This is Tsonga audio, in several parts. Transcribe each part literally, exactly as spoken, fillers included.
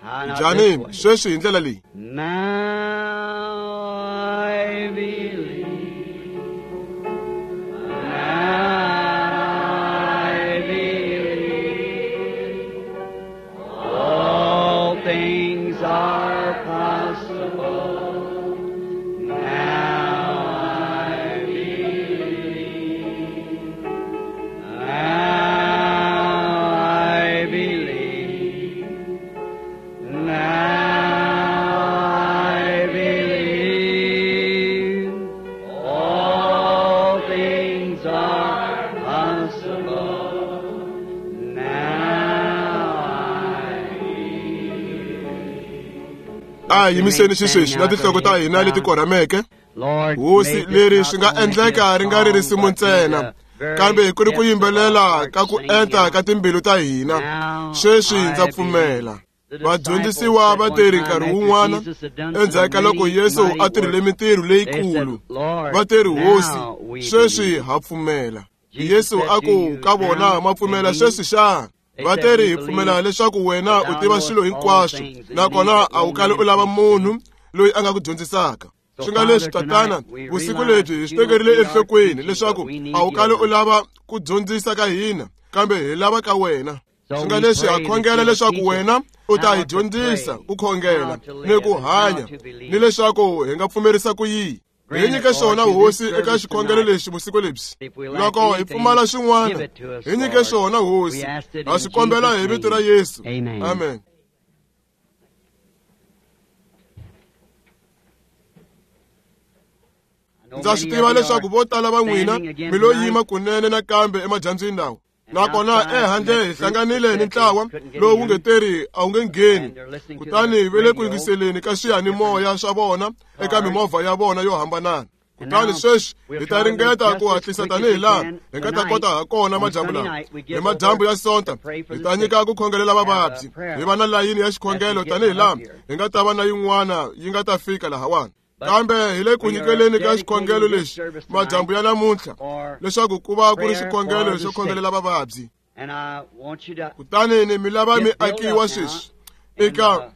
Njhani sweswi hi ndlela leyi. Now I believe. Now I believe. All things are possible. Now I believe. Now I believe. Now I believe. All things are possible. Now I believe. A hi yimiseni xisweswi na tinhloko ta hina leti korhameke. Lord, Hosi, may this leri not swi nga only be a endleka ri nga ri song, risimu but be ntsena, the very kambe ku ri ku depths of our yimbelela hearts ka ku singing enta out. ka timbilu ta hina. Now Sweswi ndza I believe. pfumela. The Vadyondzisiwa disciples va said te ri one time nkarhi after wun'wana Jesus had done endzhaku ka some loko many Yesu mighty a tirhile works, mintirho they said, leyikulu, Lord, va te ri Hosi, now we sweswi believe. ha pfumela. Jesus Yesu said a to ku you, ka vona, now ma pfumela believe. sweswi xana? They Va said, te ri we hi pfumela believe leswaku wena that u thou tiva knowest swilo all hinkwaswo, things and nakona need that a wu no kali man u lava teach thee. munhu loyi a nga ku dyondzisaka. So, Swi nga leswi, Father, Tatana, tonight we vusiku realize lebyi hi that swi you don't tekerile need our enhlokweni teaching, but leswaku we need a wu kali u yours. lava ku dyondzisa ka hina, kambe hi lava ka wena. So Swi nga we leswi ha pray that khongela you will leswaku teach us wena u ta how hi to dyondzisa pray, ku khongela how to ni ku live, and how hanya, to ni believe. leswaku hi nga pfumerisa ku yihi. Hi Grant it, nyike Lord, swona to this Hosi eka service xikhongelo tonight. lexi vusiku lebyi. If we lack Loko hi anything, pfumala give swin'wana, it to us, hi nyike Lord. swona We Hosi. ask it Ha in swi kombela Jesus' hi vito ra name. Yesu. Amen. Amen. I know Ndza swi many tiva of you leswaku are vo tala va n'wina standing again mi lo tonight yima kunene nakambe emadyambyini lawa. and Nakona outside from ehandle that hi group that hlanganile ni said they ntlawa couldn't get lowu wu in nge teri a wu nge ngheni. and they're listening to Kutani their va le ku radio yingiseleni ka with different swiyanimoya swa vona eka cars. mimovha ya vona yo hambanana. And Kutani now sweswi we'll hi ta try to make ringeta just ku as hatlisa quick as tanihi we laha can hi nga ta tonight. kota ha kona On madyambu Sunday lawa. night, we Hi give madyambu over ya to Sonta pray for hi the ta sick, nyika ku khongelela have a vavabyi, prayer hi va na layini ya as we xikhongelo get tanihi up laha here. hi nga ta va na yin'wana yi nga ta fika lahawani. But Kambe hi le ku we are nyikeleni ka dedicating xikhongelo this lexi service tonight madyambu ya namuntlha for leswaku ku va ku ri prayer xikhongelo for xo the sick. khongelela vavabyi. And I want you to Kutani ni mi lava mi get built akiwa up now sweswi in eka the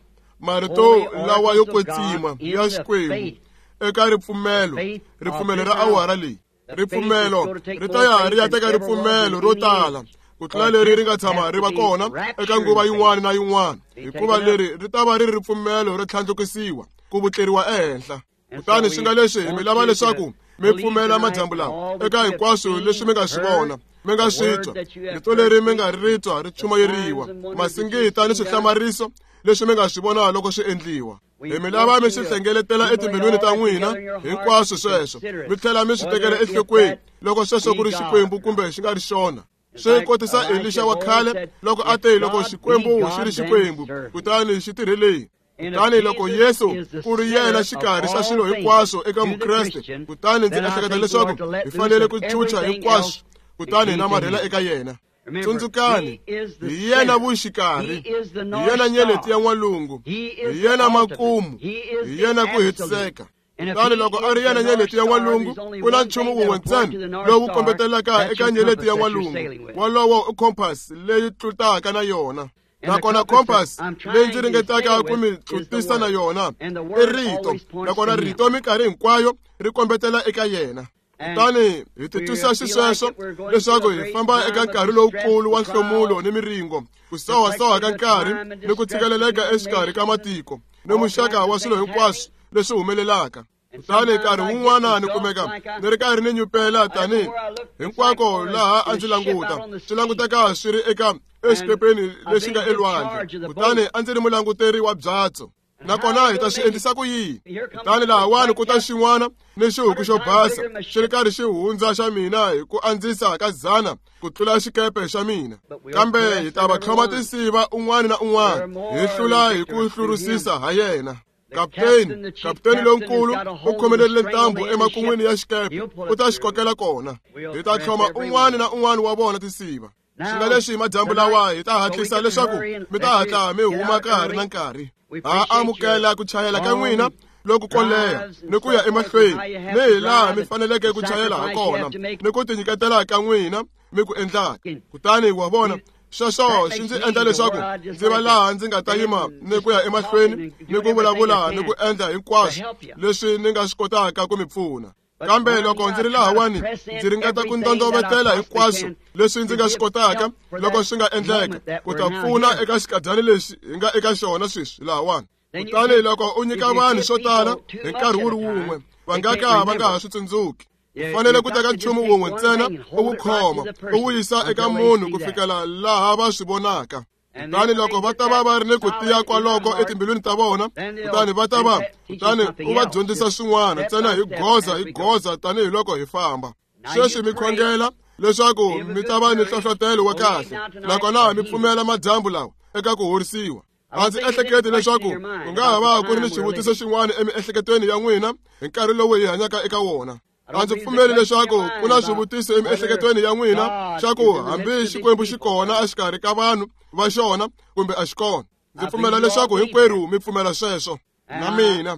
marito holy lawa yo oracles of God, kwetsima in ya the Xikwembu faith, eka the ripfumelo, faith of ripfumelo this ra hour. awara leyi. The faith is Ripfumelo going to take ri ta more ya faith ri ya than teka ever was in ripfumelo ro any tala age. ku tlula For leri ri this nga tshama has ri to va be kona eka raptured nguva faith. yin'wana na yin'wana, Be hikuva taken up. leri ri ta va ri ri ripfumelo ro tlhandlukisiwa ku vutleriwa ehenhla. And so Kutani swi we nga leswi hi mi want lava you to leswaku mi believe pfumela tonight madyambu in lawa all that eka you have hinkwaswo leswi seen, mi nga swi heard, vona, mi nga the swi word twa, that you have rito heard leri mi nga preached, ri twa ri the signs chumayeriwa, and wonders that you've masingita ni seen done. swihlamariso leswi mi nga swi vona loko swi endliwa. We Hi mi lava want mi you swi to hlengeletela accumulate etimbilwini all ta that n'wina together in your heart hinkwaswo and sweswo, consider mi it, tlhela mi swi tekela whether if enhlokweni that loko sweswo ku be ri God. Xikwembu kumbe xi nga ri xona. In Swi fact, kotisa Elisha Elisha wa of old khale said, loko a if te loko God be Xikwembu xi God, ri then Xikwembu, serve him. kutani xi tirheleni. And if Kutani loko Jesus Yesu is the ku ri yena center of xikarhi xa all swilo things hinkwaswo eka to the Mukreste, Christian, kutani ndzi then I ehleketa think we leswaku ought to let hi loose fanele of ku chucha everything hinkwaswo else and kutani hi cling to namarhela him. eka yena. Remember, Tsundzukani, he is the hi yena center. vuxikarhi, He is the hi North yena nyeleti ya Star. n'walungu, He hi is the yena ultimate. makumu, He is hi the yena ku absolute. hetiseka. And if Kutani he loko a is ri the yena North nyeleti ya Star, n'walungu, there's only ku na one nchumu thing wun'we that'll point to ntsena the North lowu Star. kombetelaka That's eka your nyeleti compass ya that you're n'walungu, sailing with. wolowo i compass leyi tlutaka na yona. And the Nakona compass compass that I'm leyi ndzi trying to ringetaka sail ku mi with is the tlutisa na Word. yona And the i Word rito, always points to nakona Him. rito minkarhi hinkwayo ri kombetela eka yena. And Kutani hi we titwisa feel like xisweswo it we're going through leswaku a hi great famba eka time of nkarhi distress lowukulu wa and nhlomulo trials, ni miringo, ku sohasoha ka perplexity of nkarhi time and ni ku distress tshikeleleka between exikarhi ka nations and matiko ni all muxaka kinds wa of swilo things hinkwaswo happening. leswi humelelaka. And Kutani sometimes nkarhi I get wun'wana ni engulfed kumeka like I, ni ri karhi ni nyupela I tanihi everywhere I look, it's like hinkwako on a, laha a in a ndzi ship out languta on the swi sea. languteka swi ri eka And exikepeni I've lexi been nga in elwandle. charge of the Kutani boat. a ndzi ri mulanguteri wa byatso. And how Nakona are hi we ta going swi to make it? endlisa ku yini? Here comes Kutani a great lahawani white ku ta cap, xin'wana ni xihuku hundred xo times basa bigger than my xi ri ship. karhi xi hundza xa mina hi ku andzisa ka dzana ku tlula xikepe xa mina. But we'll Kambe hi press ta va every tlhoma one. tinsiva un'wana na We're un'wana, hi more than hlula hi ku victors through him. hlurusisa ha yena. The Kapteni, captain, the chief kapteni captain, has lonkulu got a u hold of the khomelerile string on ntambu the end of the ship. emakun'wini ya xikepe, He'll pull u us ta xi through. kokela kona. We'll Hi ta press tlhoma every un'wana one. na un'wana wa vona tinsiva. Swi nga Now, leswi hi madyambu tonight, lawa hi ta so we hatlisa can leswaku hurry and mi ta let you hatla mi get huma out ka ha ri na early. nkarhi. We Ha appreciate your amukela ku chayela ka n'wina long loko ko leha drives and ni ku ya so forth, and emahlweni how you have ni to hi laha drive mi and faneleke the ku chayela ha sacrifice you kona have to make. ni ku tinyiketela ka n'wina mi ku endlaka. And Kutani wa vona we Sweswo swi ndzi endla leswaku ndzi va laha ndzi nga ta yima ni ku ya emahlweni ni ku vulavula ni ku endla hinkwaswo leswi ni nga swi kotaka ku mi pfuna. Kambe loko ndzi ri lahawani ndzi ringeta ku ndondovetela hinkwaswo leswi ndzi nga swi kotaka loko swi nga endleka ku ta pfuna eka xikadyana lexi hi nga eka xona sweswi lahawani. Kutani loko u nyika vanhu swo tala hi nkarhi wu ri wun'we va nga ka va nga ha swi tsundzuki. U fanele ku teka nchumu wun'we ntsena u wu khoma u wu yisa eka munhu ku fikela laha va swi vonaka. Kutani loko va ta va va ri ni ku tiya kwaloko etimbilwini ta vona, kutani va ta va kutani u va dyondzisa swin'wana ntsena hi goza hi goza tanihiloko hi famba. Sweswi mi khongela leswaku mi ta va ni nhlohlotelo wa kahle nakona mi pfumela madyambu lawa eka ku horisiwa. A ndzi ehleketi leswaku ku nga ha va ku ri ni xivutiso xin'wana emiehleketweni ya n'wina hi nkarhi lowu hi hanyaka eka wona. A ndzi pfumeli leswaku ku na swivutiso emiehleketweni ya n'wina xa ku hambi Xikwembu xi kona exikarhi ka vanhu va xona kumbe a xi kona. Ndzi pfumela leswaku hinkwerhu mi pfumela sweswo. Na mina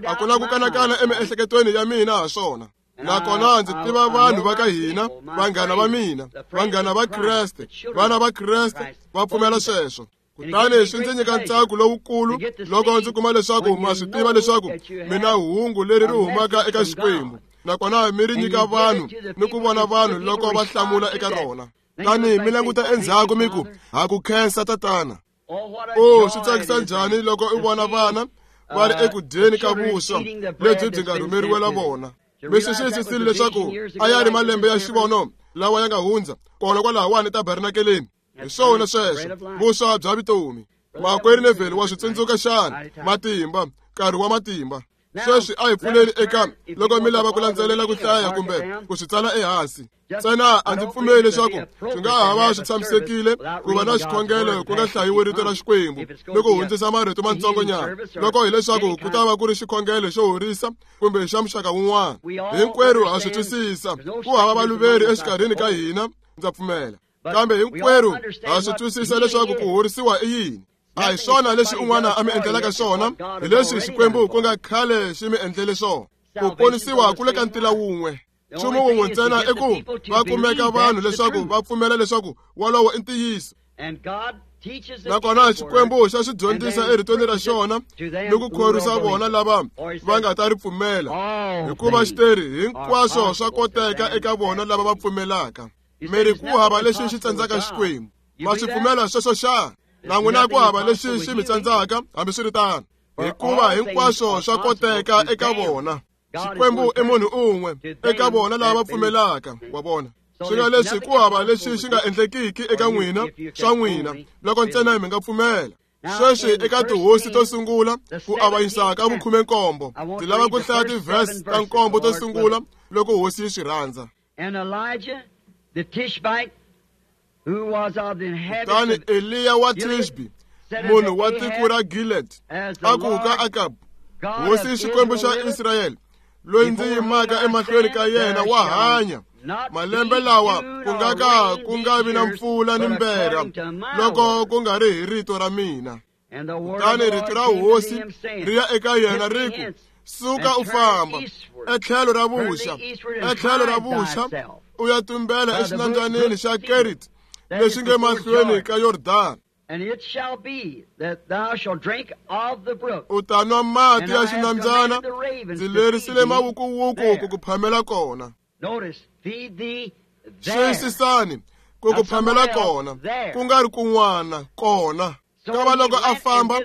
a ku na ku kanakana emiehleketweni ya mina ha swona. Nakona ndzi tiva vanhu va ka hina, vanghana va mina, vanghana va Kreste, vana va Kreste va pfumela sweswo. Kutani swi ndzi nyika ntsako lowukulu loko ndzi kuma leswaku ma swi tiva leswaku mina hungu leri ri humaka eka Xikwembu, nakona mi ri nyika vanhu ni ku vona vanhu loko va hlamula eka rona. Tani mi languta endzhaku mi ku, ha ku khensa tatana. O swi tsakisa njhani loko u vona vana va ri eku dyeni ka vuswa lebyi byi nga rhumeriwela vona. Mi swi xiyisisile leswaku a ya ri malembe ya xivono lawa ya nga hundza kona kwalahawani tabernakeleni. Hi swona sweswo, vuswa bya vutomi. Makwerhu Neville wa swi tsundzuka xana? Matimba, nkarhi wa matimba. Sweswi a hi pfuleli eka loko mi lava ku landzelela ku hlaya kumbe ku swi tsala ehansi. Ntsena a ndzi pfumeli leswaku swi nga ha va swi tshamisekile ku va na xikhongelo ku nga hlayiwi rito ra Xikwembu ni ku hundzisa marito matsongonyana loko hileswaku ku ta va ku ri xikhongelo xo horisa kumbe xa muxaka wun'wana. Hinkwerhu ha swi twisisa ku hava valuveri exikarhini ka hina, ndza pfumela. Kambe hinkwerhu ha swi twisisa leswaku ku horisiwa i yini. A hi swona leswi un'wana a mi endlelaka swona, hi leswi Xikwembu ku nga khale xi mi endlele swona. Ku ponisiwa ku le ka ntila wun'we. Nchumu wun'we ntsena i ku va kumeka vanhu leswaku va pfumela leswaku wolowo i ntiyiso. Nakona Xikwembu xa swi dyondzisa eritweni ra xona ni ku khorwisa vona lava va nga ta ri pfumela, hikuva xi teri hinkwaswo swa koteka eka vona lava va pfumelaka. Mi ri ku hava lexi xi tsandzaka Xikwembu. Ma swi pfumela sweswo xana? Na n'wina ku hava lexi xi mi tsandzaka hambiswiritano, hikuva hinkwaswo swa koteka eka vona. Xikwembu i munhu un'we eka vona lava va pfumelaka, wa vona. Swi nga leswi ku hava lexi xi nga endlekiki eka n'wina swa n'wina loko ntsena mi nga pfumela. Sweswi eka tihosi to sungula ku avanyisa ka vukhume-nkombo, ndzi lava ku hlaya tivhesi ta nkombo to sungula loko hosi yi swi rhandza. Kutani Eliya wa Tishbi, munhu wa tiko ra Gilead, a ku ka Akabu, hosi Xikwembu xa Israyele, loyi ndzi yimaka emahlweni ka yena wa hanya, malembe lawa ku nga ka ku nga vi na mpfula ni mberha loko ku nga ri hi rito ra mina. Kutani rito ra hosi ri ya eka yena ri ku, suka u famba etlhelo ra vuxa, etlhelo ra vuxa u ya tumbela exinambyanini xa Kerit lexi nge mahlweni ka Yordani. U ta nwa mati ya xinambyana, ndzi lerisile mawukuwuku ku ku phamela kona. Xiyisisani, ku ku phamela kona, ku nga ri kun'wana, kona. Kava loko a famba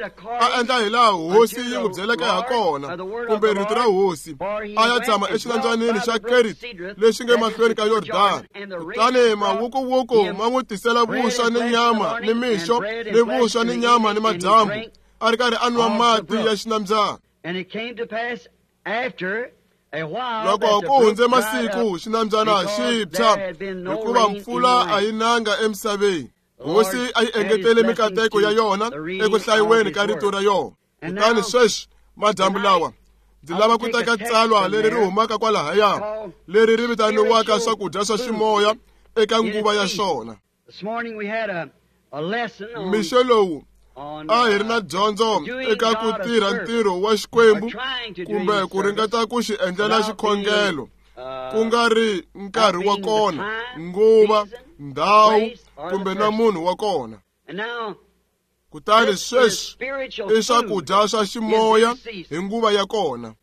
a endla hi laha hosi yi n'wi byeleke ha kona, kumbe rito ra hosi, a ya tshama exinambyanini xa Kerit lexi nge mahlweni ka Yordani. Kutani mawukuwuku ma n'wi tisela vuswa ni nyama ni mixo, ni vuswa ni nyama ni madyambu, a ri karhi a nwa mati ya xinambyana. Loko ku hundze masiku xinambyana xi tshwa, hikuva mpfula a yi nanga emisaveni. Hosi a yi engetele mikateko ya yona eku hlayiweni ka rito ra yona. Kutani sweswi madyambu lawa ndzi lava ku teka tsalwa leri ri humaka kwalahaya, leri ri vitaniwaka swakudya swa ximoya eka nguva ya xona. Mixo lowu a hi ri na dyondzo eka ku tirha ntirho wa Xikwembu kumbe ku ringeta ku xi endlela xikhongelo, ku nga ri nkarhi wa kona, nguva, ndhawu, kumbe na munhu wa kona. Kutani sweswi i swakudya swa ximoya hi nguva ya kona.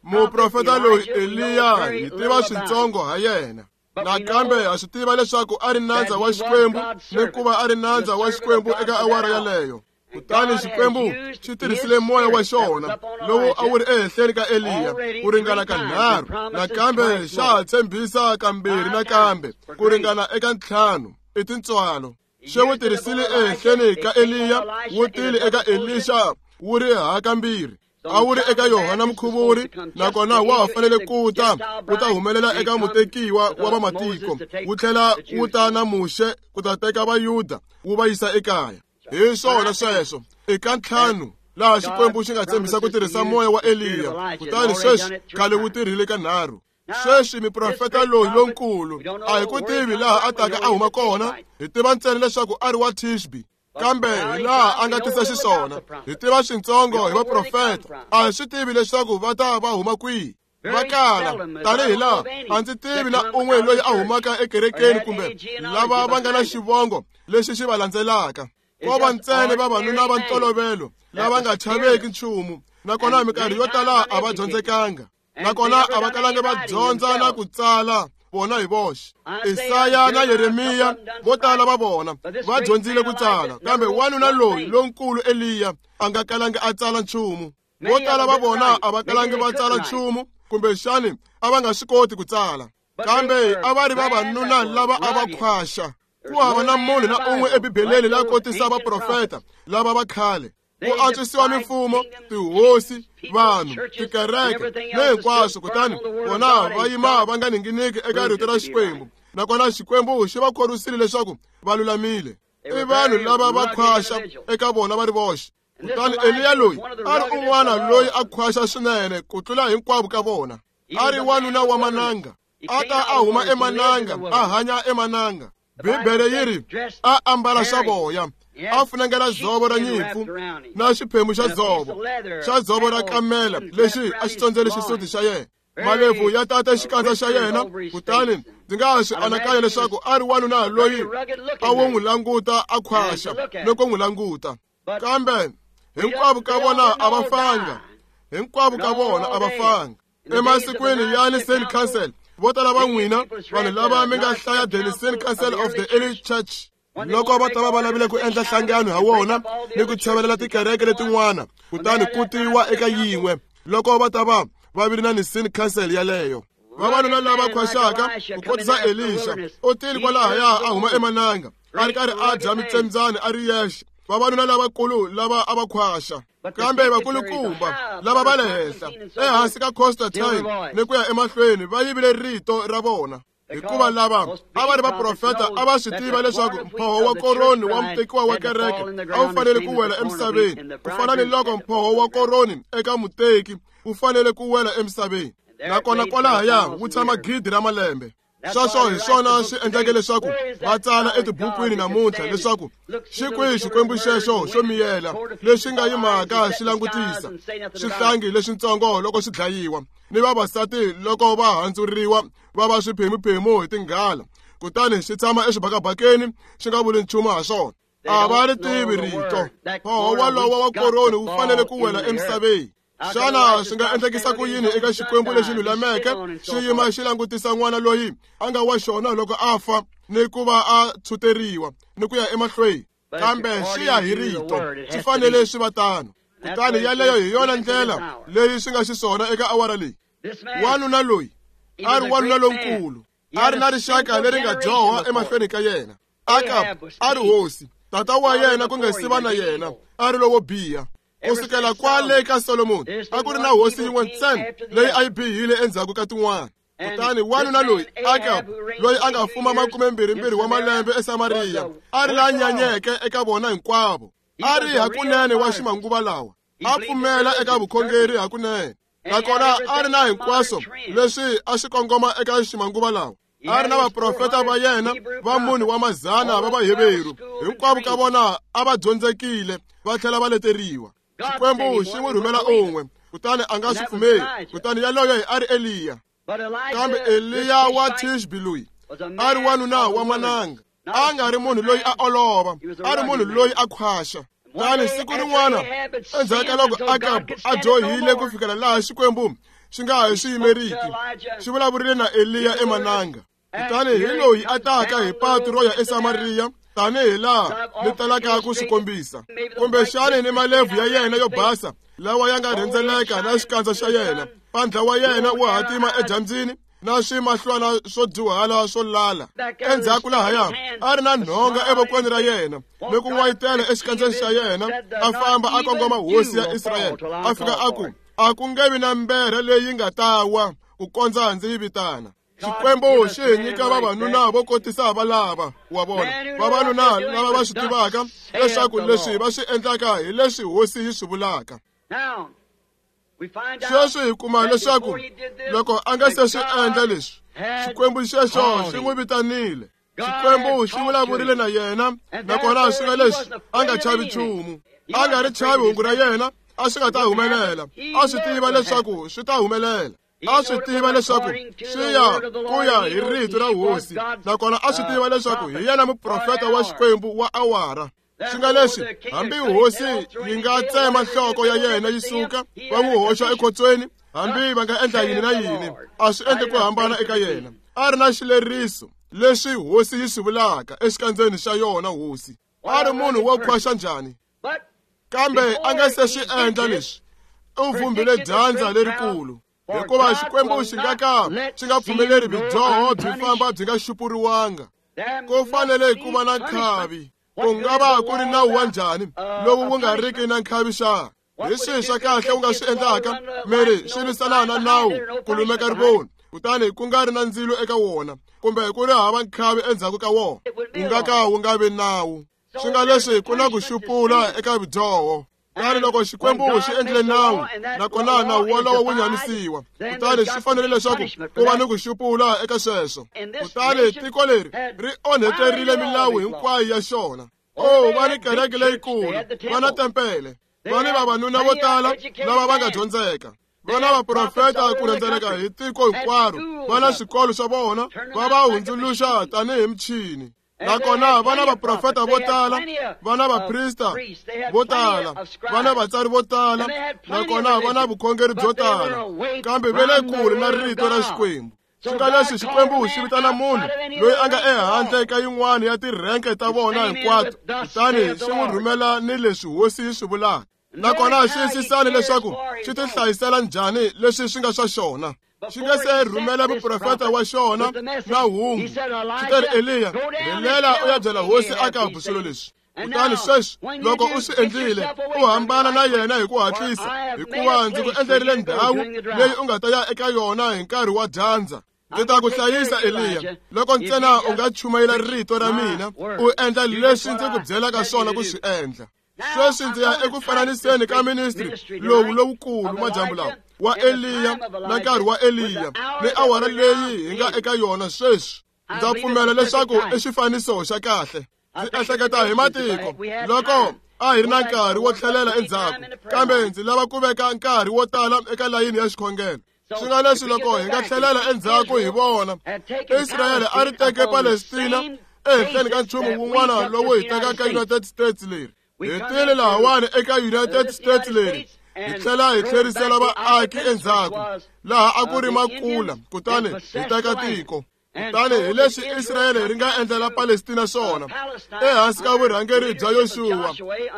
Muprofeta loyi Eliya hi tiva switsongo ha yena. Nakambe ha swi tiva leswaku a ri nandza wa Xikwembu ni ku va a ri nandza wa Xikwembu eka awara yaleyo. Kutani Xikwembu xi tirhisile moya wa xona lowu a wu ri ehenhleni ka Eliya ku ringana kanharhu, nakambe xa ha tshembisa kambirhi nakambe ku ringana eka ntlhanu i tintswalo. Xi wu tirhisile ehenhleni ka Eliya, wu tile eka Elisha wu ri hakambirhi. A wu ri eka Yohana Mukhuvuri, nakona wa ha fanele ku ta ku ta humelela eka mutekiwa wa vamatiko, wu tlhela wu ta na Muxe ku ta teka Vayuda wu va yisa ekaya. Hi swona sweswo eka ntlhanu laha Xikwembu xi nga tshembisa ku tirhisa moya wa Eliya, kutani sweswi khale wu tirhile kanharhu. Sweswi muprofeta loyi lonkulu a hi ku tivi laha a taka a huma kona, hi tiva ntsena leswaku a ri wa Tishbi. Kambe hi laha a nga tisa xiswona, hi tiva switsongo hi vaprofeta, a hi swi tivi leswaku va ta va huma kwihi. Va kala tanihi laha a ndzi tivi na un'we loyi a humaka ekerekeni kumbe lava va nga na xivongo lexi xi va landzelaka. Ko va ntsena vavanuna va ntolovelo lava nga chaveki nchumu, nakona minkarhi yo tala a va dyondzekanga, nakona a va kalanga va dyondza na ku tsala vona hi voxe. Isaya na Yeremiya vo tala va vona va dyondzile ku tsala, kambe wanuna loyi lonkulu Eliya a nga kalangi a tsala nchumu. Vo tala va vona a va kalangi va tsala nchumu, kumbexani a va nga swi koti ku tsala, kambe a va ri vavanuna lava a va khwaxa. Ku hava na munhu na un'we eBibeleni la kotisa vaprofeta lava va khale. Ku antswisiwa mimfumo, tihosi, vanhu, tikereke ni hinkwaswo, kutani vona va yima va nga ninginiki eka rito ra Xikwembu, nakona Xikwembu xi va khorwisile leswaku va lulamile. I vanhu lava va khwaxa eka vona va ri voxe. Kutani Eliya loyi a ri un'wana loyi a khwaxa swinene ku tlula hinkwavo ka vona. A ri wanuna wa mananga, a ta a huma emananga, a hanya emananga. Bibele yi ri a ambala swa voya, a funengela dzovo ra nyimpfu na xiphemu xa dzovo xa dzovo ra kamela lexi a xi tsondzele xisuti xa yena. Malebvu ya tata xikandza xa yena, kutani ndzi nga swi anakanya leswaku a ri wanuna loyi a wo n'wi languta a khwaxa loko n'wi languta. Kambe hinkwavo ka vona a va fanga, hinkwavo ka vona a va fanga. Emasikwini ya Nicene Council, vo tala va n'wina vanhu lava mi nga hlaya the Nicene Council of the Early Church, loko va ta va va lavile ku endla nhlangano ha wona ni ku tshevelela tikereke letin'wana, kutani ku tiwa eka yin'we loko va ta va va vile na Nicene Council yaleyo. Vavanuna lava khwaxaka ku kotisa Elisha u tile kwalahaya a huma emananga a ri karhi a dya mitsembyani a ri yexe. Vavanuna lavakulu lava a va khwaxa, kambe vakulukumba lava va le henhla ehansi ka Constantine ni ku ya emahlweni va yivile rito ra vona, hikuva lava a va ri vaprofeta a va swi tiva leswaku mphoho wa koroni wa mutekiwa wa kereke a wu fanele ku wela emisaveni, ku fana ni loko mphoho wa koroni eka muteki wu fanele ku wela emisaveni, nakona kwalahaya wu tshama gidi ra malembe. Sweswo hi swona swi endleke leswaku va tsala etibukwini namuntlha leswaku xi kwihi Xikwembu xexo xo miyela lexi nga yimaka xi langutisa swihlangi leswitsongo loko swi dlayiwa, ni vavasati loko va handzuriwa va va swiphemuphemu hi tinghala, kutani xi tshama exibakabakeni xi nga vuli nchumu ha swona. A va ri tivi rito. Mphoho walowo wa koroni wu fanele ku wela emisaveni. Xana swi nga endlekisa ku yini eka Xikwembu lexi lulameke xi yima xi langutisa n'wana loyi a nga wa xona loko a fa ni ku va a tshuteriwa ni ku ya emahlweni? Kambe xi ya hi rito, swi fanele swi va tano. Kutani yaleyo hi yona ndlela leyi swi nga xiswona eka awara leyi. Wanuna loyi a ri wanuna lonkulu, a ri na rixaka leri nga dyoha emahlweni ka yena. Akab a ri hosi, tata wa yena ku nga si va na yena a ri lowo biha. Ku sukela kwale ka Solomoni a ku ri na hosi yin'we ntsena leyi a yi bihile endzhaku ka tin'wana. Kutani wanuna loyi Akab loyi a nga fuma makumembirhimbirhi wa malembe eSamariya a ri la nyanyeke eka vona hinkwavo. A ri hakunene wa ximanguva lawa, a pfumela eka vukhongeri hakunene, nakona a ri na hinkwaswo leswi a swi kongoma eka ximanguva lawa. A ri na vaprofeta va yena va munhu wa mazana va Vaheveru, hinkwavo ka vona a va dyondzekile va tlhela va leteriwa. Xikwembu xi n'wi rhumela un'we, kutani a nga swi pfumeli, kutani yaloye a ri Eliya. Kambe Eliya wa Tishbi loyi a ri wanuna wa mananga. A nga ri munhu loyi a olova, a ri munhu loyi a khwaxa. Kutani siku rin'wana endzhaku ka loko Akabu a dyohile ku fikela laha Xikwembu xi nga ha xi yimeriki, xi vulavurile na Eliya emananga. Kutani hi loyi a taka hi patu ro ya eSamariya, tanihi laha ni talaka ku swi kombisa, kumbexani ni malebvu ya yena yo basa lawa ya nga rhendzeleka na xikandza xa yena, mpandla wa yena wu hatima edyambyini na swimahlwana swo dyuhala swo lala. Endzhaku lahaya a ri na nhonga evokweni ra yena ni ku n'wayitela exikandzeni xa yena, a famba a kongoma hosi ya Israyele. A fika a ku, a ku nge vi na mberha leyi nga ta wa ku kondza ndzi yi vitana. Xikwembu xi hi nyika vavanuna vo kotisa valava wa vona, vavanuna lava va swi tivaka leswaku leswi va swi endlaka hi leswi hosi yi swi vulaka. Sweswi hi kuma leswaku loko a nga se swi endla leswi, Xikwembu xexo xi n'wi vitanile. Xikwembu xi vulavurile na yena, nakona swi nga leswi a nga chavi nchumu, a nga ri chavi hungu ra yena, a swi nga ta humelela. A swi tiva leswaku swi ta humelela. A swi tiva leswaku swi ya ku ya hi rito ra hosi, nakona a swi tiva leswaku hi yena muprofeta wa Xikwembu wa awara. Swi nga leswi hambi hosi yi nga tsema nhloko ya yena yi suka va n'wi hoxa ekhotsweni, hambi va nga endla yini na yini, a swi endli ku hambana eka yena. A ri na xileriso leswi hosi yi swi vulaka exikandzeni xa yona hosi. A ri munhu wo khwaxa njhani, kambe a nga se swi endla leswi, u vumbile dyandza lerikulu. Hikuva Xikwembu xi nga ka xi nga pfumeleri bidyoho byi famba byi nga xupuriwanga. Ku fanele ku va na nkhavi. Ku nga va ku ri nawu wa njhani lowu wu nga riki na nkhavi xa? Hi swihi swa kahle u nga swi endlaka miri swi lwisana na nawu ku lumeka rivoni, kutani ku nga ri na ndzilo eka wona, kumbe ku ri hava nkhavi endzhaku ka wona, wu nga ka wu nga vi nawu. Swi nga leswi ku na ku xupula eka vudyoho. Kutani loko Xikwembu xi endlile nawu, nakona nawu wolowo wu nyamisiwa, kutani swi fanele leswaku ku va ni ku xupula eka sweswo. Kutani tiko leri ri onheterile milawu hinkwayo ya xona. Oh, va ni kereke leyikulu, va na tempele, va ni vavanuna vo tala lava va nga dyondzeka, va na vaprofeta ku rhendzeleka hi tiko hinkwaro, va na swikolo swa vona, va va hundzuluxa tanihi michini. Nakona va na vaprofeta vo tala, va na vaprista vo tala, va na vatsari vo tala, nakona va na vukhongeri byo tala, kambe va le kule na rito ra Xikwembu. Swi nga leswi Xikwembu xi vitana munhu loyi a nga ehandle ka yin'wana ya tirhenke ta vona hinkwato, kutani xi n'wi rhumela ni leswi hosi yi swi vulaka. Nakona xiyisisani leswaku xi ti hlayisela njhani leswi swi nga swa xona. Xi nga se rhumela muprofeta wa xona na hungu, xi te ri, Eliya, rhelela u ya byela hosi Akabu swilo leswi. Kutani sweswi loko u swi endlile, u hambana na yena hi ku hatlisa, hikuva ndzi ku endlerile ndhawu leyi u nga ta ya eka yona hi nkarhi wa dyandza. Ndzi ta ku hlayisa, Eliya, loko ntsena u nga chumayela rito ra mina, u endla leswi ndzi ku byelaka swona ku swi endla. Sweswi ndzi ya eku fananiseni ka ministry lowu lowukulu madyambu lawa wa Eliya na nkarhi wa Eliya ni awara leyi hi nga eka yona sweswi. Ndza pfumela leswaku i xifaniso xa kahle. Ndzi ehleketa hi matiko loko a hi ri na nkarhi wo tlhelela endzhaku, kambe ndzi lava ku veka nkarhi wo tala eka layini ya xikhongelo. Swi nga leswi loko hi nga tlhelela endzhaku hi vona Israyele a ri teke Palestina ehenhleni ka nchumu wun'wana lowu hi tekaka United States leri. Hi tile lahawani eka United States leri, hi tlhela hi tlherisela vaaki endzhaku laha a ku ri makula, kutani hi teka tiko. Kutani hi leswi Israyele ri nga endlela Palestina swona, ehansi ka vurhangeri bya Yoxuwa,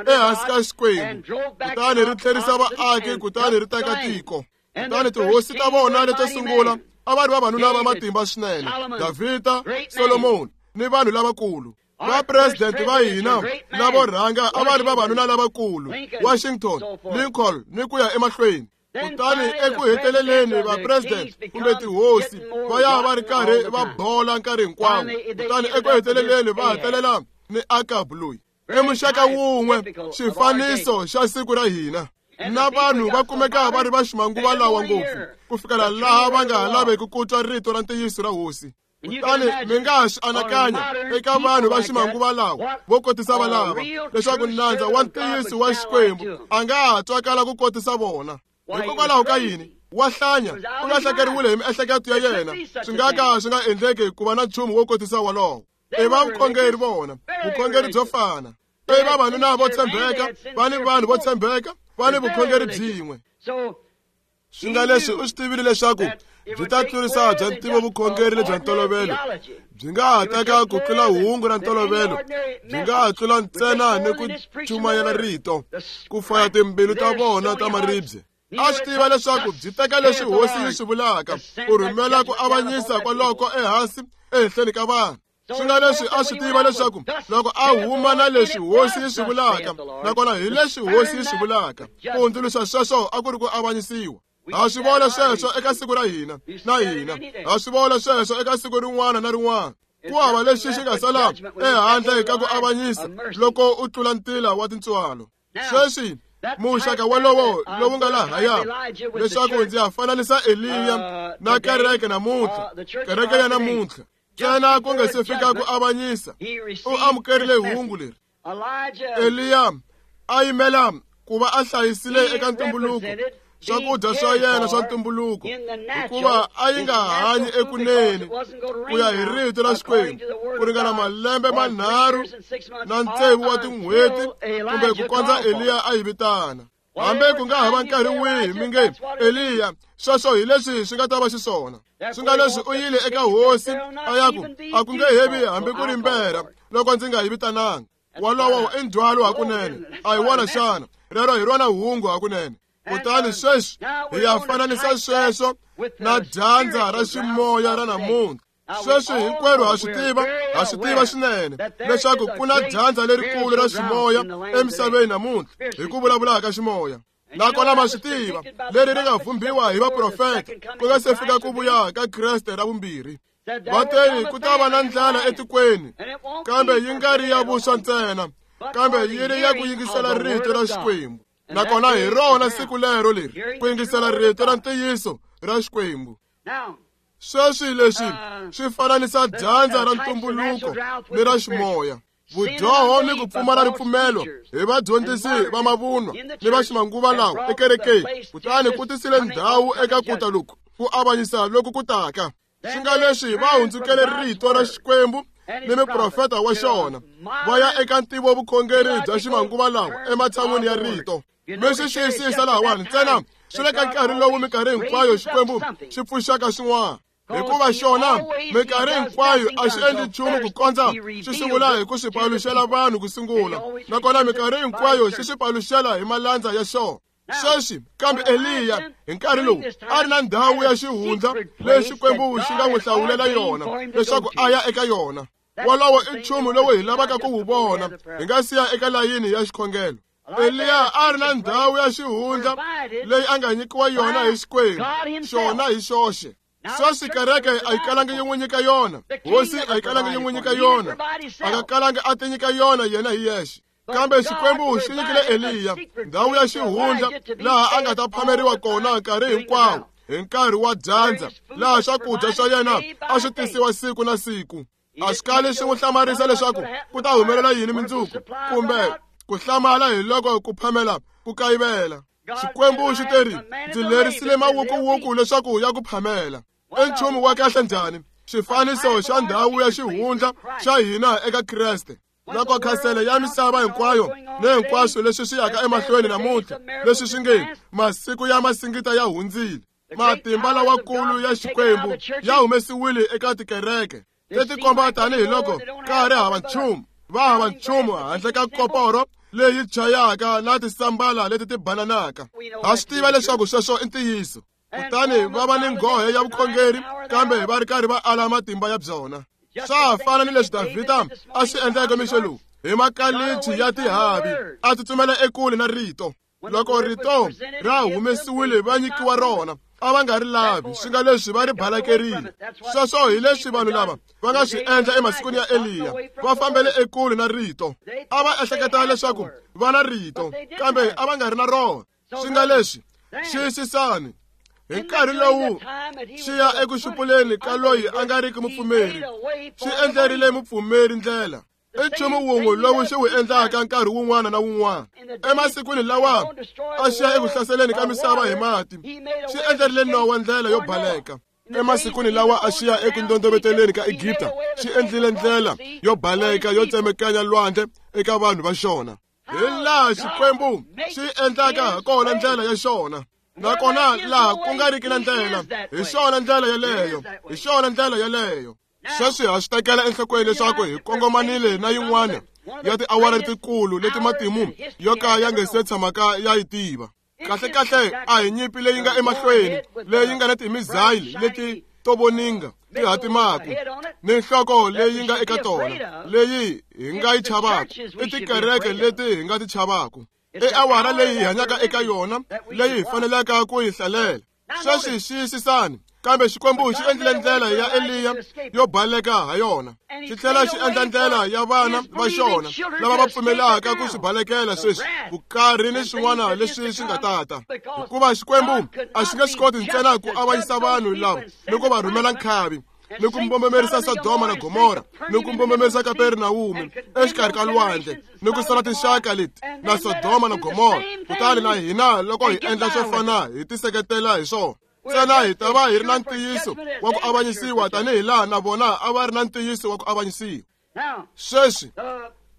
ehansi ka Xikwembu, kutani ri tlherisa vaaki, kutani ri teka tiko. Kutani tihosi ta vona leto sungula a va ri vavanuna va matimba swinene, Davhida, Solomoni ni vanhu lavakulu. Vapresidente va hina lavo rhanga a va ri vavanuna lavakulu, Washington, Lincoln ni ku ya emahlweni. Kutani eku heteleleni vapresidente kumbe tihosi va ya va ri karhi va bola nkarhi hinkwawo, kutani eku heteleleni va hetelela ni Akabu loyi. I muxaka wun'we xifaniso xa siku ra hina. Na vanhu va kumeka va ri va ximanguva lawa ngopfu ku fikela laha va nga ha laveki ku twa rito ra ntiyiso ra hosi. Kutani mi nga swi anakanya eka vanhu va ximanguva lawa vo kotisa valava leswaku nandza wa ntiyiso wa Xikwembu a nga ha twakala ku kotisa vona. Hikokwalaho ka yini? Wa hlanya, u lahlekeriwile hi miehleketo ya yena. Swi nga ka swi nga endleki ku va na nchumu wo kotisa wolowo. I va vukhongeri vona, vukhongeri byo fana. I vavanuna vo tshembeka, va ni vanhu vo tshembeka, va ni vukhongeri byin'we. Swi nga leswi u swi tivile leswaku byi ta tlurisa bya ntivo vukhongeri lebya ntolovelo, byi nga ha teka ku tlula hungu ra ntolovelo, byi nga ha tlula ntsena ni ku chumayela rito, ku faya timbilu ta vona ta maribye. A swi tiva leswaku byi teka leswi hosi yi swi vulaka, ku rhumela ku avanyisa kwaloko ehansi ehenhleni ka vanhu. Swi nga leswi a swi tiva leswaku loko a huma na leswi hosi yi swi vulaka, nakona hi leswi hosi yi swi vulaka, ku hundzuluxa sweswo a ku ri ku avanyisiwa. Ha swi vona sweswo eka siku ra hina na hina, ha swi vona sweswo eka siku rin'wana na rin'wana. Ku hava lexi xi nga sala ehandle ka ku avanyisa loko u tlula ntila wa tintswalo. Sweswi muxaka wolowo lowu nga lahaya, leswaku ndzi ya fananisa Eliya na kereke namuntlha, kereke ya namuntlha. Ntsena ku nga se fika ku avanyisa, u amukerile hungu leri. Eliya a yimela ku va a hlayisile eka ntumbuluko swakudya swa yena swa ntumbuluko, hikuva a yi nga hanyi ekunene ku ya hi rito ra Xikwembu ku ringana malembe manharhu na tsevu wa tin'hweti kumbe ku kondza Eliya a yi vitana. Hambi ku nga hava nkarhi wihi mi nge Eliya, sweswo hi leswi swi nga ta va xiswona. Swi nga leswi u yile eka hosi a ya ku a ku nge hevi hambi ku ri mbera loko ndzi nga yi vitananga. Wolowo i ndzhwalo hakunene, a hi wona xana? Rero hi rona hungu hakunene. Kutani sweswi hi ya fananisa sweswo na dyandza ra ximoya ra namuntlha. Sweswi hinkwerhu ha swi tiva, ha swi tiva swinene leswaku ku na dyandza lerikulu ra ximoya emisaveni namuntlha hi ku vulavula ka ximoya. Nakona ma swi tiva leri ri nga vhumbiwa hi vaprofeta ku nga se fika ku vuya ka Kreste ra vumbirhi. Va teni ku ta va na ndlala etikweni, kambe yi nga ri ya vuswa ntsena, kambe yi ri ya ku yingisela rito ra Xikwembu. Nakona hi rona siku lero leri ku yingisela rito ra ntiyiso ra Xikwembu. Sweswi leswi swi fananisa dyandza ra ntumbuluko ni ra ximoya, vudyoho ni ku pfumala ripfumelo hi vadyondzisi va mavunwa ni va ximanguva lawa ekerekeni, kutani ku tisile ndhawu eka kuta loku ku avanyisa loku ku taka. Swi nga leswi va hundzukele rito ra Xikwembu ni muprofeta wa xona, va ya eka ntivo vukhongeri bya ximanguva lawa ematshan'wini ya rito. Mi swi xiyisisa lahawani ntsena swi le ka nkarhi lowu minkarhi hinkwayo Xikwembu xi pfuxaka swin'wana, hikuva xona minkarhi hinkwayo a xi endli nchumu ku kondza xi sungula hi ku swi paluxela vanhu ku sungula, nakona minkarhi hinkwayo xi swi paluxela hi malandza ya xona. Sweswi kambe Eliya hi nkarhi lowu a ri na ndhawu ya xihundla leyi Xikwembu xi nga n'wi hlawulela yona leswaku a ya eka yona. Wolowo i nchumu lowu hi lavaka ku wu vona hi nga siya eka layini ya xikhongelo. Eliya a ri na ndhawu ya xihundla leyi a nga nyikiwa yona hi Xikwembu xona hi xoxe. Sweswi kereke a yi kalangi yi n'wi nyika yona, hosi a yi kalangi yi n'wi nyika yona, a nga kalangi a ti nyika yona yena hi yexe. Kambe Xikwembu xi nyikile Eliya ndhawu ya xihundla laha a nga ta phameriwa kona nkarhi hinkwawo hi nkarhi wa dyandza, laha swakudya swa yena a swi tisiwa siku na siku. A swi kali swi n'wi hlamarisa leswaku ku ta humelela yini mundzuku, kumbe ku hlamala hi loko ku phamela ku kayivela. Xikwembu xi teri, ndzi lerisile mawukuwuku leswaku ya ku phamela. I nchumu wa kahle njhani xifaniso xa ndhawu ya xihundla xa hina eka Kreste. Loko khasele ya misava hinkwayo ni hinkwaswo leswi swi yaka emahlweni namuntlha, leswi swi nge masiku ya masingita ya hundzile, matimba lawakulu ya Xikwembu ya humesiwile eka tikereke leti komba tanihiloko ka ha ri hava nchumu, va hava nchumu handle ka koporo leyi chayaka na tisambala leti ti bananaka. Ha swi tiva leswaku sweswo i ntiyiso. Kutani va va ni nghohe ya vukhongeri, kambe va ri karhi va ala matimba ya byona. Swa ha fana ni leswi Davhida a swi endleke mixo lowu hi makalichi ya tihavi, a tsutsumela ekule na rito. Loko rito ra humesiwile va nyikiwa rona, a va nga ri lavi, swi nga leswi va ri balakerile. Sweswo hi leswi vanhu lava va nga swi endla emasikwini ya Eliya, va fambele ekule na rito. A va ehleketa leswaku va na rito, kambe a va nga ri na rona. Swi nga leswi xiyisisani hi nkarhi lowu xi ya eku xupuleni ka loyi a nga riki mupfumeri, xi endlerile mupfumeri ndlela. I nchumu wun'we lowu xi wu endlaka nkarhi wun'wana na wun'wana. Emasikwini lawa a xi ya eku hlaseleni ka misava hi mati, xi endlerile Nowa ndlela yo baleka. Emasikwini lawa a xi ya eku ndondoveteleni ka Egipta, xi endlile ndlela yo baleka yo tsemekanya lwandle eka vanhu va xona. Hi laha Xikwembu xi endlaka ha kona ndlela ya xona. Nakona laha ku nga riki na ndlela, hi xona ndlela yeleyo, hi xona ndlela yeleyo. Sweswi ha swi tekela enhlokweni leswaku hi kongomanile na yin'wana ya tiawara letikulu leti matimu yo ka ya nga se tshamaka ya yi tiva. Kahlekahle a hi nyimpi leyi nga emahlweni, leyi nga na timizayili leti to voninga ti hatimaka ni nhloko leyi nga eka tona leyi hi nga yi chavaka, i tikereke leti hi nga ti chavaka. I awara leyi hi hanyaka eka yona leyi hi fanelaka ku yi hlalela. Sweswi xiyisisani, kambe Xikwembu xi endlile ndlela ya Eliya yo baleka ha yona, xi tlhela xi endla ndlela ya vana va xona lava va pfumelaka ku swi balekela sweswi vukarhi ni swin'wana leswi swi nga tata. Hikuva Xikwembu a xi nge swi koti ntsena ku avanyisa vanhu lava ni ku va rhumela nkhavi, ni ku mbombomerisa Sodoma na Gomora, ni ku mbombomerisa Kapernawume exikarhi ka lwandle, ni ku sala tinxaka leti na Sodoma na Gomora. Kutani na hina loko hi endla swo fana hi tiseketela hi swona. Ntsena hi ta va hi ri na ntiyiso wa ku avanyisiwa tanihi laha na vona a va ri na ntiyiso wa ku avanyisiwa. Sweswi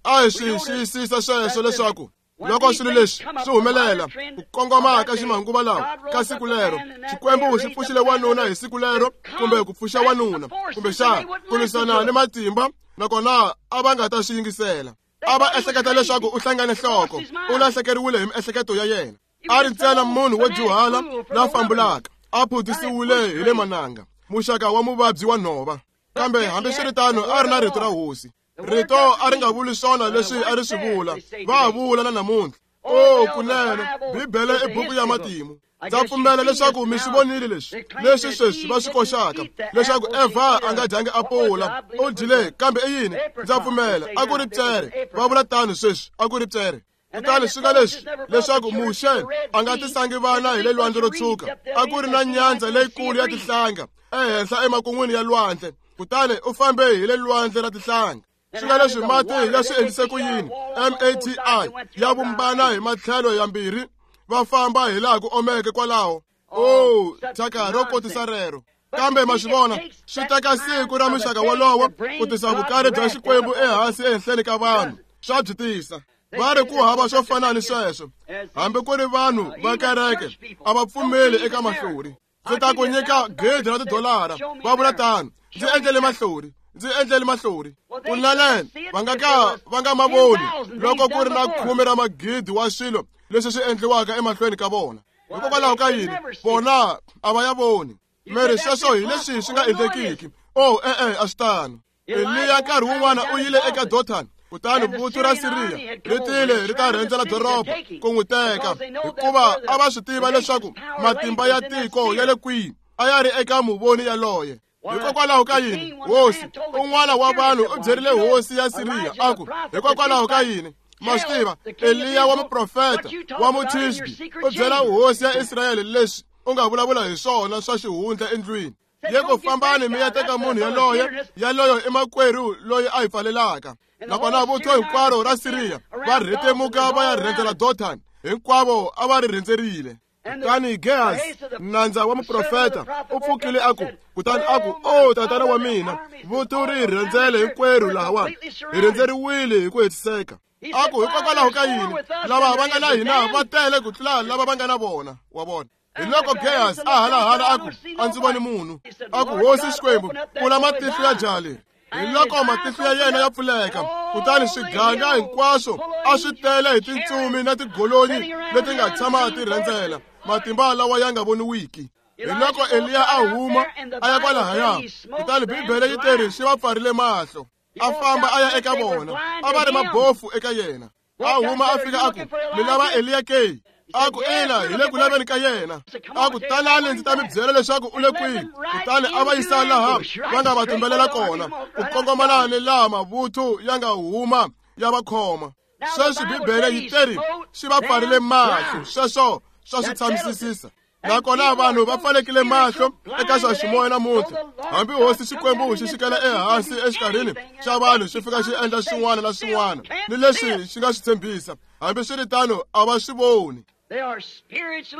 a hi swi xiyisisa sweswo leswaku loko swilo leswi swi humelela ku kongoma ka ximanguva lawa ka siku lero, Xikwembu xi pfuxile wanuna hi siku lero, kumbe ku pfuxa wanuna, kumbexana ku lwisana ni matimba, nakona a va nga ta swi yingisela. A va ehleketa leswaku u hlangane nhloko, u lahlekeriwile hi miehleketo ya yena. A ri ntsena munhu wo dyuhala la fambulaka, a phutisiwile hi le mananga, muxaka wa muvabyi wa nhova. Kambe hambiswiritano a ri na rito ra hosi. Rito a ri nga vuli swona leswi a ri swi vula, va ha vula na namuntlha. O kunene, Bibele i buku ya matimu. Ndza pfumela leswaku mi swi vonile leswi, leswi sweswi va swi koxaka, leswaku Eva a nga dyangi apula, u dyile, kambe i yini? Ndza pfumela a ku ri pyere, va vula tano sweswi, a ku ri pyere. Kutani swi nga leswi leswaku Muxe a nga tisangi vana hi le lwandle ro tshuka, a ku ri na nyandza leyikulu ya tihlanga ehenhla emakun'wini ya lwandle, kutani u fambe hi le lwandle ra tihlanga. Swi nga leswi mati ya swi endlise ku yini? M A T I ya vumbana hi matlhelo yambirhi, va famba hi laha ku omeke kwalaho. O thyaka ro kotisa rero. Kambe ma swi vona, swi teka siku ra muxaka wolowo ku tisa vukari bya Xikwembu ehansi ehenhleni ka vanhu. Swa byi tisa. Va ri ku hava swo fana ni sweswo. Hambi ku ri vanhu va kereke a va pfumeli eka mahlori. Ndzi ta ku nyika gidi ra tidolara, va vula tano. Ndzi endlele mahlori, ndzi endlele mahlori. Kunene va nga ka va nga ma voni loko ku ri na khume ra magidi wa swilo leswi swi endliwaka emahlweni ka vona. Hikokwalaho ka yini? Vona a va ya voni. Meri sweswo hi leswi swi nga endlekiki. Oh, e-e, a swi tano. Eliya nkarhi wun'wana u yile eka Dothan, kutani vuthu ra Siriya ri tile ri ta rhendzela doroba ku n'wi teka, hikuva a va swi tiva leswaku matimba ya tiko ya le kwihi a ya ri eka muvoni yaloye. Hikokwalaho ka yini? Hosi un'wana wa vanhu u byerile hosi ya Siriya a ku, hikokwalaho ka yini? Ma swi tiva, Eliya wa muprofeta wa Mutishbi u byela hosi ya Israyele leswi u nga vulavula hi swona swa xihundla endlwini. Ye ku fambani mi ya teka munhu yaloye, yaloyo i makwerhu loyi a hi pfalelaka. Nakona vuthu hinkwaro ra Siriya va rhetemuka va ya rhendzela Dothan, hinkwavo a va ri rhendzerile. Kutani Gehazi, nandza wa muprofeta, u pfukile a ku, kutani a ku, o tatana wa mina, vuthu ri hi rhendzele hinkwerhu lahawani, hi rhendzeriwile hi ku hetiseka. A ku, hikokwalaho ka yini lava va nga na hina va tele ku tlula lava va nga na vona? Wa vona. Hi loko Gehazi a halahala a ku, a ndzi voni munhu. A ku, hosi Xikwembu, pfula matihlo ya jaha leri. Hi loko matihlo ya yena ya pfuleka, kutani swiganga hinkwaswo a swi tele hi tintsumi na tigolonyi leti nga tshama ti rhendzela, matimba lawa ya nga voniwiki. Hi loko Eliya a huma a ya kwalahaya, kutani Bibele yi teri swi va pfarile mahlo. A famba a ya eka vona, a va ri mabofu eka yena. A huma a fika a ku, mi lava Eliya ke? A ku, ina, hi le ku laveni ka yena. A ku, tanani ndzi ta mi byela leswaku u le kwihi. Kutani a va yisa laha va nga va tumbelela kona, ku kongomana ni laha mavuthu ya nga huma ya va khoma. Sweswi Bibele yi teri swi va pfarile mahlo, sweswo swa swi tshamisisisa. Nakona vanhu va pfalekile mahlo eka swa ximoya namuntlha. Hambi hosi Xikwembu xi xikela ehansi exikarhini xa vanhu xi fika xi endla swin'wana na swin'wana ni leswi xi nga swi tshembisa, hambiswiritano a va swi voni.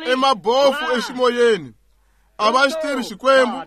I mabofu eximoyeni, A va xi tivi Xikwembu,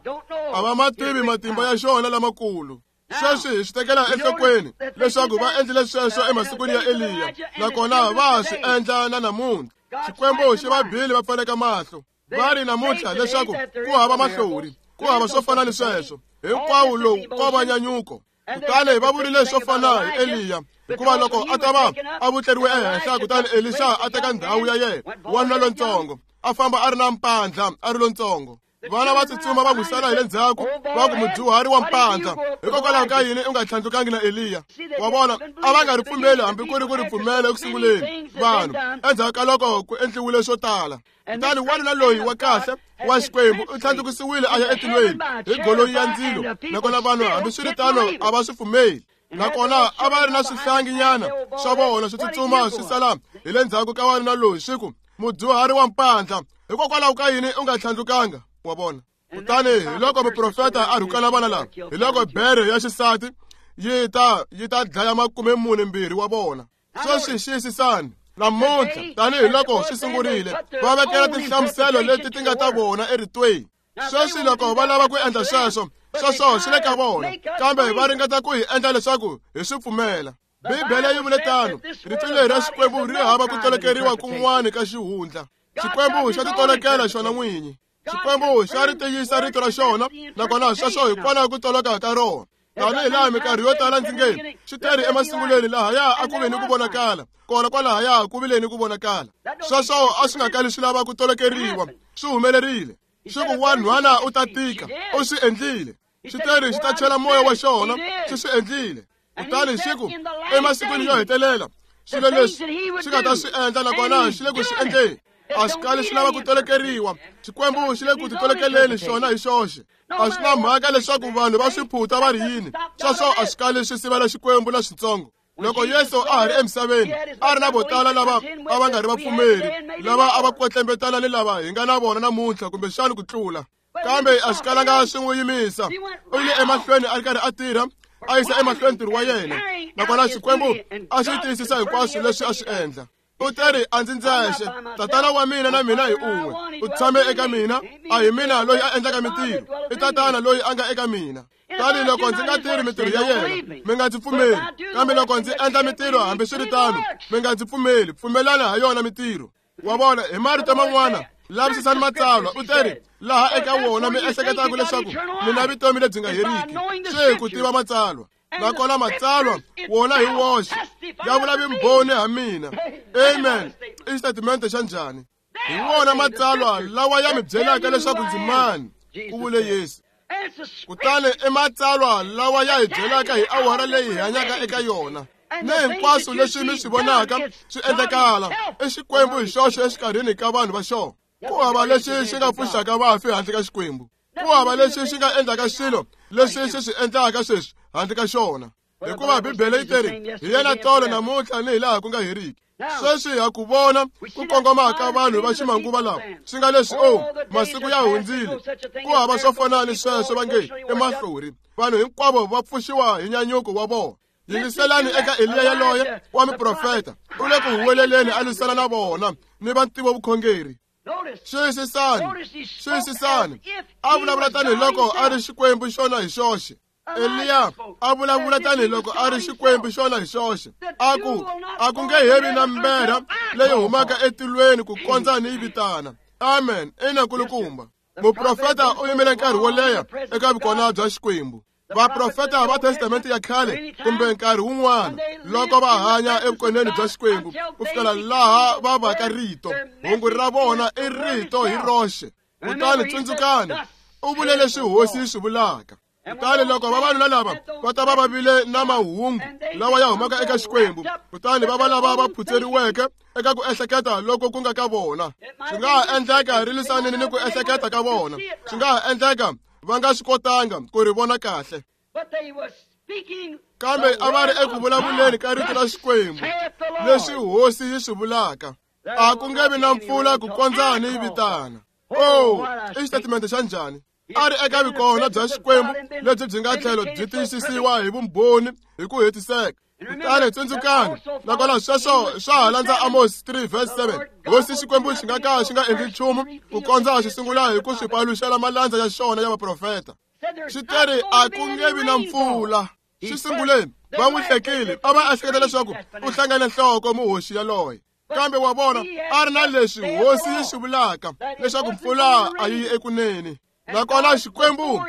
a va ma tivi matimba ya xona lamakulu. Sweswi hi swi tekela enhlokweni leswaku va endlile sweswo emasikwini ya Eliya, nakona va swi endla na namuntlha. Xikwembu xi va bile va pfaleka mahlo. Va ri namuntlha leswaku ku hava mahlori, ku hava swo fana ni sweswo. Hinkwawo lowu ko va nyanyuko. Kutani va vurile swo fana hi Eliya, hikuva loko a ta va a vutleriwe ehenhla, kutani Elisha a teka ndhawu ya yena, wanuna lontsongo, a famba a ri na mpandla, a ri lontsongo. Vana va tsutsuma va n'wi sala hi le ndzhaku, va ku mudyuhari wa mpandla, hikokwalaho ka yini u nga tlhandlukangi na Eliya? Wa vona, a va nga ri pfumeli hambi ku ri ku ri pfumela eku sunguleni vanhu, endzhaku ka loko ku endliwile swo tala. Kutani wanuna loyi wa kahle wa Xikwembu u tlhandlukisiwile a ya etilweni hi goloi ya ndzilo, nakona vanhu hambiswiritano a va swi pfumeli. Nakona a va ri na swihlanginyana swa vona swi tsutsuma swi sala hi le ndzhaku ka wanuna loyi, swi ku mudyuhari wa mpandla, hikokwalaho ka yini u nga tlhandlukanga? Wa vona. Kutani hi loko muprofeta a rhukana vana lava, hi loko bere ya xisati yi ta yi ta dlaya makume mune mbirhi wa vona. Sweswi xiyisisani namuntlha, tanihi loko swi sungurile, va vekela tinhlamuselo leti ti nga ta vona eritweni. Sweswi loko va lava ku endla sweswo, sweswo swi le ka vona, kambe va ringeta ku hi endla leswaku hi swi pfumela. Bibele yi vule tano, rito leri ra Xikwembu ri hava ku tolokeriwa kun'wana ka xihundla. Xikwembu xa titolokela xona n'winyi. Xikwembu xa ri tiyisa rito ra xona, nakona sweswo hikwalaho ku toloka ka rona. Tanihi laha minkarhi yo tala ndzi nge swi teri emasungulweni, lahaya a ku ve ni ku vonakala, kona kwalahaya ku vile ni ku vonakala. Sweswo a swi nga kali swi lava ku tolokeriwa, swi humelerile. Swi ku wanhwana u ta tika, u swi endlile. Swi teri xi ta chela moya wa xona, xi swi endlile. Kutani xi ku emasikwini yo hetelela swilo leswi swi nga ta swi endla, nakona xi le ku swi endleni. A swi kali swi lava ku tolokeriwa. Xikwembu xi le ku titolokeleni xona hi xoxe. A swi na mhaka leswaku vanhu va swi phuta va ri yini, sweswo a swi kali swi sivela Xikwembu na switsongo. Loko Yesu a ha ri emisaveni, a ri na vo tala lava a va nga ri vapfumeri, lava a va kwetlembetana ni lava hi nga na vona namuntlha kumbexana ku tlula. Kambe a swi kalanga swi n'wi yimisa. U yile emahlweni a ri karhi a tirha, a yisa emahlweni ntirho wa yena, nakona Xikwembu a xi tiyisisa hinkwaswo leswi a swi endla. U teri a ndzi ndzexe, tatana wa mina na mina hi un'we. U tshame eka mina, a hi mina loyi a endlaka mintirho, i tatana loyi a nga eka mina. Tani loko ndzi nga tirhi mintirho ya yena, mi nga ndzi pfumeli. Kambe loko ndzi endla mintirho hambiswiritano, mi nga ndzi pfumeli. Pfumelana ha yona mintirho. Wa vona, hi marito man'wana, lavisisani matsalwa. U teri laha eka wona mi ehleketaka leswaku mi na vutomi lebyi nga heriki, swi hi ku tiva matsalwa. Nakona matsalwa wona hi woxe ya vula vumbhoni ha mina. Amen. I xitatimende xa njhani? Hi wona matsalwa lawa ya mi byelaka leswaku ndzi mani, ku vule Yesu. Kutani i matsalwa lawa ya hi byelaka hi awara leyi hi hanyaka eka yona, ni hinkwaswo leswi mi swi vonaka swi endlekala, i Xikwembu hi xoxe exikarhini ka vanhu va xona. Ku hava lexi xi nga pfuxaka vafi handle ka Xikwembu. Ku hava lexi xi nga endlaka swilo leswi xi swi endlaka sweswi handle ka xona. Hikuva Bibele yi teri hi yena tolo namuntlha ni hi laha ku nga heriki. Sweswi ha ku vona ku kongoma ka vanhu va ximanguva lawa, swi nga leswi o masiku ya hundzile, ku hava swo fana ni sweswo va nge i mahlori. Vanhu hinkwavo va pfuxiwa hi nyanyuko wa vona. Yingiselani eka Eliya yaloye wa muprofeta, u le ku huweleleni a lwisana na vona ni va ntivo vukhongeri. Xiyisisani, xiyisisani, a vulavula tanihiloko a ri Xikwembu xona hi xoxe. Eliya a vulavula tanihiloko a ri Xikwembu xona hi xoxe, a ku a ku nge hevi na mberha leyi humaka etilweni ku kondza ni yi vitana. Amen. Ina nkulukumba. Muprofeta u yimele nkarhi wo leha eka vukona bya Xikwembu. Vaprofeta va Testamente ya khale kumbe nkarhi wun'wana loko va hanya evukoneni bya Xikwembu ku fikela laha va vaka rito, hungu ra vona i rito hi roxe. Kutani tsundzukani, u vule leswi hosi yi swi vulaka. Kutani loko vavanuna lava va ta va va vile na mahungu lawa ya humaka eka Xikwembu, kutani va va lava va phutseriweke eka ku ehleketa loko ku nga ka vona. Swi nga ha endleka ri lwisanile ni ku ehleketa ka vona, swi nga ha endleka va nga swi kotanga ku ri vona kahle, kambe a va ri eku vulavuleni ka rito ra Xikwembu leswi hosi yi swi vulaka. A ku nge vi na mpfula ku kondza ni yi vitana. Oh, i xitatimende xa njhani? A ri eka vukona bya Xikwembu lebyi byi nga tlhelo byi tiyisisiwa hi vumbhoni hi ku hetiseka. Kutani tsundzukani, nakona sweswo swa ha landza Amos three verse seven. Hosi Xikwembu xi nga ka xi nga endli nchumu ku kondza xi sungula hi ku swi paluxela malandza ya xona ya vaprofeta. Xi teri a ku nge vi na mpfula. Xi sunguleni va n'wi hlekile, a va ehleketa leswaku u hlangane nhloko muhoxi yaloye. Kambe wa vona a ri na leswi hosi yi swi vulaka leswaku mpfula a yi ekunene. Nakona Xikwembu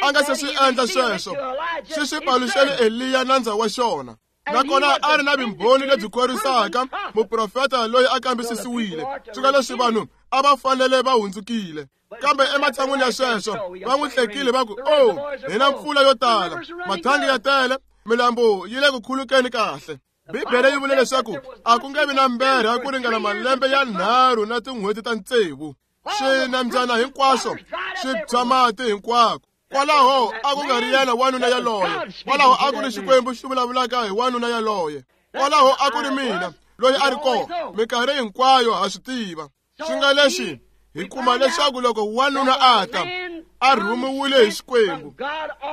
a nga se swi endla sweswo, xi swi paluxele Eliya nandza wa xona. Nakona a ri na vumbhoni lebyi khorwisaka, muprofeta loyi a kambisisiwile. Swi nga leswi vanhu a va fanele va hundzukile. Kambe ematshan'wini ya sweswo va n'wi hlekile va ku, "Oh, hi na mpfula yo tala, mathangi ya tele, milambu yi le ku khulukeni kahle." Bibele yi vule leswaku a ku nge vi na mberha ku ringana malembe ya nharhu na tin'hweti ta tsevu. Swinambyana hinkwaswo swi tshwa mati hinkwako. Kwalaho a ku nga ri yena wanuna yaloye. Kwalaho a ku ri Xikwembu xi vulavulaka hi wanuna yaloye. Kwalaho a ku ri mina loyi a ri kona. Minkarhi hinkwayo ha swi tiva. Swi nga leswi hi kuma leswaku loko wanuna a ta a rhumiwile hi Xikwembu,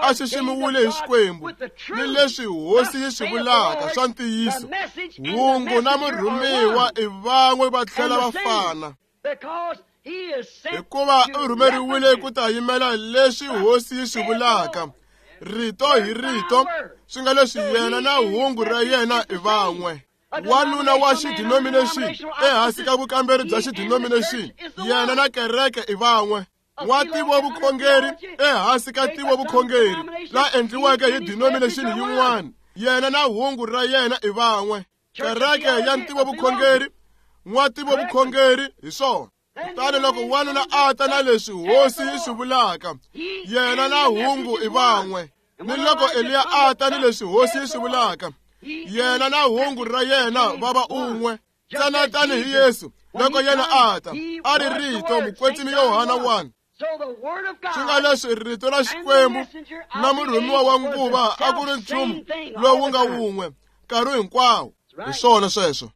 a xiximiwile hi Xikwembu, ni leswi hosi yi swi vulaka swa ntiyiso, hungu na murhumiwa i van'we va tlhela va fana. Hikuva u rhumeriwile ku ta yimela leswi hosi yi swi vulaka, rito hi rito, swi nga leswi yena na hungu ra yena i van'we. Wanuna wa xidenomination ehansi ka vukamberi bya xidenomination, yena na kereke i van'we. Wa tivovukhongeri ehansi ka tivovukhongeri la endliweke hi denomination yin'wana, yena na hungu ra yena i van'we. Kereke ya ntivovukhongeri, n'wa tivovukhongeri hi swona. Kutani loko wanuna a ta na leswi hosi yi swi vulaka, yena na hungu i van'we. Ni loko Eliya a ta ni leswi hosi yi swi vulaka, yena na hungu ra yena va va un'we. Ntsena tanihi Yesu loko yena a ta a ri rito, mukwetsimi Yohana one. Swi nga leswi rito ra Xikwembu na murhumiwa wa nguva a ku ri nchumu lowu nga wun'we nkarhi hinkwawo. Hi swona sweswo.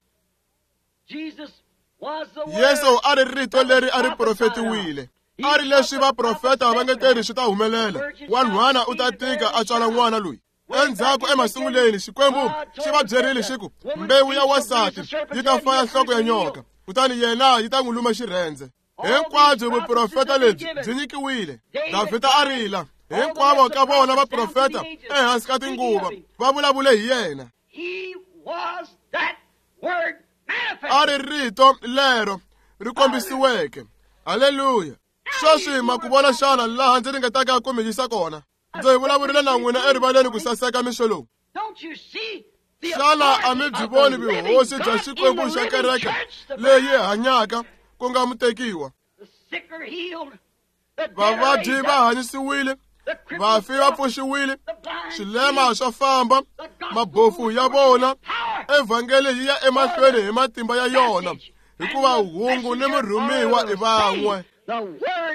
Yesu a ri rito leri a ri profetiwile. A ri leswi vaprofeta va nge teri swi ta humelela. Wanhwana u ta tika a tswala n'wana loyi. Endzhaku emasunguleni Xikwembu xi va byerile xi ku, mbewu ya wansati yi ta faya nhloko ya nyoka, kutani yena yi ta n'wi luma xirhendze. Hinkwabyo vuprofeta lebyi byi nyikiwile. Davhida a rila. Hinkwavo ka vona vaprofeta ehansi ka tinguva va vulavule hi yena. A ri rito lero ri kombisiweke. Haleluya. Sweswi ma ku vona xana laha ndzi ringetaka ku mi yisa kona? Ndzi vulavurile na n'wina erivaleni ku saseka mixo lowu. Xana a mi byi voni vuhosi bya Xikwembu xa kereke leyi hanyaka ku nga mutekiwa? Vavabyi va hanyisiwile, vafi va pfuxiwile, swilema swa famba, mabofu ya vona. Evhangeli yi ya emahlweni hi matimba ya yona, hikuva hungu ni murhumiwa i van'we.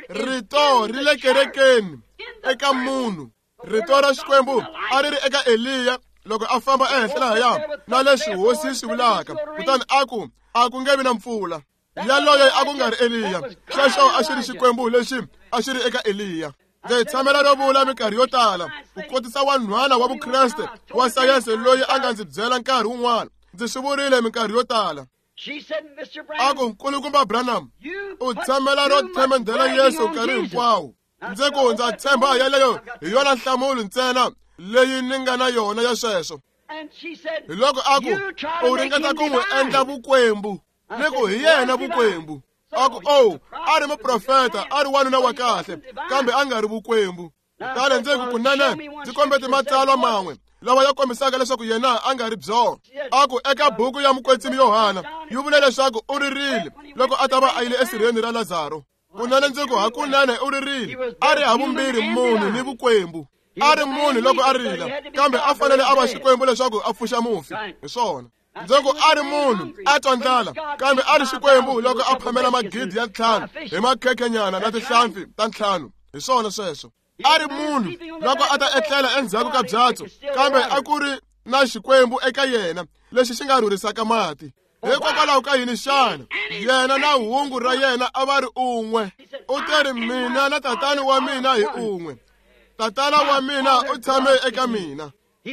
Rito ri le kerekeni eka munhu. Rito ra Xikwembu a ri ri eka Eliya loko a famba ehenhla lahaya na leswi hosi yi swi vulaka, kutani a ku a ku nge vi na mpfula. Yaloye a ku nga ri Eliya, xexo a xi ri Xikwembu lexi a xi ri eka Eliya. Ndzi tshamela ro vula minkarhi yo tala ku kotisa wanhwana wa Vukreste wa sayense loyi a nga ndzi byela nkarhi wun'wana. Ndzi swi vurile minkarhi yo tala. A ku, Nkulukumba Branham, u tshamela ro themendhela Yesu nkarhi hinkwawo. Ndzi ku ndza tshemba yeleyo hi yona nhlamulo ntsena leyi ni nga na yona ya sweswo. Hi loko a ku, u ringeta ku n'wi endla vukwembu. Ni ku hi yena vukwembu. A ku, oh, a ri muprofeta, a ri wanuna wa kahle, kambe a nga ri vukwembu. Kutani ndzi ku kunene ndzi kombete matsalwa man'we lawa ya kombisaka leswaku yena a nga ri byona. A ku eka buku ya mukwetsimi Yohana yi vule leswaku u ririle loko a ta va a yile esirheni ra Lazaro. Kunene ndzi ku hakunene u ririle, a ri havumbirhi munhu ni vukwembu. A ri munhu loko a rila, kambe a fanele a va Xikwembu leswaku a pfuxa mufi. Hi swona. Ndzi ku a ri munhu a twa ndlala, kambe a ri Xikwembu loko a phamela magidi ya ntlhanu hi makhekhenyana na tinhlampfi ta ntlhanu. Hi swona sweswo. A ri munhu loko a ta etlela endzhaku ka byatso, kambe a ku ri na Xikwembu eka yena lexi xi nga rhurhisaka mati. Hikokwalaho ka yini xana yena na hungu ra yena a va ri un'we? U teri mina na tatana wa mina hi un'we. Tatana wa mina u tshame eka mina. Hi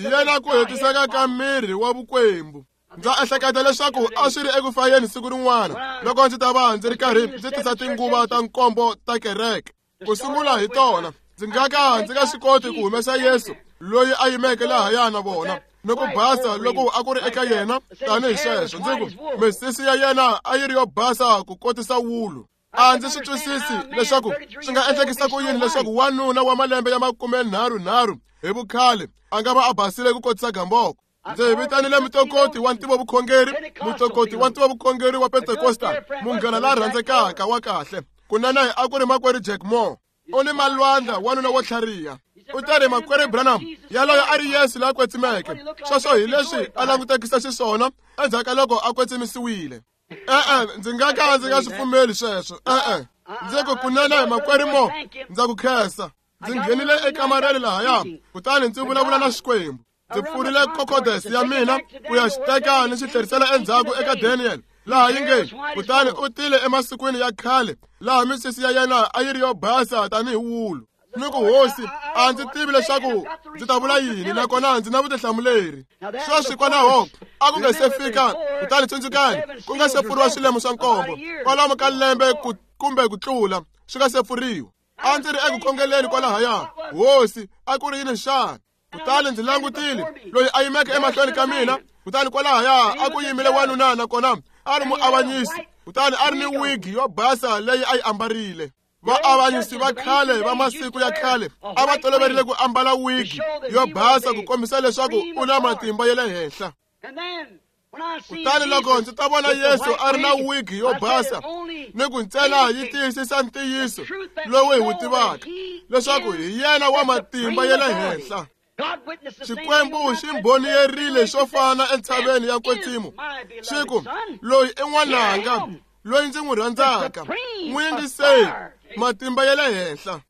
yena ku hetiseka ka miri wa vukwembu. Ndza ehleketa leswaku a swi ri eku fayeni siku rin'wana loko ndzi ta va ndzi ri karhi ndzi tisa tinguva ta nkombo ta kereke. Ku sungula hi tona, ndzi nga ka ndzi nga swi koti ku humesa Yesu loyi a yimeke lahaya na vona ni ku basa loko a ku ri eka yena tanihi sweswo. Ndzi ku misisi ya yena a yi ri yo basa ku kotisa wulu. A ndzi swi twisisi leswaku swi nga endlekisa ku yini leswaku wanuna wa malembe ya makumenharhunharhu hi vukhale a nga va a basile ku kotisa gamboko. Ndzi vitanile mutokoti wa ntivovukhongeri, mutokoti wa ntivovukhongeri wa Pentecostal, munghana la rhandzekaka wa kahle. Kunene a ku ri makwerhu Jack Moore. U ni malwandla, wanuna wo tlhariha. U ta ri makwerhu Branham, yaloyo a ri Yesu la kwetsimeke. Sweswo hi leswi a langutekisa xiswona endzhaku ka loko a kwetsimisiwile. E-e, ndzi nga ka ndzi nga swi pfumeli sweswo. E-e, ndzi ku kunene makwerhu Moore, ndza ku khensa. Ndzi nghenile ekamareni lahaya, kutani ndzi vulavula na Xikwembu. Ndzi pfurile kokodes ya mina ku ya xi teka ni xi tlherisela endzhaku eka Daniel, laha yi nge kutani u tile emasikwini ya khale laha misisi ya yena a yi ri yo basa tanihi wulu. Ni ku hosi, a ndzi tivi leswaku ndzi ta vula yini, nakona ndzi na vutihlamuleri. Sweswi kwalaho a ku nga se fika, kutani tsundzukani, ku nga se pfuriwa swilemo swa nkombo kwalomu ka lembe kumbe ku tlula swi nga se pfuriwa. A ndzi ri eku khongeleni kwalahaya, hosi, a ku ri yini xana? Kutani ndzi langutile loyi a yimeke emahlweni ka mina, kutani kwalahaya a ku yimile wanuna, nakona a ri muavanyisi, kutani a ri ni wigi yo basa leyi a yi ambarile. Vaavanyisi va khale va masiku ya khale a va toloverile ku ambala wigi yo basa ku kombisa leswaku u na matimba ya le henhla. Kutani loko ndzi ta vona Yesu a ri na wigi yo basa ni ku ntsena yi tiyisisa ntiyiso lowu hi wu tivaka leswaku hi yena wa matimba ya le henhla. Xikwembu xi mbhoniyerile xo fana entshaveni ya Kwetsimo, xi ku loyi i n'wananga loyi ndzi n'wi rhandzaka, n'wi yingiseni, matimba ya le henhla.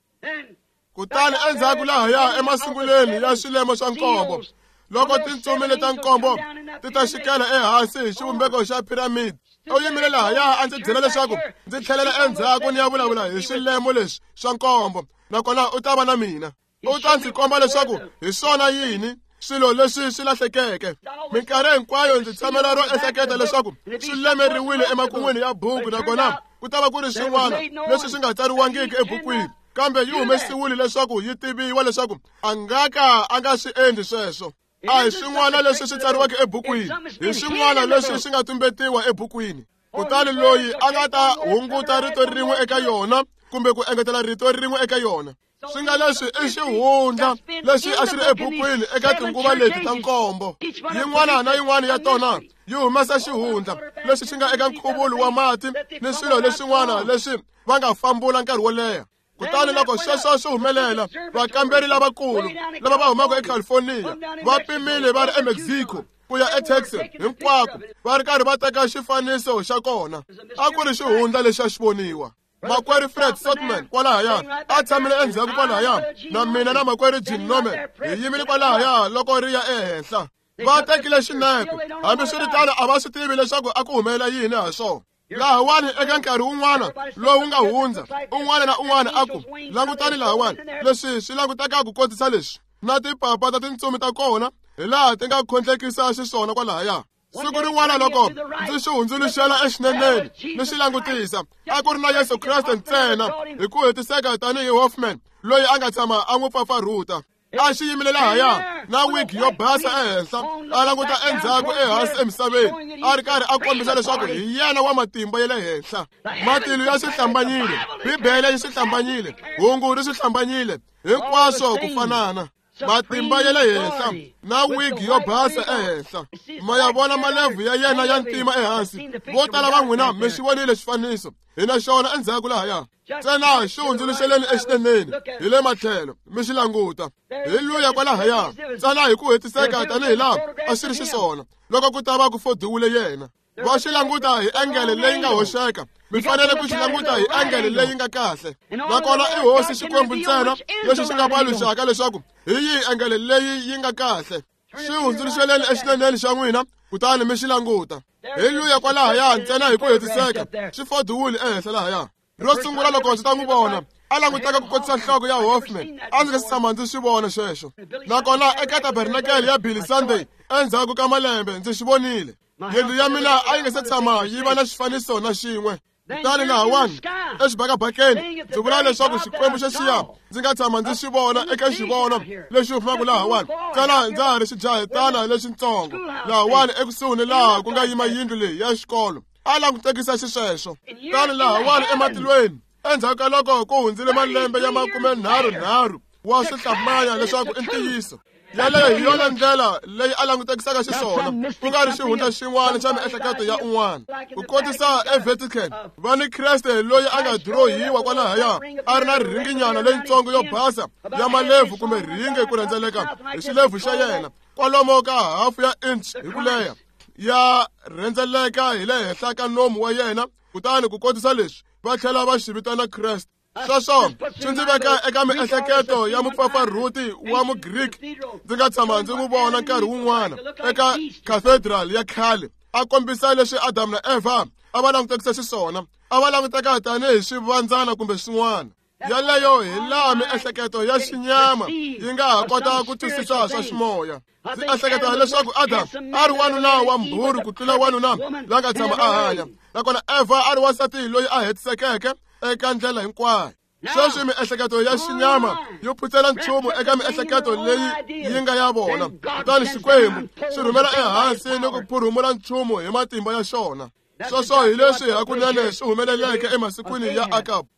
Kutani endzhaku lahaya emasungulweni ya swilemo swa nkombo, loko tintsumi leta nkombo ti ta xikela ehansi hi xivumbeko xa piramidi, u yimile lahaya a ndzi byela leswaku ndzi tlhelela endzhaku ni ya vulavula hi swilemo leswi swa nkombo, nakona u ta va na mina. U ta ndzi komba leswaku hi swona yini swilo leswi swi lahlekeke. Minkarhi hinkwayo ndzi tshamela ro ehleketa leswaku swi lemeriwile emakun'wini ya buku, nakona ku ta va ku ri swin'wana leswi swi nga tsariwangiki ebukwini, kambe yi humesiwile leswaku yi tiviwa leswaku a nga ka a nga swi endli sweswo. A hi swin'wana leswi swi tsariweke ebukwini, hi swin'wana leswi swi nga tumbetiwa ebukwini. Kutani loyi a nga ta hunguta rito rin'we eka yona kumbe ku engetela rito rin'we eka yona, swi nga leswi i xihundla lexi a xi ri ebukwini eka tinguva leti ta nkombo. Yin'wana na yin'wana ya tona yi humesa xihundla lexi xi nga eka nkhuvulo wa mati ni swilo leswin'wana leswi va nga fambula nkarhi wo leha. Kutani loko sweswo swi humelela, vakamberi lavakulu lava va humaka eCalifornia va pimile va ri eMexico ku ya eTexas hinkwako va ri karhi va teka xifaniso xa kona. A ku ri xihundla lexi a xi voniwa. Makwerhu Fred Sotman kwalahaya a tshamile endzhaku kwalahaya, na mina na makwerhu Jim Norman hi yimile kwalahaya loko ri ya ehenhla. Va tekile xinepe, hambiswiritano a va swi tivi leswaku a ku humelela yini ha swona. Lahawani eka nkarhi wun'wana lowu nga hundza, un'wana na un'wana a ku langutani lahawani, leswi swi languteka ku kotisa leswi na tipapa ta tintsumi ta kona hi laha ti nga khondlekisa xiswona kwalahaya. Siku rin'wana loko ndzi xi hundzuluxela exineneni ni xi langutisa, a ku ri na Yesu Kreste ntsena hi ku hetiseka tanihi Hoffman loyi a nga tshama a n'wi pfapfarhuta. A xi yimile lahaya na wig yo basa ehenhla, a languta endzhaku ehansi emisaveni, a ri karhi a kombisa leswaku hi yena wa matimba ya le henhla. Matilo ya swi hlambanyile, Bibele yi swi hlambanyile, hungu ri swi hlambanyile, hinkwaswo ku fanana. Matimba ya le henhla na wig yo basa ehenhla. Ma ya vona malevhu ya yena ya ntima ehansi. Vo tala va n'wina mi xi vonile xifaniso, hi na xona endzhaku lahaya. Ntsena xi hundzuluxeleni exineneni hi le matlhelo mi xi languta. Hi luya kwalahaya, ntsena hi ku hetiseka tanihi laha a xi ri xiswona loko ku ta va ku fodiwile yena. Va xi languta hi engele leyi nga hoxeka, mi fanele ku xi languta hi engele leyi nga kahle. Nakona i hosi Xikwembu ntsena lexi xi nga paluxaka leswaku hi yihi engele leyi yi nga kahle. Xi hundzuluxeleni exineneni xa n'wina kutani mi xi languta. Hi luya kwalahaya ntsena hi ku hetiseka, xi fodiwile ehenhla lahaya. Ro sungula loko ndzi ta n'wi vona, A languteka ku kotisa nhloko ya Hoffman. A ndzi nga si tshama ndzi swi vona sweswo. Nakona eka tabernakele ya Billy Sunday endzhaku ka malembe ndzi swi vonile. Yindlu ya mina a yi nga se tshama yi va na xifaniso na xin'we. Kutani lahawani exibakabakeni ndzi vula leswaku Xikwembu xexiya ndzi nga tshama ndzi xi vona eka xivono lexi humaka lahawani ntsena ndza ha ri xijahetana lexitsongo lahawani ekusuhi ni laha ku nga yima yindlu leyi ya xikolo. A langutekisa xisweswo. Kutani lahawani ematilweni endzhaku ka loko ku hundzile malembe ya makumenharhunharhu wa swi hlamanya leswaku i ntiyiso. Yaleyo hi yona ndlela leyi a langutekisaka xiswona, ku nga ri xihundla xin'wana xa miehleketo ya un'wana. Ku kotisa eVatican va ni Kreste loyi a nga dirohiwa kwalahaya a ri na ringinyana leyitsongo yo basa ya malebvu kumbe ringe ku rhendzeleka hi xilebvu xa yena kwalomo ka hafu ya inch hi ku leha ya rhendzeleka hi le henhla ka nomu wa yena. Kutani ku kotisa leswi va tlhela va xi vitana Kreste. Sweswo swi ndzi veka eka miehleketo ya mupfapfarhuti wa Mugriki ndzi nga tshama ndzi n'wi vona nkarhi wun'wana eka cathedral ya khale a kombisa leswi Adamu na Eva a va langutekisa xiswona. A va languteka tanihi swivandzana kumbe swin'wana. Yaleyo hi laha miehleketo ya xinyama yi nga ha kota ku twisisa swa ximoya. Ndzi ehleketa leswaku Adamu a ri wanuna wa mbhuri ku tlula wanuna la nga tshama a hanya, nakona Eva a ri wansati loyi a hetisekeke eka ndlela hinkwayo. Sweswi miehleketo ya xinyama yi phutsela nchumu eka miehleketo leyi yi nga ya vona, kutani Xikwembu xi rhumela ehansi ni ku phurhumula nchumu hi matimba ya xona. Sweswo hi leswi hakunene swi humeleleke emasikwini ya Akabu.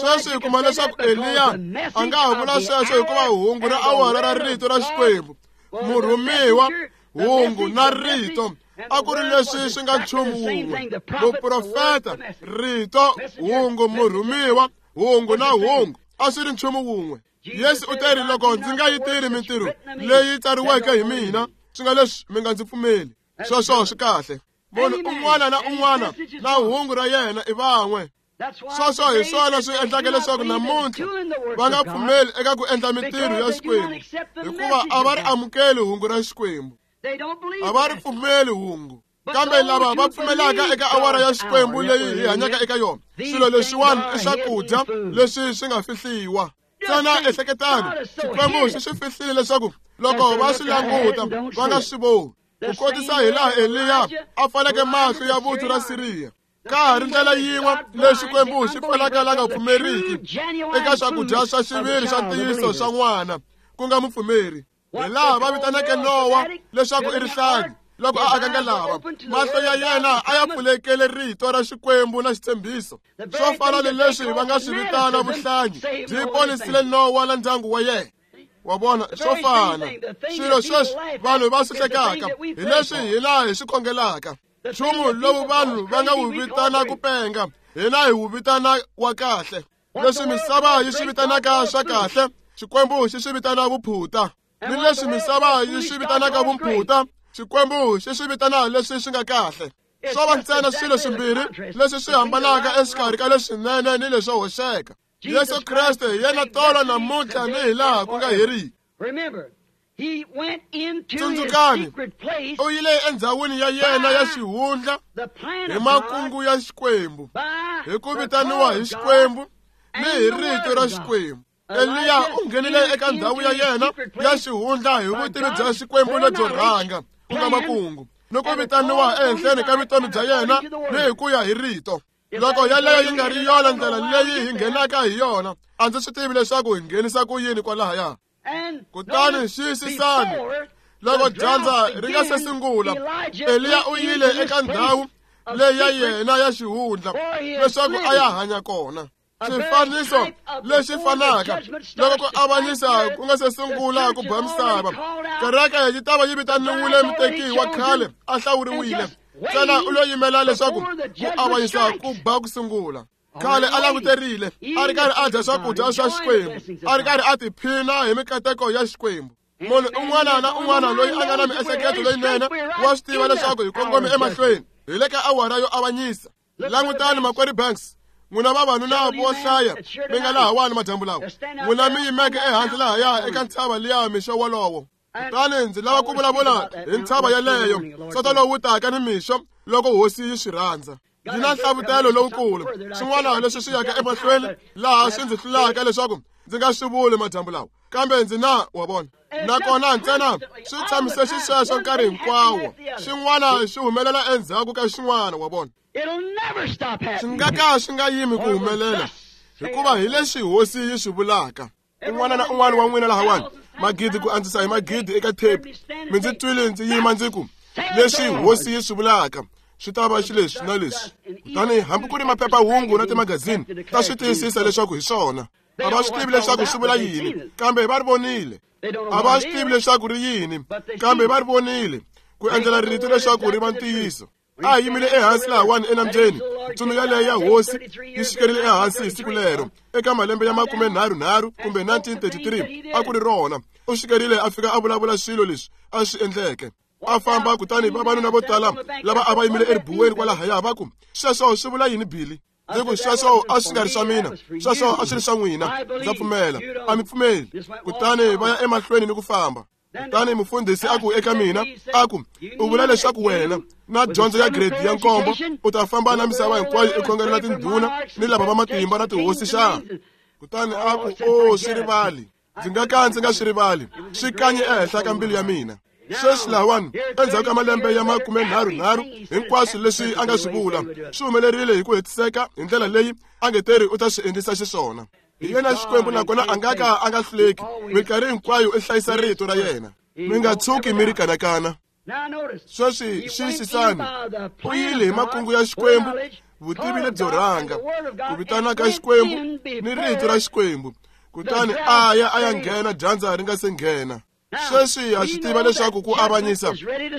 Sweswi hi kuma leswaku Eliya a nga ha vula sweswo hikuva hungu ra awara ra rito ra Xikwembu, murhumiwa, hungu na rito a ku ri leswi swi nga nchumu wun'we. Muprofeta, rito, hungu, murhumiwa, hungu na hungu a swi ri nchumu wun'we. Yesu u teri loko ndzi nga yi tirhi mintirho leyi tsariweke hi mina, swi nga leswi mi nga ndzi pfumeli. Sweswo swi kahle. Munhu un'wana na un'wana na hungu ra yena i van'we. Sweswo hi swona swi endlaka leswaku namuntlha va nga pfumeli eka ku endla mintirho ya Xikwembu, hikuva a va ri amukeli hungu ra Xikwembu. A va ri pfumeli hungu. Kambe lava va pfumelaka eka awara ya Xikwembu leyi hi hanyaka eka yona, swilo leswiwani i swakudya leswi swi nga fihliwa. Ntsena ehleketani, Xikwembu xi swi fihlile leswaku loko va swi languta va nga swi voni. Ku kotisa hi laha Eliya a pfaleke mahlo ya vuthu ra Siriya. Ka ha ri ndlela yin'we leyi Xikwembu xi pfalaka la nga pfumeriki eka swakudya swa xiviri swa ntiyiso swa n'wana, ku nga mupfumeri. Hi laha va vitaneke Nowa leswaku i rihlangi loko a aka ngalava, mahlo ya yena a ya pfulekele rito ra Xikwembu na xitshembiso. Swo fana ni leswi va nga swi vitana vuhlangi byi ponisile Nowa na ndyangu wa yena. Wa vona, swo fana swilo sweswi vanhu va swi hlekaka hi leswi hina hi swi khongelaka. Nchumu lowu vanhu va nga wu vitana ku penga, hina hi wu vitana wa kahle. Leswi misava yi swi vitanaka swa kahle, Xikwembu xi swi vitana vuphuta. Ni leswi misava yi swi vitanaka vumphuta, Xikwembu xi swi vitana leswi swi nga kahle. Swo va ntsena swilo swimbirhi leswi swi hambanaka exikarhi ka leswinene ni leswo hoxeka. Yesu Kreste hi yena tolo namuntlha ni hi laha ku nga heriki. Tsundzukani, u yile endzhawini ya yena ya xihundla hi makungu ya Xikwembu, hi ku vitaniwa hi Xikwembu ni hi rito ra Xikwembu. Eliya u nghenile eka ndhawu ya yena ya xihundla hi vutivi bya Xikwembu lebyo rhanga, ku nga makungu, ni ku vitaniwa ehenhleni ka vutomi bya yena ni hi ku ya hi rito. Loko yaleyo yi nga ri yona ndlela leyi hi nghenaka hi yona, a ndzi swi tivi leswaku hi nghenisa ku yini kwalahaya. Kutani xiyisisani, loko dyandza ri nga se sungula, Eliya u yile eka ndhawu leyi ya yena ya xihundla leswaku a ya hanya kona. Xifaniso lexi fanaka loko ku avanyisa ku nga se sungula ku ba misava, kereke yi ta va yi vitaniwile muteki wa khale a hlawuriwile. Ntsena u lo yimela leswaku ku avanyisa ku ba ku sungula. Khale a languterile, a ri karhi a dya swakudya swa Xikwembu, a ri karhi a tiphina hi mikateko ya Xikwembu. Munhu un'wana na un'wana loyi a nga na miehleketo leyinene wa swi tiva leswaku hi kongome emahlweni hi le ka awara yo avanyisa. Langutani makwerhu Banks, n'wina vavanuna vo hlaya mi nga lahawani madyambu lawa, n'wina mi yimeke ehandle lahaya eka ntshava liya mixo wolowo. Kutani ndzi lava ku vulavula hi ntshava yeleyo sonto lowu taka ni mixo loko hosi yi swi rhandza. Ndzi na nhlavutelo lowukulu swin'wana leswi swi yaka emahlweni laha swi ndzi hlulaka leswaku ndzi nga swi vuli madyambu lawa kambe ndzi na wa vona nakona ntsena swi tshamise xisweswo nkarhi hinkwawo xin'wana xi humelela endzhaku ka xin'wana wa vona swi nga ka swi nga yimi ku humelela hikuva hi leswi hosi yi swi vulaka un'wana na un'wana wa n'wina lahawani magidi ku andzisa hi magidi eka tape mi ndzi twile ndzi yima ndzi ku leswi hosi yi swi vulaka swi ta va xileswi na leswi kutani hambi ku ri maphephahungu na timagazini ta swi tiyisisa leswaku hi swona a va swi tivi leswaku swi vula yini kambe va ri vonile a va swi tivi leswaku ri yini kambe va ri vonile ku endlela rito leswaku ri va ntiyiso a hi yimile ehansi lahawani enambyeni ntsumi yaleyo ya hosi yi xikerile ehansi hi siku lero eka malembe ya makumenharhunharhu kumbe nineteen thirty-three a ku ri rona u xikerile a fika a vulavula swilo leswi a swi endleke a famba kutani vavanuna vo tala lava a va yimile eribuweni kwalahaya va ku sweswo swi vula yini Billy ndzi ku sweswo a swi nga ri swa mina sweswo a swi ri swa n'wina ndza pfumela a mi pfumeli kutani va ya emahlweni ni ku famba kutani mufundhisi a ku eka mina a ku u vula leswaku wena na dyondzo ya grade ya nkombo u ta famba na misava hinkwayo i khongelela tindhuna ni lava va matimba na tihosi xana kutani a ku o swi rivali ndzi nga ka ndzi nga swi rivali swi kanye ehenhla ka mbilu ya mina sweswi lahawani endzhaku ka malembe ya makumenharhunharhu hinkwaswo leswi a nga swi vula swi humelerile hi ku hetiseka hi ndlela leyi a nge teri u ta swi endlisa xiswona hi yena Xikwembu nakona a nga ka a nga hluleki minkarhi hinkwayo i hlayisa rito ra yena mi nga tshuki mi ri kanakana sweswi xiyisisani u yile hi makungu ya Xikwembu vutivi lebyo rhanga ku vitana ka Xikwembu ni rito ra Xikwembu kutani a ya a ya nghena dyandza ri nga se nghena sweswi ha swi tiva leswaku ku avanyisa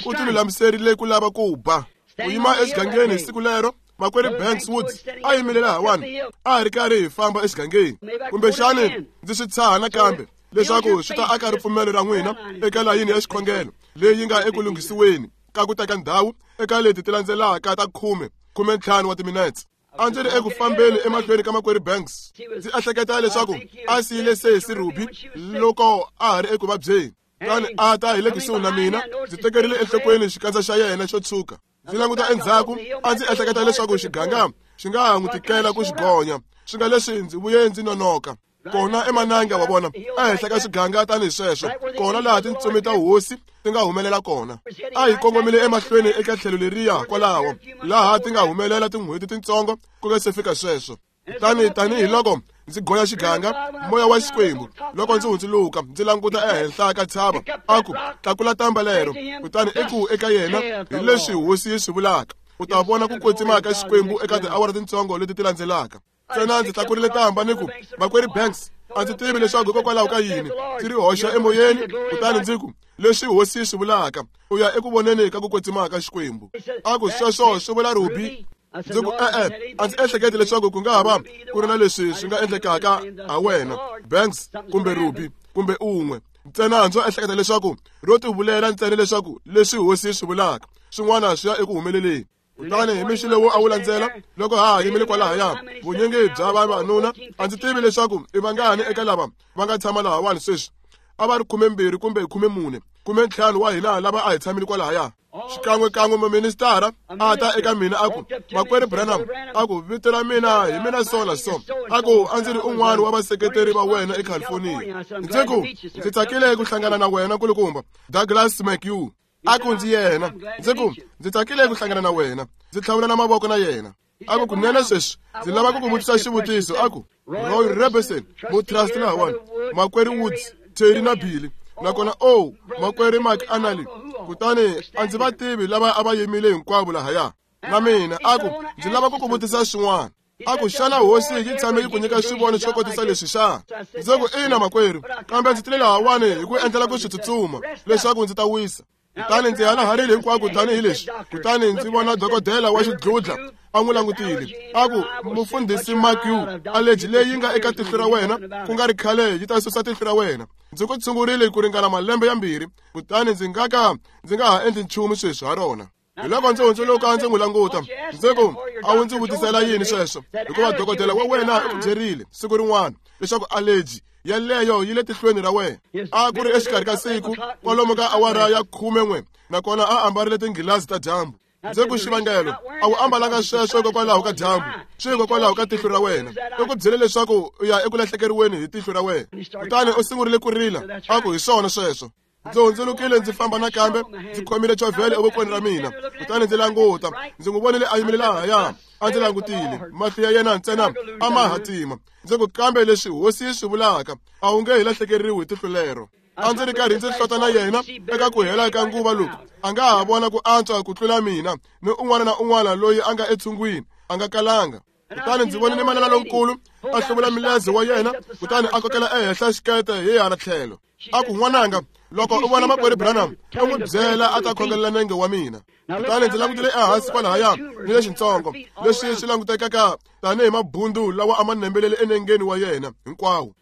ku tilulamiserile ku lava ku ba ku yima exigangeni hi siku lero makwerhu Banks Woods a yimile lahawani a hi ri karhi hi famba exigangeni kumbexani ndzi swi tshaha nakambe leswaku swi ta aka ripfumelo ra n'wina eka layini ya xikhongelo leyi nga eku lunghisiweni ka ku teka ndhawu eka leti ti landzelaka ta khume khumentlhanu wa timinetse a ndzi ri eku fambeni emahlweni ka makwerhu Banks ndzi ehleketa leswaku a siyile sesi Ruby loko a ha ri eku vabyeni kutani a ta hi le kusuhi na mina ndzi tekerile enhlokweni xikandza xa yena xo tshuka ndzi languta endzhaku a ndzi ehleketa leswaku xiganga xi nga ha n'wi tikela ku xi gonya swi nga leswi ndzi vuye ndzi nonoka kona emananga wa vona ehenhla ka xiganga tanihi sweswo kona laha tintsumi ta hosi ti nga humelela kona a hi kongomile emahlweni eka tlhelo leriya kwalaho laha ti nga humelela tin'hweti tintsongo ku nga se fika sweswo kutani tanihiloko ndzi goya xiganga moya wa Xikwembu loko ndzi hundzuluka ndzi languta ehenhla ka tshava a ku tlakula tamba lero kutani i ku eka yena hi leswi hosi yi swi vulaka u ta vona ku kwetsima ka Xikwembu eka tiawara tintsongo leti ti landzelaka ntsena ndzi tlakurile tamba ni ku makwerhu Banks a ndzi tivi leswaku hikokwalaho ka yini ndzi ri hoxa emoyeni kutani ndzi ku leswi hosi yi swi vulaka u ya eku voneni ka ku kwetsima ka Xikwembu a ku sweswo swi vula Ruby ndzi ku e-e a ndzi ehleketi leswaku ku nga ha va ku ri na leswi swi nga endlekaka ha wena Banks kumbe Ruby kumbe un'we ntsena ndzo ehleketa leswaku ro tivulela ntsena leswaku leswi hosi yi swi vulaka swin'wana swi ya eku humeleleni kutani hi mixo lowu a wu landzela loko ha ha yimile kwalahaya vunyingi bya vavanuna a ndzi tivi leswaku i vangani eka lava va nga tshama lahawani sweswi a va ri khumembirhi kumbe khumemune khumentlhanu wa hina lava a hi tshamile kwalahaya xikan'wekan'we muministara a ta eka mina a ku makwerhu Branham a ku vito ra mina hi mina so na so a ku a ndzi ri un'wana wa vaseketeri va wena eCalifornia ndzi ku ndzi tsakile ku hlangana na wena kulukumba Douglas McHugh a ku ndzi yena ndzi ku ndzi tsakile ku hlangana na wena ndzi tlhavula na mavoko na yena a ku kunene sweswi ndzi lava ku ku vutisa xivutiso a ku Roy Robertson mutrust lahawani makwerhu Woods Terry na Billy nakona o makwerhu Mike Anali kutani a ndzi va tivi lava a va yimile hinkwavo lahaya na mina a ku ndzi lava ku ku vutisa xin'wana a ku xana hosi yi tshame yi ku nyika xivono xo kotisa leswi xana ndzi ku ina makwerhu kambe ndzi tile lahawani hi ku endlela ku swi tsutsuma leswaku ndzi ta wisa kutani ndzi halaharile hinkwako tanihileswi kutani ndzi vona dokodela wa xidludla a n'wi langutile a ku mufundhisi McHugh aleji leyi nga eka tihlo ra wena ku nga ri khale yi ta susa tihlo ra wena ndzi ku tshungurile ku ringana malembe yambirhi kutani ndzi nga ka ndzi nga ha endli nchumu sweswi ha rona hi loko ndzi hundzuluka ndzi n'wi languta ndzi ku a wu ndzi vutisela yini sweswo hikuva dokodela wa wena u ku byerile siku rin'wana leswaku aleji yaleyo yi le tihlweni ra wena a ku ri exikarhi ka siku kwalomu ka awara ya khume n'we nakona a ambarile tinghilazi ta dyambu Ndzi ku xivangelo a wu ambalanga sweswo hikokwalaho ka dyambu, swi hikokwalaho ka tihlo ra wena. U ku byele leswaku u ya eku lahlekeriweni hi tihlo ra wena. Kutani u sungurile ku rila, a ku hi swona sweswo. Ndzi hundzulukile ndzi famba nakambe, ndzi khomile chovhele evokweni ra mina. Kutani ndzi languta, ndzi n'wi vonile a yimile lahaya, a ndzi langutile, mahlo ya yena ntsena a ma hatima. Ndzi ku kambe leswi hosi yi swi vulaka, a wu nge hi lahlekeriwi hi tihlo lero. A ndzi ri karhi ndzi hlota na yena eka ku hela ka nguva loku, a nga ha vona ku antswa ku tlula mina ni un'wana na un'wana loyi a nga etshungwini, a nga kalanga. Kutani ndzi vonile manana lonkulu a hluvula mileze wa yena, kutani a kokela ehenhla xikete hi hala tlhelo. A ku n'wananga, loko u vona makwerhu Branham, u n'wi byela a ta khongelela nenge wa mina. Kutani ndzi langutile ehansi kwalahaya ni lexintsongo leswi swi langutekaka tanihi mabundu lawa a ma nembelele enengeni wa yena hinkwawo.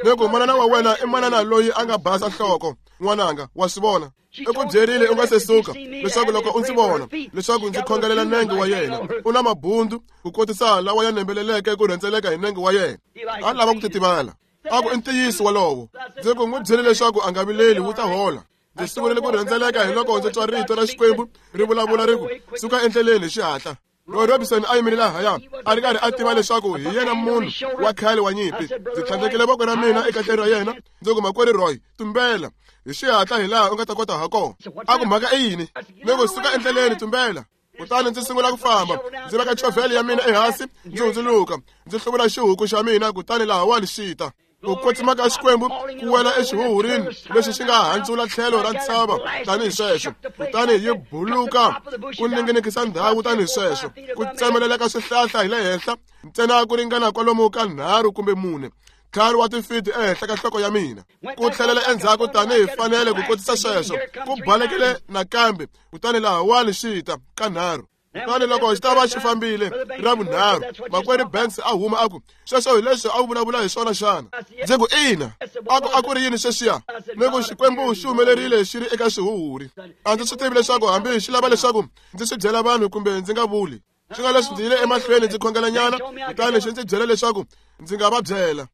Ni ku manana wa wena i manana loyi a nga basa nhloko, n'wananga, wa swi vona. I ku byerile u nga se suka leswaku loko u ndzi vona leswaku ndzi khongelela nenge wa yena, u na mabundu ku kotisa lawa ya nembeleleke ku rhendzeleka hi nenge wa yena. A lava ku titivala. A ku i ntiyiso wolowo. Ndzi ku n'wi byele leswaku a nga vileli, wu ta hola. Ndzi sungurile ku rhendzeleka hi loko ndzi twa rito ra Xikwembu ri vulavula ri ku suka endleleni hi xihatla. Roy Robinson a yimile lahaya, a ri karhi a tiva leswaku hi yena munhu wa khale wa nyimpi. Ndzi tlhandlekile voko ra mina ekahleni ra yena, ndzi ku makwerhu Roy, tumbela hi xihatla hi laha u nga ta kota ha kona. A ku mhaka i yini? Ni ku suka endleleni, tumbela. Kutani ndzi sungula ku famba, ndzi veka chovhele ya mina ehansi, ndzi hundzuluka, ndzi hluvula xihuku xa mina, kutani lahawani xi ta. Ku kwetsima ka Xikwembu ku wela exihuhurini lexi xi nga handzula tlhelo ra ntshava tanihi sweswo, kutani yi buluka ku ninginikisa ndhawu tanihi sweswo, ku tsemelela ka swihlahla hi le henhla ntsena ku ringana kwalomu ka nharhu kumbe mune, ntlhanu wa tifiti ehenhla ka nhloko ya mina. Ku tlhelela endzhaku tanihi fanele ku kotisa sweswo, ku balekile nakambe, kutani lahawani xi ta ka nharhu. Kutani loko xi ta va xi fambile ra vunharhu, makwerhu Banks a huma a ku, sweswo hi leswi a wu vulavula hi swona xana? Ndzi ku ina. A ku a ku ri yini sweswiya? Ni ku Xikwembu xi humelerile xi ri eka xihuhuri. A ndzi swi tivi leswaku hambi xi lava leswaku ndzi swi byela vanhu kumbe ndzi nga vuli. Swi nga leswi ndzi yile emahlweni ndzi khongelanyana, kutani xi ndzi byela leswaku ndzi nga va byela.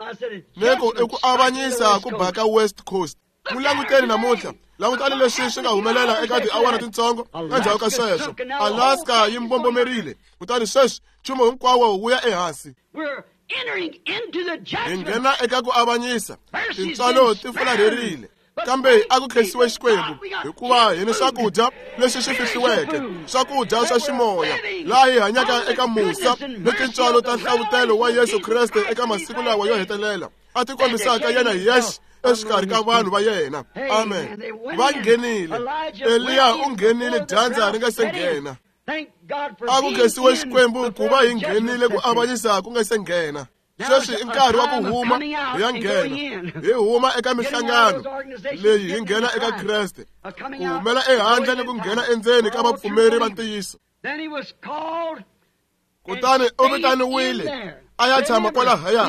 Ni ku i ku avanyisa ku baka West Coast. N'wi languteni namuntlha, langutani leswi swi nga humelela eka tiawara tintsongo endzhaku ka sweswo. Alaska yi mbombomerile, kutani sweswi nchumu hinkwawo wu ya ehansi. Hi nghena eka ku avanyisa, tintswalo ti fularherile. Kambe a ku khensiwe Xikwembu, hikuva hi ni swakudya leswi swi fihliweke, swakudya swa ximoya, laha hi hanyaka eka musa ni tintswalo ta nhlavutelo wa Yesu Kreste eka masiku lawa yo hetelela, a ti kombisaka yena hi yexe exikarhi ka vanhu va yena. Amen. Va nghenile. Eliya u nghenile dyandza ri nga se nghena. A ku khensiwe Xikwembu ku va hi nghenile ku avanyisa ku nga se nghena. Sweswi i nkarhi wa ku huma hi ya nghena. Hi huma eka mihlangano leyi hi nghena eka Kreste, ku humela ehandle ni ku nghena endzeni ka vapfumeri va ntiyiso. Kutani u vitaniwile a ya tshama kwalahaya.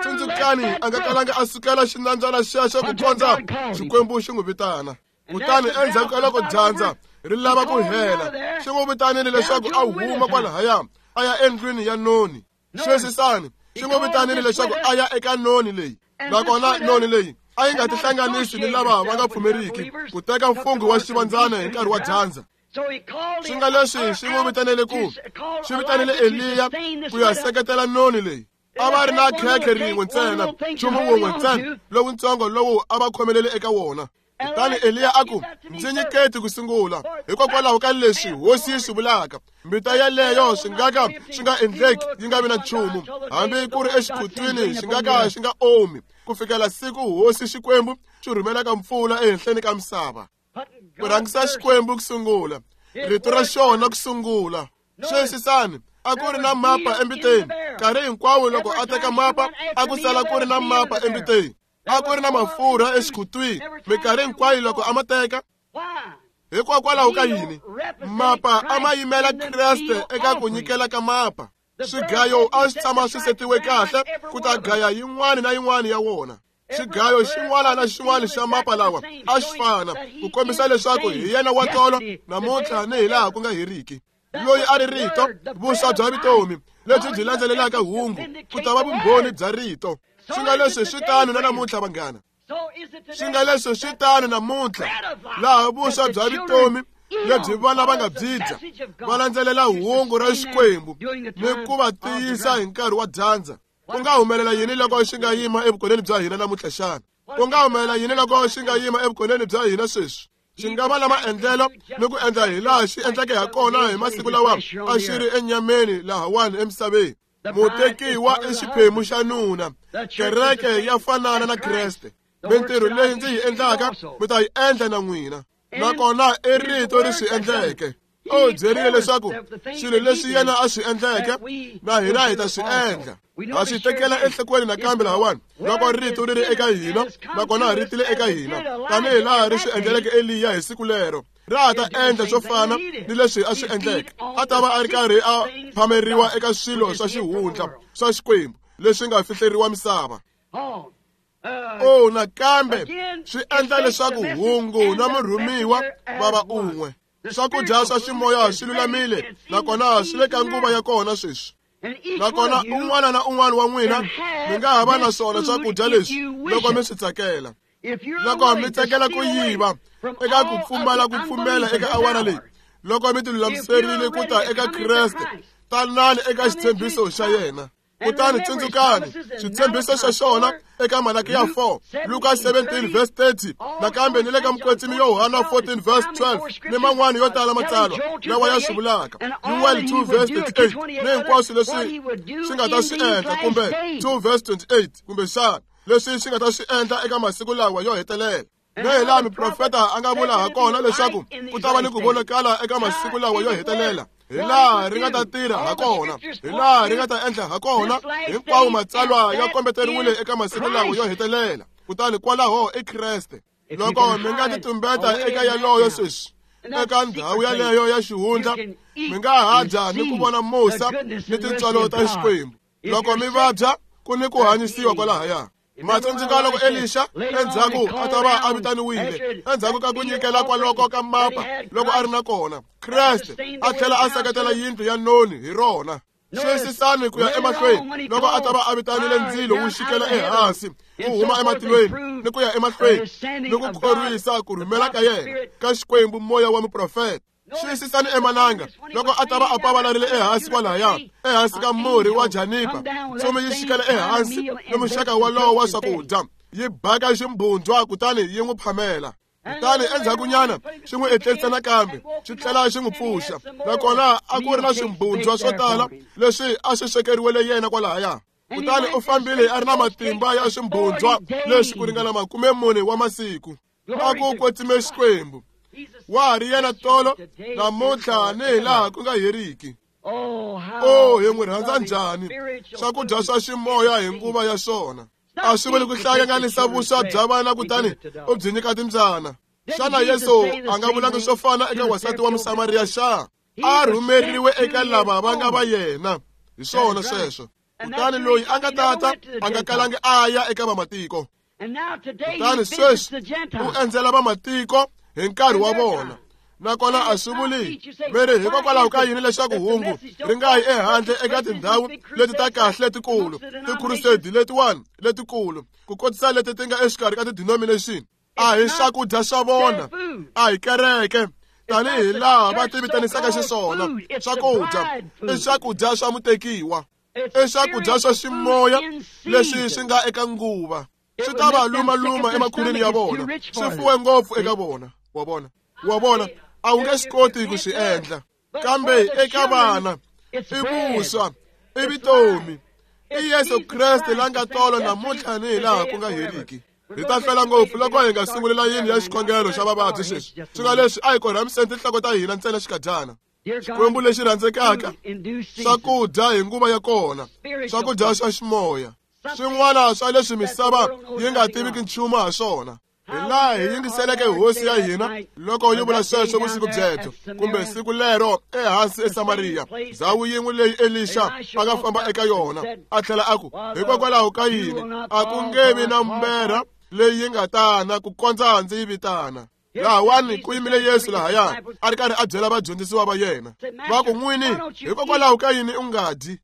Tsundzukani a nga kalanga a sukela xinambyana xexo ku kondza Xikwembu xi n'wi vitana. Kutani endzhaku ka loko dyandza ri lava ku hela, xi n'wi vitanile leswaku a huma kwalahaya a ya endlwini ya noni. Sweswisani xi n'wi vitanile leswaku a ya eka noni leyi, nakona noni leyi a yi nga tihlanganisi ni lava va nga pfumeriki ku teka mfungho wa xivandzana hi nkarhi wa dyandza. Swi nga leswi xi n'wi vitanele ku xi vitanile Eliya ku ya seketela noni leyi. A va ri na khekhe rin'we ntsena, nchumu wun'we ntsena lowutsongo lowu a va khomelele eka wona. Kutani Eliya a ku, ndzi nyiketi ku sungula, hikokwalaho ka leswi hosi yi swi vulaka. Mbita yeleyo swi nga ka swi nga endleki yi nga vi na nchumu, hambi ku ri exikhutwini xi nga ka xi nga omi, ku fikela siku hosi Xikwembu xi rhumelaka mpfula ehenhleni ka misava. Ku rhangisa Xikwembu ku sungula, rito ra xona ku sungula. Sweswisani, a ku ri na mapa embiteni. Nkarhi hinkwawo loko a teka mapa, a ku sala ku ri na mapa embiteni. A ku ri na mafurha exikhutwini minkarhi hinkwayo loko a ma teka. Hikokwalaho ka yini? Mapa a ma yimela Kreste eka ku nyikela ka mapa. Swigayo a swi tshama swi setiwe kahle ku ta gaya yin'wana na yin'wana ya wona. Xigayo xin'wana na xin'wana xa mapa lawa a xi fana, ku kombisa leswaku hi yena wa tolo namuntlha ni hi laha ku nga heriki. Loyi a ri rito, vuswa bya vutomi lebyi byi landzelelaka hungu, ku ta va vumbhoni bya rito. Swi nga leswi swi tano na namuntlha vanghana. Swi nga leswi swi tano namuntlha, laha vuswa bya vutomi lebyi vana va nga byi dya va landzelela hungu ra Xikwembu ni ku va tiyisa hi nkarhi wa dyandza. Ku nga humelela yini loko xi nga yima evukoneni bya hina namuntlha xana? Ku nga humelela yini loko xi nga yima evukoneni bya hina sweswi? Xi nga va na maendlelo ni ku endla hi laha xi endleke ha kona hi masiku lawa a xi ri enyameni lahawani emisaveni. Mutekiwa i xiphemu xa nuna. Kereke ya fanana na Kreste. Mintirho leyi ndzi yi endlaka mi ta yi endla na n'wina. Nakona i rito ri swi endleke. U byerile leswaku swilo leswi yena a swi endleke na hina hi ta swi endla. Ha swi tekela enhlokweni nakambe lahawani loko rito ri ri eka hina nakona ri tile eka hina tanihi laha ri swi endleleke Eliya hi siku lero. Ra ha ta endla swo fana ni leswi a swi endleke. A ta va a ri karhi a phameriwa eka swilo swa xihundla swa Xikwembu leswi nga fihleriwa misava. O nakambe swi endla leswaku hungu na murhumiwa va va un'we. Swakudya swa ximoya swi lulamile nakona swi le ka nguva ya kona sweswi. Nakona un'wana na un'wana wa n'wina mi nga ha va na swona swakudya leswi loko mi swi tsakela. Loko mi tsakela ku yiva eka ku pfumala ku pfumela eka awara leyi, loko mi tilulamiserile ku ta eka Kreste, tanani eka xitshembiso xa yena. Kutani tsundzukani xitshembiso xa xona eka Malakiya four, Luka seventeen verse thirty, nakambe ni le ka Mukwetsimi Yohana fourteen verse twelve, ni man'wana yo tala matsalwa lawa ya swi vulaka. Yoel two verse thirty-eight, ni hinkwaswo leswi swi nga ta swi endla, kumbe two verse twenty-eight, kumbe xana leswi swi nga ta swi endla eka masiku lawa yo hetelela. Na hi laha muprofeta a nga vula ha kona leswaku ku ta va ni ku vonakala eka masiku lawa yo hetelela, hi laha ri nga ta tirha ha kona, hi laha ri nga ta endla ha kona. Hinkwawo matsalwa ya kombeteriwile eka masiku lawa yo hetelela. Kutani kwalaho i Kreste. Loko mi nga titumbeta eka yaloyo sweswi, eka ndhawu yaleyo ya xihundla, mi nga ha dya ni ku vona musa ni tintswalo ta Xikwembu. Loko mi vabya, ku ni ku hanyisiwa kwalahaya. Matsundzuka loko Elisha endzhaku a ta va a vitaniwile endzhaku ka ku nyikela kwaloko ka mapa loko a ri na kona, Kreste a tlhela a seketela yindlu ya noni hi rona. Xiyisisani ku ya emahlweni loko a ta va a vitanile ndzilo wu xikela ehansi wu huma ematilweni ni ku ya emahlweni ni ku khorwisa ku rhumela ka yena ka Xikwembu moya wa muprofeta. Xiyisisani emananga loko a ta va a pavalarile ehansi kwalaya ehansi ka murhi wa janipa, ntsumi yi xikela ehansi ni muxaka walowo wa swakudya, yi baka ximbhundzwa kutani yi n'wi phamela. Kutani endzhakunyana xi n'wi etlerisa nakambe xi tlhela xi n'wi pfuxa. Nakona a ku ri na swimbhundzwa swo tala leswi a swi swekeriwele yena kwalahaya. Kutani u fambile a ri na matimba ya swimbhundzwa leswi ku ringana makume mune wa masiku. A ku kwetsime Xikwembu. Wa ha ri yena tolo namuntlha ni hi laha ku nga heriki. O hi n'wi rhandza njhani swakudya swa ximoya hi nguva ya swona. A swi vuli ku hlanganisa vuswa bya vana kutani u byi nyika timbyana. Xana Yesu a nga vulanga swo fana eka wansati wa Musamariya xa? A rhumeriwe eka lava va nga va yena. Hi swona sweswo. Kutani loyi a nga tata a nga kalangi a ya eka vamatiko. Kutani sweswi u endzela vamatiko hi nkarhi wa vona. Nakona a swi vuli mi ri hikokwalaho ka yini leswaku hungu ri nga yi ehandle eka tindhawu leti ta kahle letikulu, tikhurusedi letiwani letikulu, ku kotisa leti ti nga exikarhi ka ti-denomination. A hi swakudya swa vona, a hi kereke tanihi laha va ti vitanisaka xiswona. Swakudya i swakudya swa mutekiwa, i swakudya swa ximoya leswi swi nga eka nguva. Swi ta va lumaluma emakhwirini ya vona, swi fuwe ngopfu eka vona. Wa vona, wa vona, a wu nge swi koti ku swi endla. Kambe eka vana i vuswa, i vutomi, i Yesu Kreste la nga tolo namuntlha ni hi laha ku nga heriki. Hi ta hlwela ngopfu loko hi nga sunguli layini ya xikhongelo xa vavabyi sweswi. Swi nga leswi a hi korhamiseni tinhloko ta hina ntsena xikadyana. Xikwembu lexi rhandzekaka, swakudya hi nguva ya kona, swakudya swa ximoya, swin'wana swa leswi misava yi nga tiviki nchumu ha swona. Hi laha hi yingiseleke hosi ya hina loko yi vula sweswo vusiku byebyo kumbe siku lero ehansi eSamariya, ndhawu yin'we leyi Elisha a nga famba eka yona, a tlhela a ku, hikokwalaho ka yini a ku nge vi na mberha leyi yi nga tana ku kondza ndzi yi vitana. Lahawani ku yimile Yesu lahaya a ri karhi a byela vadyondzisiwa va yena, va ku, n'wini, hikokwalaho ka yini u nga dyi?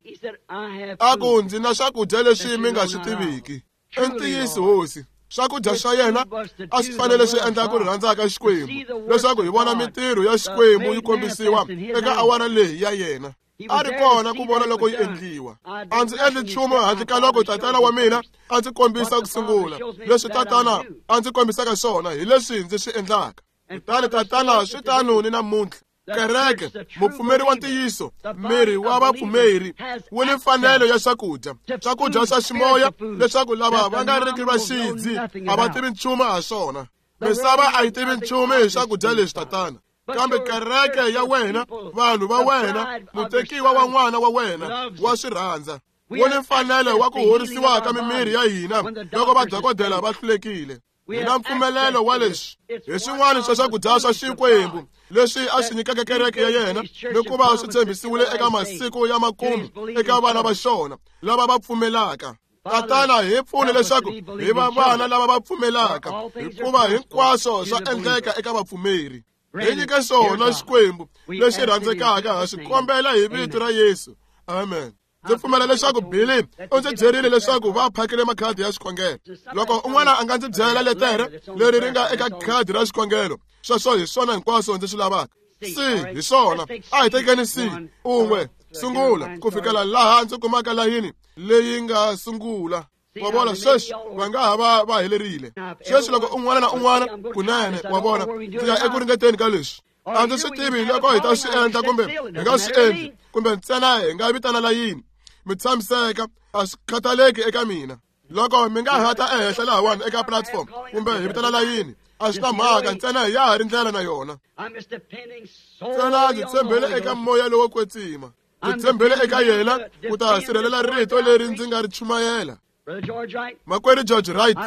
A ku, ndzi na swakudya leswi mi nga swi tiviki. I ntiyiso hosi, Swakudya swa yena a swi fanele swi endla ku rhandza ka Xikwembu, leswaku hi vona mintirho ya Xikwembu yi kombisiwa eka awara leyi ya yena. A ri kona ku vona loko yi endliwa. A ndzi endli nchumu handle ka loko tatana wa mina a ndzi kombisa ku sungula. Leswi tatana a ndzi kombisaka swona hi leswi ndzi swi endlaka. Kutani tatana swi tano ni namuntlha. Kereke, mupfumeri wa ntiyiso, miri wa vapfumeri wu ni mfanelo ya swakudya, swakudya swa ximoya, leswaku lava va nga riki va xidzi a va tivi nchumu ha swona. Misava a yi tivi nchumu hi swakudya leswi tatana. Kambe kereke ya wena, vanhu va wena, mutekiwa wa n'wana wa wena wa swi rhandza. Wu ni mfanelo wa ku horisiwa ka mimiri ya hina loko vadokodela va hlulekile. Hi na mpfumelelo wa leswi hi swin'wana swa swakudya swa Xikwembu leswi a swi nyikaka kereke ya yena, ni ku va swi tshembisiwile eka masiku ya makumu eka vana va xona lava va pfumelaka. Tatana, hi pfune leswaku hi va vana lava va pfumelaka, hikuva hinkwaswo swa endleka eka vapfumeri. Hi nyike swona Xikwembu lexi rhandzekaka, ha swi kombela hi vito ra Yesu. Amen. Ndzi pfumela leswaku Billy u ndzi byerile leswaku va phakile makhadi ya xikhongelo. Loko un'wana a nga ndzi byela letere leri ri nga eka khadi ra xikhongelo, sweswo hi swona hinkwaswo ndzi swi lavaka. C hi swona. A hi tekeni C un'we sungula ku fikela laha ndzi kumaka layini leyi nga sungula. Wa vona, sweswi va nga ha va va helerile. Sweswi loko un'wana na un'wana kunene, wa vona, ndzi ya eku ringeteni ka leswi. A ndzi swi tivi loko hi ta swi endla kumbe hi nga swi endli, kumbe ntsena hi nga vitana layini. Mi tshamiseka, a swi khathaleki eka mina. Loko mi nga hata ehenhla lahawani eka platform kumbe hi vitana layini, a swi na mhaka, ntsena hi ya ha ri ndlela na yona. Ntsena ndzi tshembele eka moya lowo kwetsima. Ndzi tshembele eka yena ku ta sirhelela rito leri ndzi nga ri chumayela. Makwerhu George Wright,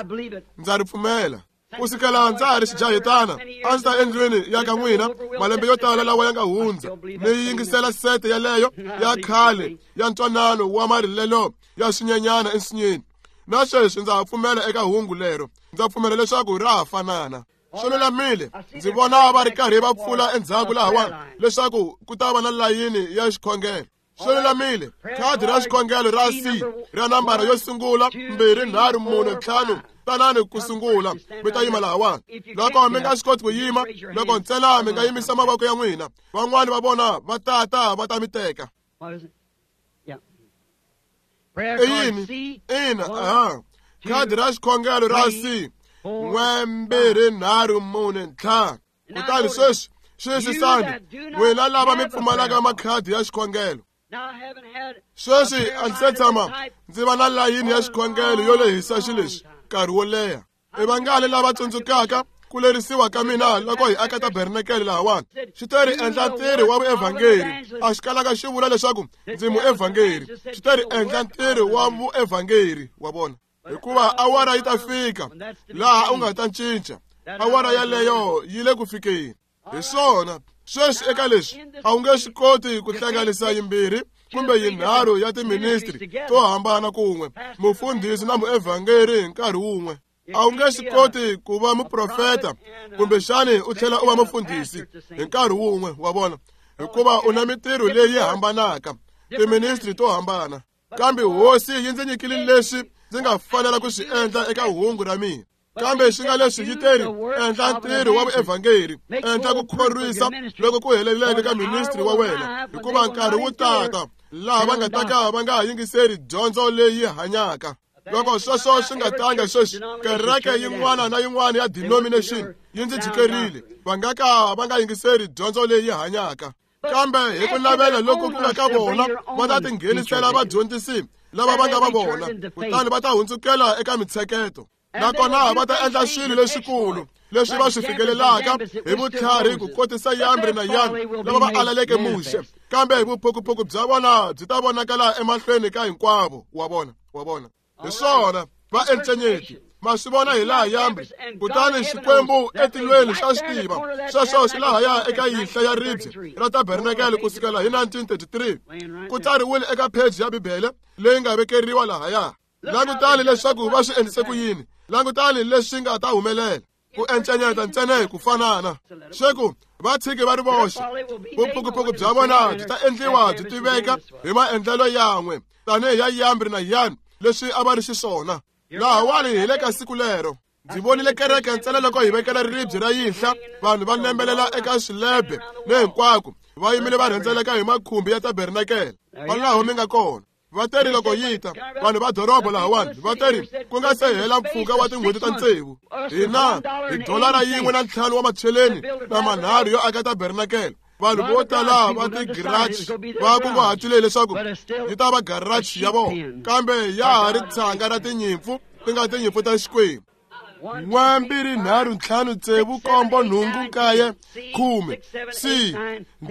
ndza ri pfumela. Ku sukela ndza ha ri xijahetana, a ndzi ta endlwini ya ka n'wina malembe yo tala lawa ya nga hundza, ni yingisela sete yaleyo ya khale ya ntwanano wa marilelo ya swinyenyana ensinyeni. Na sweswi ndza ha pfumela eka hungu lero. Ndza pfumela leswaku ra ha fanana. Swi lulamile, ndzi vona va ri karhi va pfula endzhaku lahawani leswaku ku ta va na layini ya xikhongelo. Swi lulamile, khadi ra xikhongelo ra C ra nambara yo sungula mbirhi nharhu mune ntlhanu, tanani ku sungula mi ta yima lahawani. Loko mi nga swi koti ku yima, loko ntsena mi nga yimisa mavoko ya n'wina, van'wani va vona va tata va ta mi teka. I yini? Ina, aha. Khadi ra xikhongelo ra C n'we mbirhi nharhu mune ntlhanu. Kutani sweswi xiyisisani, n'wina lava mi pfumalaka makhadi ya xikhongelo. Sweswi a ndzi se tshama ndzi va na layini ya xikhongelo yo lehisa xileswi nkarhi wo leha. I vangani lava tsundzukaka ku lerisiwa ka mina loko hi aka tabernakele lahawani? Xi te ri endla ntirho wa vuevhangeri. A xi kalaka xi vula leswaku ndzi muevhangeri. Xi te ri endla ntirho wa vuevhangeri, wa vona, hikuva awara yi ta fika laha u nga ta cinca. Awara yaleyo yi le ku fikeni. Hi swona sweswi eka leswi a wu nge swi koti ku hlanganisa yimbirhi kumbe yinharhu ya tiministri to hambana kun'we, mufundhisi na muevhangeri hi nkarhi wun'we. A wu nge swi koti ku va muprofeta kumbexani u tlhela u va mufundhisi hi nkarhi wun'we, wa vona, hikuva u na mintirho leyi hambanaka, tiministri to hambana. Kambe hosi yi ndzi nyikile leswi ndzi nga fanela ku swi endla eka hungu ra mina. Kambe xi nga leswi yi teri endla ntirho wa vuevhangeri, endla ku khorwisa loko ku heleleke ka ministri wa wena, hikuva nkarhi wu tata laha va nga ta ka va nga ha yingiseri dyondzo leyi hanyaka. Loko sweswo swi nga tanga sweswi, kereke yin'wana na yin'wana ya denomination yi ndzi jikerile, va nga ka va nga yingiseri dyondzo leyi hanyaka. Kambe hi ku navela loko ku nga ka vona, va ta tinghenisela vadyondzisi lava va nga va vona, kutani va ta hundzukela eka mitsheketo. Nakona va ta endla swilo leswikulu leswi va swi fikelelaka hi vutlhari ku kotisa Yambri na Yani lava va alaleke Muxe, kambe vuphukuphuku bya vona byi ta vonakala emahlweni ka hinkwavo. Wa vona, wa vona, hi swona va encenyeti. Ma swi vona hi laha Yambri, kutani Xikwembu etilweni xa swi tiva sweswo swi lahaya eka yinhla ya ribye ra tabernakele ku sukela hi nineteen thirty-three. Ku tsariwile eka pheji ya Bibele leyi nga vekeriwa lahaya. Langutani leswaku va swi endlise ku yini. Langutani leswi nga ta humelela. Ku encenyeta ntsena hi ku fanana. Sweku va tshiki va ri voxe. Vuphukuphuku bya vona byi ta endliwa byi tiveka hi maendlelo yan'we tanihi ya Yambri na Yani leswi a va ri xiswona. Lahawani hi le ka siku lero. Ndzi vonile kereke ntsena loko hi vekela ribye ra yinhla, vanhu va nembelela eka swilebe ni hinkwako, va yimile va rhendzeleka hi makhumbi ya tabernakele. Kwalaho mi nga kona. Va teri loko yi ta, vanhu va doroba lahawani va teri ku nga se hela mpfhuka wa tin'hweti ta tsevu, hina hi dolara yin'we na ntlhanu wa macheleni na manharhu yo aka tabernakele. Vanhu vo tala va tigiraji va kunguhatile leswaku yi ta va garaji ya vona, kambe ya ha ri tshanga ra tinyimpfu ti nga tinyimpfu ta Xikwembu. N'we mbirhi nharhu ntlhanu tsevu nkombo nhungu nkaye khume C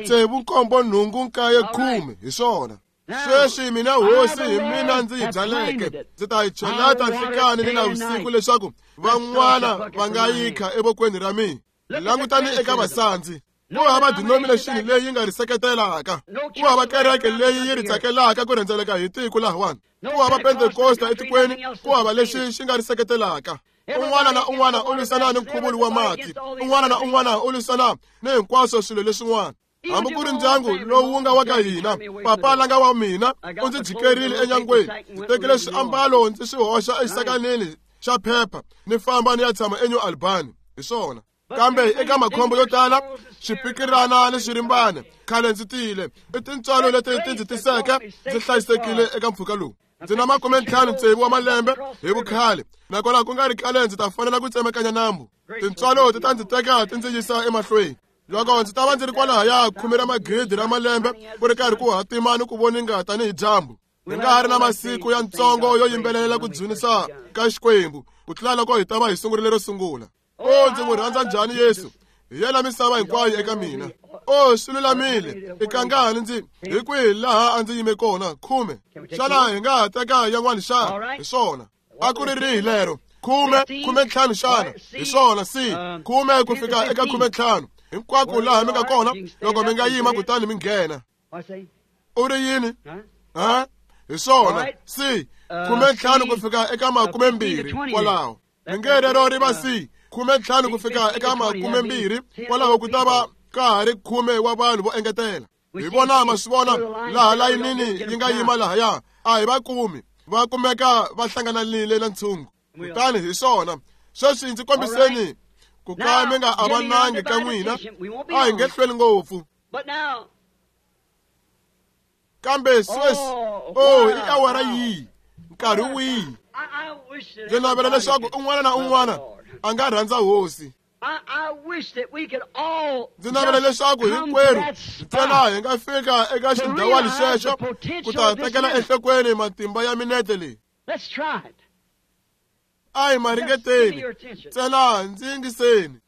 tsevu nkombo nhungu nkaye khume hi swona. Sweswi mina hosi hi mina ndzi yi byaleke, ndzi ta yi cheleta nhlikani ni navusiku leswaku van'wana va nga yi kha evokweni ra mina. Langutani eka vasandzi. Ku hava denomination leyi yi nga ri seketelaka, ku hava kereke leyi yi ri tsakelaka ku rhendzeleka hi tiko lahawani, ku hava Pentekosta etikweni, ku hava lexi xi nga ri seketelaka. Un'wana na un'wana u lwisana ni nkhuvulo wa mati, un'wana na un'wana u lwisana ni hinkwaswo swilo leswin'wana. Hambi ku ri ndyangu lowu wu nga wa ka hina, papa la nga wa mina u ndzi jikerile enyangweni. Ndzi tekile swiambalo ndzi swi hoxa exisakanini xa phepha ni famba ni ya tshama eNew Albany. Hi swona. Kambe eka makhombo yo tala, swipikirana ni swirimbana, khale ndzi tile. I tintswalo leti ti ndzi tiseke ndzi hlayisekile eka mpfhuka lowu. Ndzi na makume ntlhanu tsevu wa malembe hi vukhale, nakona ku nga ri khale ndzi ta fanela ku tsemakanya nambu. Tintswalo ti ta ndzi teka ti ndzi yisa emahlweni. Loko ndzi ta va ndzi ri kwalahaya khume ra magidi ra malembe ku ri karhi ku hatima ni ku voninga tanihi dyambu, hi nga ha ri na masiku ya ntsongo yo yimbelela ku dzunisa ka Xikwembu ku tlula loko hi ta va hi sungurile ro sungula. O ndzi n'wi rhandza njhani Yesu, hi yena misava hinkwayo eka mina. O swi lulamile, i kangani ndzi hi kwihi laha a ndzi yime kona? Khume. Xana hi nga ha teka yan'wana xana? Hi swona. A ku ri rihi lero? Khume, khume ntlhanu xana? Hi swona, si khume ku fika eka khume ntlhanu. Hinkwako laha mi nga kona, loko mi nga yima kutani mi nghena. U ri yini? Ha? Hi swona, si khume ntlhanu ku fika eka makume mbirhi kwalaho. Mi nge rero ri va si khume ntlhanu ku fika eka makume mbirhi kwalaho, ku ta va ka ha ri khume wa vanhu vo engetela. Hi vona ma swi vona laha layinini yi nga yima lahaya, a hi va kumi, va kumeka va hlangananile na ntshungu. Kutani hi swona. Sweswi ndzi kombiseni ku ka mi nga avanangi ka n'wina, a hi nge hlweli ngopfu. Kambe sweswi, o i awara yihi, nkarhi wihi? Ndzi navela leswaku un'wana na un'wana a nga rhandza hosi. Ndzi navela leswaku hinkwerhu ntsena hi nga fika eka xindhawani xexo ku ta tekela enhlokweni matimba ya minete leyi. A hi ma ringeteni, ntsena ndzi yingiseni.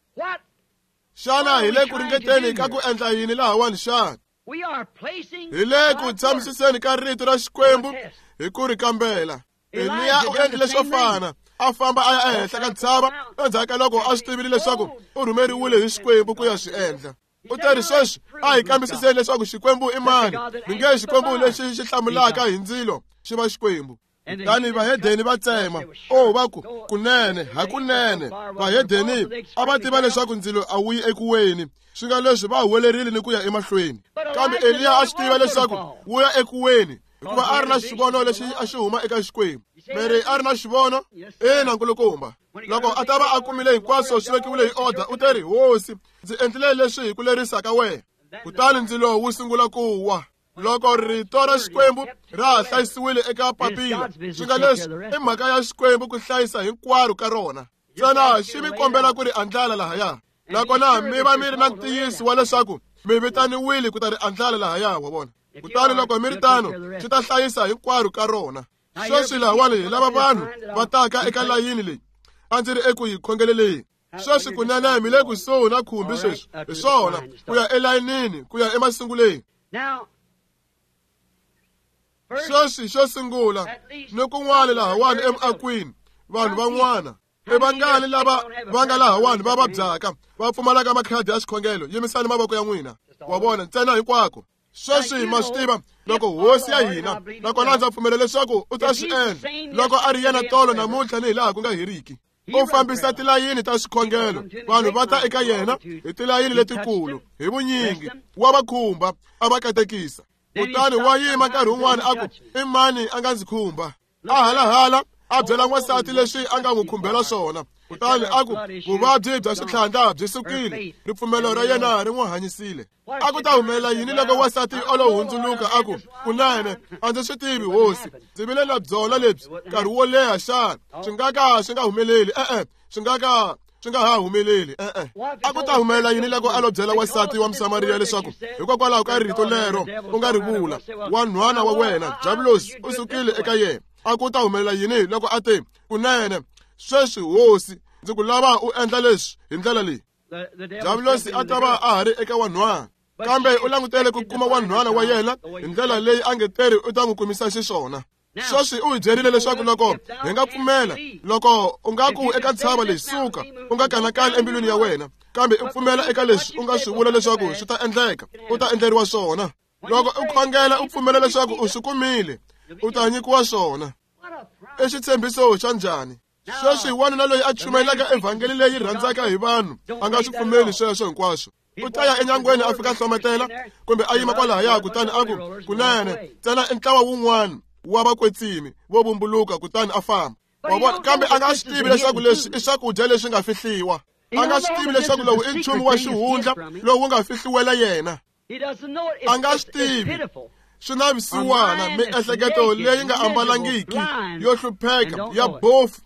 Xana hi le ku ringeteni ka ku endla yini lahawani xana? Hi le ku tshamisiseni ka rito ra Xikwembu hi ku ri kambela. Eliya u endlile swo fana, a famba a ya ehenhla ka ntshava endzhaku ka loko a swi tivile leswaku u rhumeriwile hi Xikwembu ku ya swi endla. U teri sweswi a hi kambisiseni leswaku Xikwembu i mani. Mi nge Xikwembu lexi xi hlamulaka hi ndzilo xi va Xikwembu. Kutani vahedeni va tsema. O va ku kunene, hakunene vahedeni a va tiva leswaku ndzilo a wu yi ekuweni, swi nga leswi va huwelerile ni ku ya emahlweni. Kambe Eliya a swi tiva leswaku wu ya ekuweni, hikuva a ri na xivono lexi a xi huma eka Xikwembu. Mary a ri na xivono? Ina, nkulukumba. Loko a ta va a kumile hinkwaswo swi vekiwile hi order, u teri, Hosi, ndzi endlile leswi hi ku lerisa ka wena. Kutani ndzilo wu sungula ku wa. Loko rito ra Xikwembu ra ha hlayisiwile eka papila, swi nga leswi i mhaka ya Xikwembu ku hlayisa hinkwaro ka rona. Ntsena xi mi kombela ku ri andlala lahaya, nakona mi va mi ri na ntiyiso wa leswaku mi vitaniwile ku ta ri andlala lahaya, wa vona. Kutani loko mi ri tano, xi ta hlayisa hinkwaro ka rona. Sweswi lahawani hi lava vanhu va taka eka layini leyi a ndzi ri eku yi khongeleleni. Sweswi kunene mi le kusuhi na khumbi sweswi, hi swona, ku ya elayinini, ku ya emasunguleni. Sweswi xo sungula ni kun'wana lahawani emuakwini, vanhu van'wana i vangani lava va nga lahawani va vabyaka, va pfumalaka makhadi ya xikhongelo? Yimisani mavoko ya n'wina, wa vona, ntsena hinkwako. Sweswi ma swi tiva loko hosi ya hina, nakona ndza pfumela leswaku u ta swi endla loko a ri yena tolo namuntlha ni hi laha ku nga heriki. U fambisa tilayini ta swikhongelo, vanhu va ta eka yena hi tilayini letikulu hi vunyingi, wa va khumba, a va katekisa. Kutani wa yima nkarhi wun'wana a ku, i mani a nga ndzi khumba? A halahala a byela n'wansati leswi a nga n'wi khumbela swona. Kutani a ku vuvabyi bya switlhandla byi sukile, ripfumelo ra yena ri n'wi hanyisile. A ku ta humelela yini loko wansati o lo hundzuluka a ku, kunene a ndzi swi tivi hosi, ndzi vile na byona lebyi nkarhi wo leha xana? Swi nga ka swi nga humeleli, e-e, swi nga ka swi nga ha humeleli, e-e. A ku ta humelela yini loko a lo byela wansati wa Musamariya leswaku hikokwalaho ka rito lero u nga ri vula, wanhwana wa wena Diabulosi u sukile eka yena? A ku ta humelela yini loko a te, kunene sweswi hosi ndzi ku lava u endla leswi hi ndlela leyi? Diabulosi a ta va a ha ri eka wanhwana, kambe u langutele ku kuma wanhwana wa yena hi ndlela leyi a nge teri u ta n'wi kumisa xiswona. Sweswi u hi byerile leswaku loko hi nga pfumela, loko u nga ku eka ntshava leyi suka, u nga kanakani embilwini ya wena, kambe u pfumela eka leswi u nga swi vula leswaku swi ta endleka, u ta endleriwa swona. Loko u khongela u pfumela leswaku u swi kumile, u ta nyikiwa swona. I xitshembiso xa njhani? Sweswi wanuna loyi a chumayelaka evhangeli leyi rhandzaka hi vanhu a nga swi pfumeli sweswo hinkwaswo. U ta ya enyangweni a fika hlometela kumbe a yima kwalahaya kutani a ku, kunene ntsena i ntlawa wun'wana wa vakwetsimi vo vumbuluka, kutani a famba. Wa vona? Kambe a nga swi tivi leswaku leswi i swakudya leswi nga fihliwa. A nga swi tivi leswaku lowu i nchumu wa xihundla lowu wu nga fihliwela yena. A nga swi tivi. Swi na vusiwana, miehleketo leyi nga ambalangiki, yo hlupheka, ya bofu,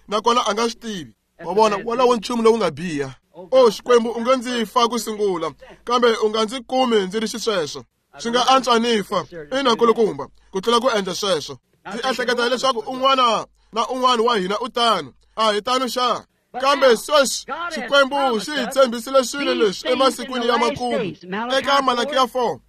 nakona a nga swi tivi. Wa vona? Wolowo nchumu lowu nga biha. O Xikwembu, u nga ndzi fa ku sungula, kambe u nga ndzi kumi ndzi ri xisweswo. Swi nga antswa ni fa, ina kulukumba, ku tlula ku endla sweswo. Ndzi ehleketa leswaku un'wana na un'wana wa hina u tano. A hi tano xa? Kambe sweswi Xikwembu xi hi tshembisile swilo leswi emasikwini ya makumu. Eka Malakiya four,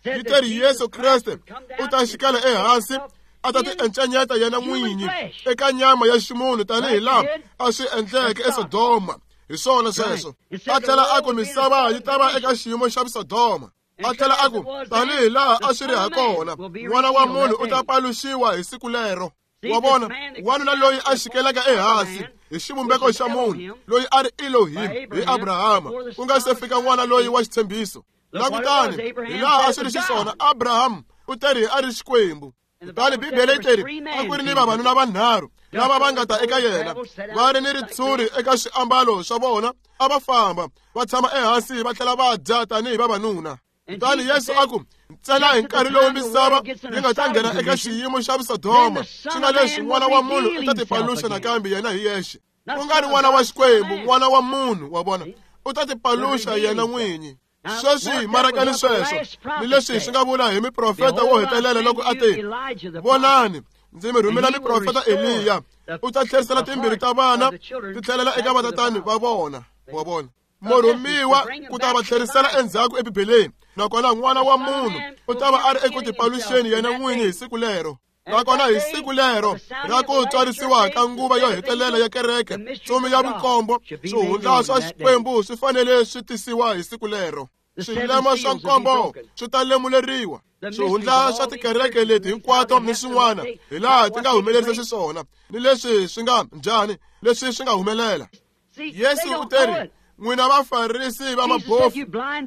yi teri Yesu Kreste u ta xikela ehansi a ta ti encenyeta yena n'winyi eka nyama ya ximunhu tanihi laha a swi endleke eSodoma. Hi swona sweswo. A tlhela a ku misava yi ta va eka xiyimo xa Sodoma. A tlhela a ku tanihi laha a swi ri ha kona, n'wana wa munhu u ta paluxiwa hi siku lero. Wa vona? Wanuna loyi a xikelaka ehansi hi xivumbeko xa munhu loyi a ri Elohim hi Abrahama, ku nga se fika n'wana loyi wa xitshembiso. Langutani hi laha a swi ri xiswona, Abraham u teri a ri Xikwembu. Kutani Bibele yi teri a ku ri ni vavanuna vanharhu lava va nga ta eka yena, va ri ni ritshuri eka swiambalo swa vona, a va famba va tshama ehansi va tlhela va dya tanihi vavanuna. Kutani Yesu a ku, ntsena hi nkarhi lowu misava yi nga ta nghena eka xiyimo xa Sodoma, swi nga leswi n'wana wa munhu u ta tipaluxa nakambe yena hi yexe. Ku nga ri n'wana wa Xikwembu, n'wana wa munhu, wa vona, u ta tipaluxa yena n'winyi. Sweswi marakani sweswo ni leswi swi nga vula hi miprofeta wo hetelela loko a te, vonani ndzi mi rhumela miprofeta Eliya, u ta tlherisela timbilu ta vana ti tlhelela eka vatatani va vona. Wa vona? Murhumiwa ku ta va tlherisela endzhaku eBibeleni, nakona n'wana wa munhu u ta va a ri eku tipaluxeni yena n'winyi hi siku lero. Nakona hi siku lero ra ku tswarisiwa ka nguva yo hetelela ya kereke, ntsumi ya vunkombo, swihundla swa Xikwembu swi fanele swi tisiwa hi siku lero. Swilema swa nkombo swi ta lemuleriwa. Swihundla swa tikereke leti hinkwato ni swin'wana hi laha ti nga humelerisa xiswona, ni leswi swi nga njhani, leswi swi nga humelela. Yesu u teri, n'wina vafarisi va mabofu,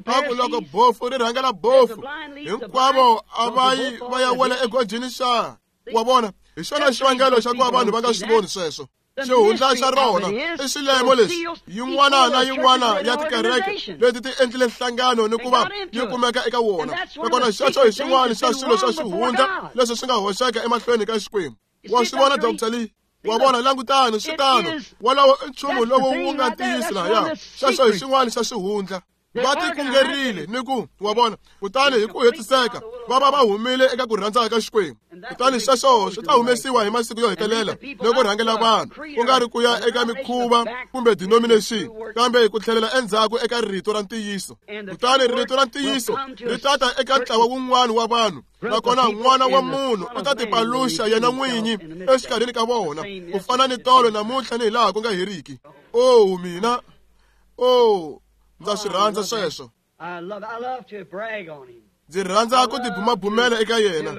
a ku loko bofu ri rhangela bofu, hinkwavo a va yi va ya wela egojini xa. Wa vona? Hi xona xivangelo xa ku va vanhu va nga swi voni sweswo. Xihundla xa rona i xilemo lexi yin'wana na yin'wana ya tikereke leti ti endlile nhlangano ni ku va yi kumeka eka wona. Nakona xexo hi xin'wana xa swilo swa xihundla leswi swi nga hoxeka emahlweni ka Xikwembu. Wa swi vona, Doctor Lee? Wa vona? Langutani, swi tano. Wolowo i nchumu lowu wu nga ntiyiso lahaya. Xexo hi xin'wana xa xihundla. Va tikungerile ni ku, wa vona, kutani hi ku hetiseka va va va humile eka ku rhandza ka Xikwembu. Kutani sweswo swi ta humesiwa hi masiku yo hetelela ni ku rhangela vanhu, ku nga ri ku ya eka mikhuva kumbe denomination, kambe ku tlhelela endzhaku eka rito ra ntiyiso. Kutani rito ra ntiyiso ri ta ta eka ntlawa wun'wana wa vanhu, nakona n'wana wa munhu u ta tipaluxa yena n'winyi exikarhini ka vona, ku fana ni tolo namuntlha ni hi laha ku nga heriki. Oh mina, oh, ndza swi rhandza sweswo. Ndzi rhandza ku tibumabumela eka yena.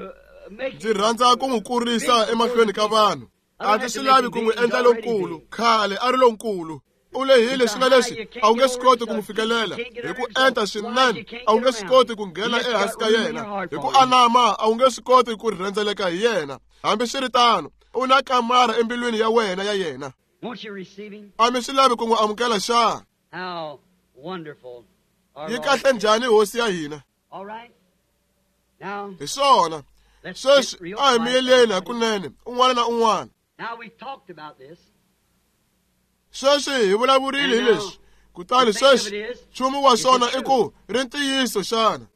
Ndzi rhandza ku n'wi kurisa emahlweni ka vanhu. A ndzi swi lavi ku n'wi endla lonkulu, khale a ri lonkulu. U lehile swi nga leswi a wu nge swi koti ku n'wi fikelela hi ku enta swinene, a wu nge swi koti ku nghena ehansi ka yena hi ku anama, a wu nge swi koti ku rhendzeleka hi yena. Hambiswiritano, u na kamara embilwini ya wena ya yena. A mi swi lavi ku n'wi amukela xana? Yi kahle njhani hosi ya hina? Hi swona. Sweswi a hi miyeleni hakunene un'wana na un'wana. Sweswi hi vulavurile hi leswi. Kutani sweswi nchumu wa swona i ku ri ntiyiso xana?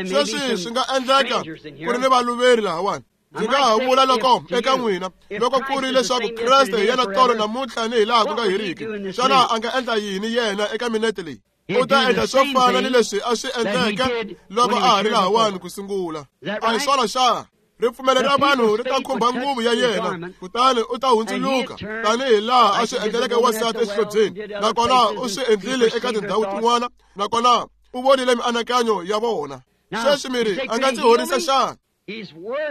Sweswi swi nga endleka ku ri ni valuveri lahawani. Ndzi nga ha vula loko eka n'wina loko ku ri leswaku Kreste hi yena tolo namuntlha ni hi laha ku nga heriki, xana a nga endla yini yena eka minete leyi? U ta endla swo fana ni leswi a swi endleke loko a ha ri lahawani ku sungula. A hi swona xana? Ripfumelo ra vanhu ri ta khumba nguvu ya yena, kutani u ta hundzuluka tanihi laha a swi endleleke wansati exihlobyeni, nakona u swi endlile eka tindhawu tin'wana, nakona u vonile mianakanyo ya vona. Sweswi mi ri a nga ndzi horisa xana?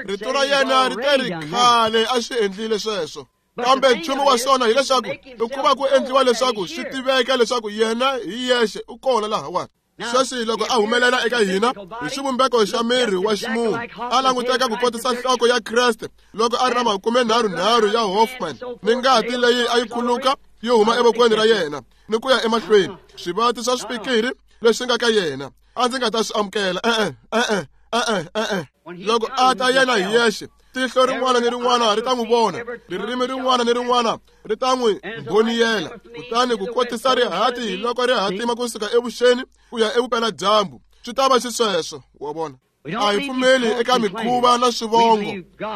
Rito ra yena ri te ri khale a swi endlile sweswo. Kambe nchumu wa swona hileswaku i ku va ku endliwa leswaku swi tiveka leswaku yena hi yexe u kona lahawani. Sweswi loko a humelela eka hina hi xivumbeko xa miri wa ximunhu, a languteka ku kotisa nhloko ya Kreste loko a ri na makumenharhunharhu ya Hoffman ni ngati leyi a yi khuluka yi huma evokweni ra yena ni ku ya emahlweni, swivati swa swipikiri leswi nga ka yena a ndzi nga ta swi amukela. E-e, e-e, e-e, e-e. Loko a ta yena hi yexe, tihlo rin'wana ni rin'wana ri ta n'wi vona, ririmi rin'wana ni rin'wana ri ta n'wi mbhoniyela. Kutani ku kotisa rihati loko ri hatima kusuka evuxeni ku ya evupeladyambu, swi ta va xisweswo. Wa vona, a hi pfumeli eka mikhuva na swivongo,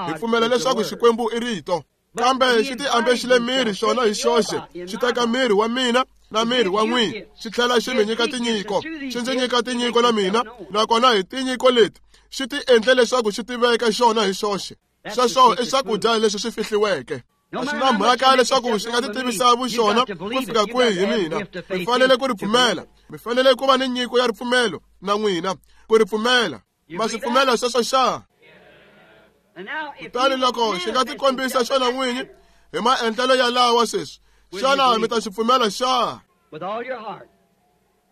hi pfumela leswaku Xikwembu i rito. Kambe xi ti ambexile miri xona hi xoxe, xi teka miri wa mina na miri wa n'wina, xi tlhela xi mi nyika tinyiko, xi ndzi nyika tinyiko na mina, nakona hi tinyiko leti xi ti endle leswaku xi tiveka xona hi xoxe. Sweswo i swakudya leswi swi fihliweke. A swi na mhaka leswaku xi nga ti tivisa vuxona ku fika kwihi hi mina, mi fanele ku ri pfumela. Mi fanele ku va ni nyiko ya ripfumelo na n'wina ku ri pfumela. Ma swi pfumela sweswo xa? Kutani loko xi nga ti kombisa xona n'winyi hi maendlelo ya lawa sweswi, xana mi ta xi pfumela xa?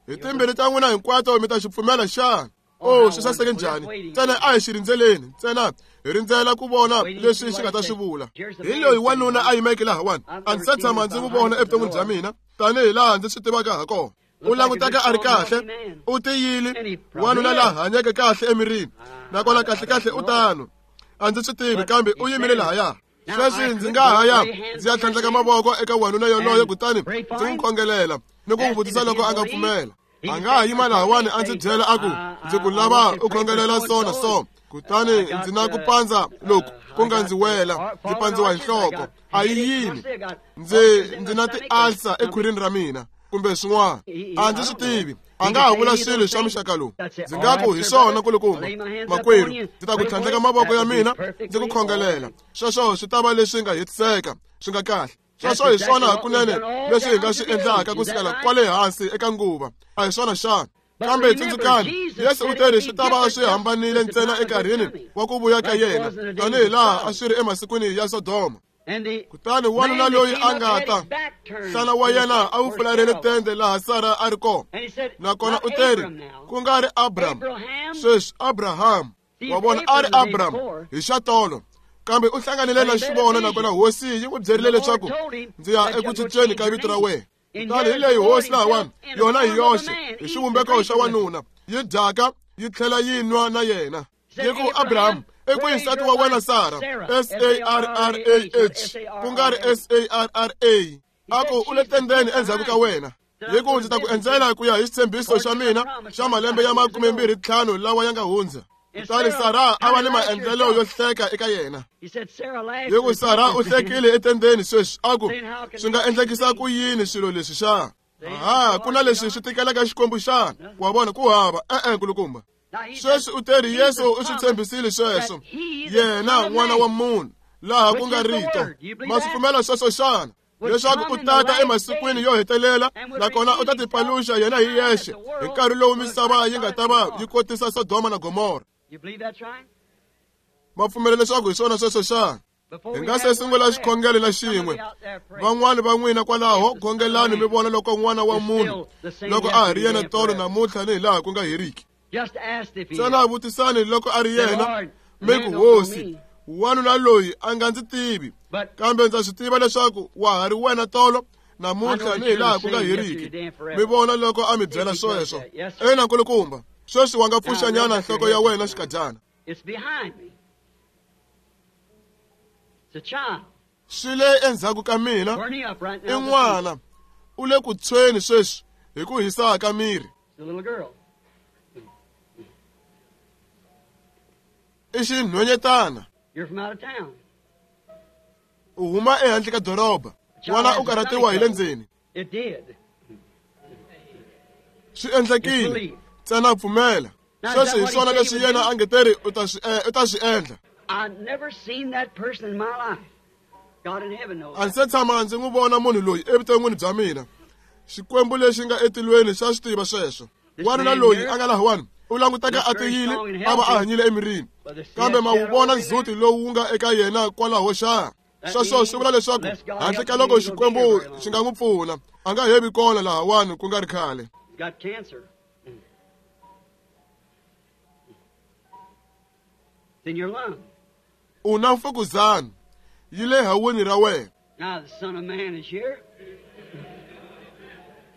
Hi timbirhi ta n'wina hinkwato mi ta xi pfumela xana? Oh, swi saseke njhani? Ntsena a hi xi rindzeleni, ntsena hi rindzela ku vona leswi xi nga ta swi vula. Hi loyi wanuna a yimeke lahawani, a ndzi se tshama ndzi n'wi vona evuton'wini bya mina tanihi laha ndzi swi tivaka ha kona. U languteka a ri kahle, u tiyile, wanuna la hanyeke kahle emirini, nakona kahlekahle u tano. A ndzi swi tivi, kambe u yimile lahaya. Sweswi ndzi nga ha ya ndzi ya tlhandleka mavoko eka wanuna yoloye kutani ndzi n'wi khongelela ni ku n'wi vutisa loko a nga pfumela. A nga ha yima lahawani a ndzi byela a ku ndzi ku lava u khongelela so na so, kutani ndzi na ku pandza loku ku nga ndzi wela, ndzi pandziwa hi nhloko. A yi yini? Ndzi ndzi na ti-ulcer ekhwirini ra mina kumbe swin'wana, a ndzi swi tivi. A nga ha vula swilo swa muxaka lowu. Ndzi nga ku hi swona kulukumba, makwerhu, ndzi ta ku tlhandleka mavoko ya mina ndzi ku khongelela. Sweswo swi ta va leswi nga hetiseka, swi nga kahle. Sweswo hi swona hakunene leswi hi nga swi endlaka ku sukela kwale hansi eka nguva. A hi swona xana? Kambe tsundzukani, Yesu u teri swi ta va swi hambanile ntsena enkarhini wa ku vuya ka yena, tanihi laha a swi ri emasikwini ya Sodoma. Kutani wanuna loyi a nga ta, nhlana wa yena a wu fularhele tende laha Sara a ri kona, nakona u teri ku nga ri Abraham, sweswi Abraham. Wa vona, a ri Abraham hi xa tolo, kambe u hlanganile na xivono, nakona hosi yi n'wi byerile leswaku ndzi ya eku cinceni ka vito ra wena. Kutani hi leyi hosi lahawani, yona hi yoxe hi xivumbeko xa wanuna, yi dyaka yi tlhela yi nwa na yena. Yi ku, Abraham, i kwihi nsati wa wena Sara? S A R R A H, ku nga ri S A R R A. A ku u le tendeni endzhaku ka wena. Yi ku ndzi ta ku endzela ku ya hi xitshembiso xa mina xa malembe ya makumembirhi ntlhanu lawa ya nga hundza. Kutani Sara a va ni maendlelo yo hleka eka yena. Yi ku Sara u hlekile etendeni sweswi, a ku swi nga endlekisa ku yini swilo leswi xana? Ha, ku na leswi swi tikelaka Xikwembu xana? Wa vona, ku hava. E-e, nkulukumba. Sweswi u teri Yesu u swi tshembisile sweswo, yena n'wana wa munhu, laha ku nga rito. Ma swi pfumela sweswo xana? Leswaku u tata emasikwini yo hetelela, nakona u ta tipaluxa yena hi yexe hi nkarhi lowu misava yi nga ta va yi kotisa Sodoma na Gomora. Ma pfumela leswaku hi swona sweswo xana? Hi nga se sungula xikhongelo na xin'we, van'wani va n'wina kwalaho khongelani mi vona loko n'wana wa munhu loko a ha ri yena tolo namuntlha ni hi laha ku nga heriki. Ntsena vutisani loko a ri yena, mi ku, Hosi, Wanuna loyi a nga ndzi tivi, kambe ndza swi tiva leswaku wa ha ri wena tolo namuntlha ni hilaha ku nga heriki. Mi vona loko a mi byela sweswo. Ina nkulukumba, sweswi wa nga pfuxanyana nhloko ya wena xikadyana. Swi le endzhaku ka mina i n'wana u le ku tshweni sweswi hi ku hisa ka miri. I xinhwanyetana. U huma ehandle ka doroba. N'wana u karhatiwa hi le ndzeni. Swi endlekile. Ntsena pfumela. Sweswi hi swona leswi yena a nge teri u ta swi u ta swi endla. A ndzi se tshama ndzi n'wi vona munhu loyi evuton'wini bya mina. Xikwembu lexi nga etilweni xa swi tiva sweswo. Wanuna loyi a nga lahawani u languteka a tiyile a va a hanyile emirini, kambe ma wu vona ndzhuti lowu wu nga eka yena kwalaho xa. Sweswo swi vula leswaku handle ka loko Xikwembu xi nga n'wi pfuna, a nga hevi kona lahawani ku nga ri khale. U na mfukuzana yi le haweni ra wena.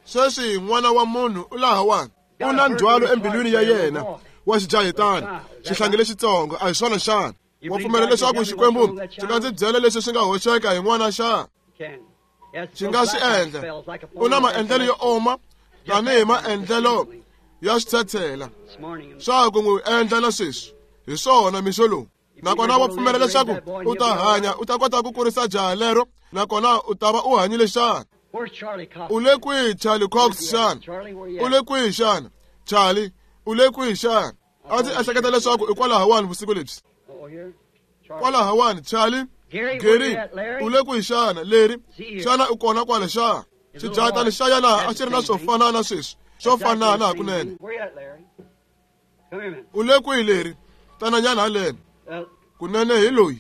Sweswi n'wana wa munhu u lahawani. U na ndzhwalo embilwini ya yena wa xijahetana, xihlangi lexitsongo, a hi swona xana? Wa pfumela leswaku Xikwembu xi nga ndzi byela leswi swi nga hoxeka hi n'wana xana? Xi nga swi endla. U na maendlelo yo oma tanihi maendlelo ya switshetshela swa ku n'wi endla na sweswi. Hi swona mixo lowu. Nakona wa pfumela leswaku u ta hanya, u ta kota ku kurisa jaha lero, nakona u ta va u hanyile xana? U le kwihi Charlie Cox xana? U le kwihi xana? Charlie, u le kwihi xana? A ndzi ehleketa leswaku i kwalahawani vusiku lebyi. Kwalahawani, Charlie, Gary, u le kwihi xana? Leri, xana u kona kwale xana? Xijahatana xa yena a xi ri na swo fana na sweswi, swo fanana hakunene. U le kwihi leri? Tananyana haleno. Kunene hi loyi.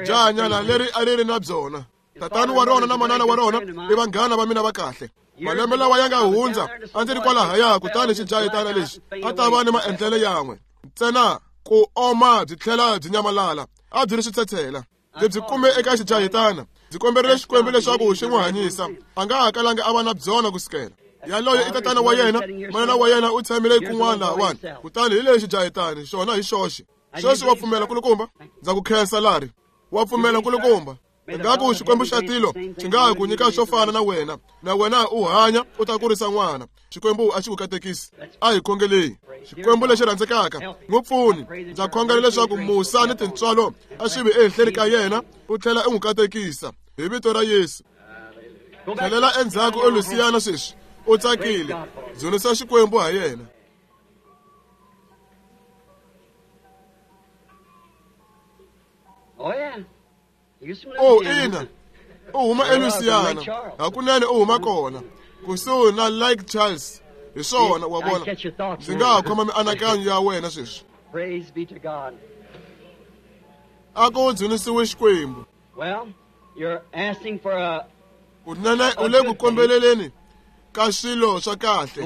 Jahanyana leri a ri ri na byona. Tatana wa rona na manana wa rona i vanghana va mina va kahle. Malembe lawa ya nga hundza a ndzi ri kwalahaya, kutani xijahetana lexi a ta va ni maendlelo yan'we ntsena ku oma byi tlhela byi nyamalala. A byi ri switshetshela. Ndzi byi kume eka xijahetana. Ndzi komberile Xikwembu leswaku xi n'wi hanyisa. A nga ha kalanga a va na byona kusukela. Yaloye i tatana wa yena, manana wa yena u tshamile kun'wana lahawani. Kutani hi lexi xijahetana xona hi xoxe. Sweswi wa pfumela nkulukumba? Ndza ku khensa Lari. Wa pfumela nkulukumba? Ingaku Xikwembu xa tilo xi nga ku nyika swo fana na wena, na wena u hanya u ta kurisa n'wana. Xikwembu a xi ku katekisi. A hi khongeleni. Xikwembu lexi rhandzekaka, n'wi pfuni. Ndza khongela leswaku musa ni tintswalo a swi vi ehenhleni ka yena, u tlhela u n'wi katekisa hi vito ra Yesu. Tlhelela endzhaku eLusiyana sweswi, u tsakile. Dzunisa Xikwembu ha yena. Oh, ina, u huma eLusiyana. Hakunene u huma kona kusuhi na Lake Charles. Hi swona, wa vona. Ndzi nga ha khoma mianakanyo ya wena sweswi. A ku dzunisiwe Xikwembu. Kunene u le ku kombeleleni ka swilo swa kahle.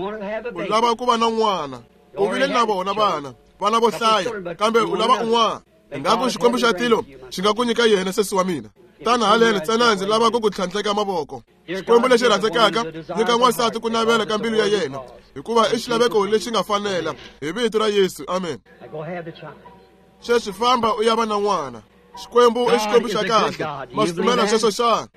U lava ku va na n'wana. U vile na vona vana, vana vo hlaya, kambe u lava un'wana. Ingaku Xikwembu xa tilo xi nga ku nyika yena sesi wa mina. Tana haleno ntsena ndzi lava ku ku tlhandleka mavoko. Xikwembu lexi rhandzekaka, nyika n'wansati ku navela ka mbilu ya yena, hikuva i xilaveko lexi nga fanela. Hi vito ra Yesu, amen. Sweswi famba u ya va na n'wana. Xikwembu i Xikwembu xa kahle. Ma swi pfumela sweswo xana?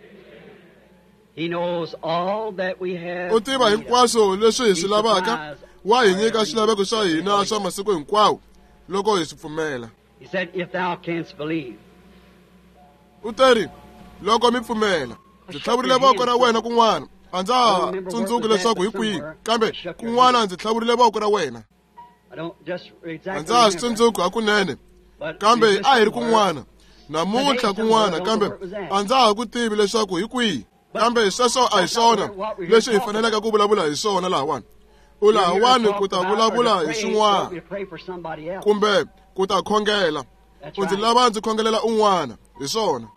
U tiva hinkwaswo leswi hi swi lavaka. Wa hi nyika swilaveko swa hina swa masiku hinkwawo loko hi swi pfumela. He said, if thou canst believe. U teri, loko mi pfumela. Ndzi tlhavurile voko ra wena kun'wana. A ndza ha tsundzuki leswaku hi kwihi, kambe kun'wana ndzi tlhavurile voko ra wena. A ndza ha swi tsundzuki hakunene, kambe a hi ri kun'wana. Namuntlha kun'wana, kambe a ndza ha ku tivi leswaku hi kwihi. Kambe sweswo a hi swona leswi hi faneleke ku vulavula hi swona lahawani. U lahawani ku ta vulavula hi swin'wana kumbe ku ta khongela. U ndzi lava ndzi khongelela un'wana, hi swona.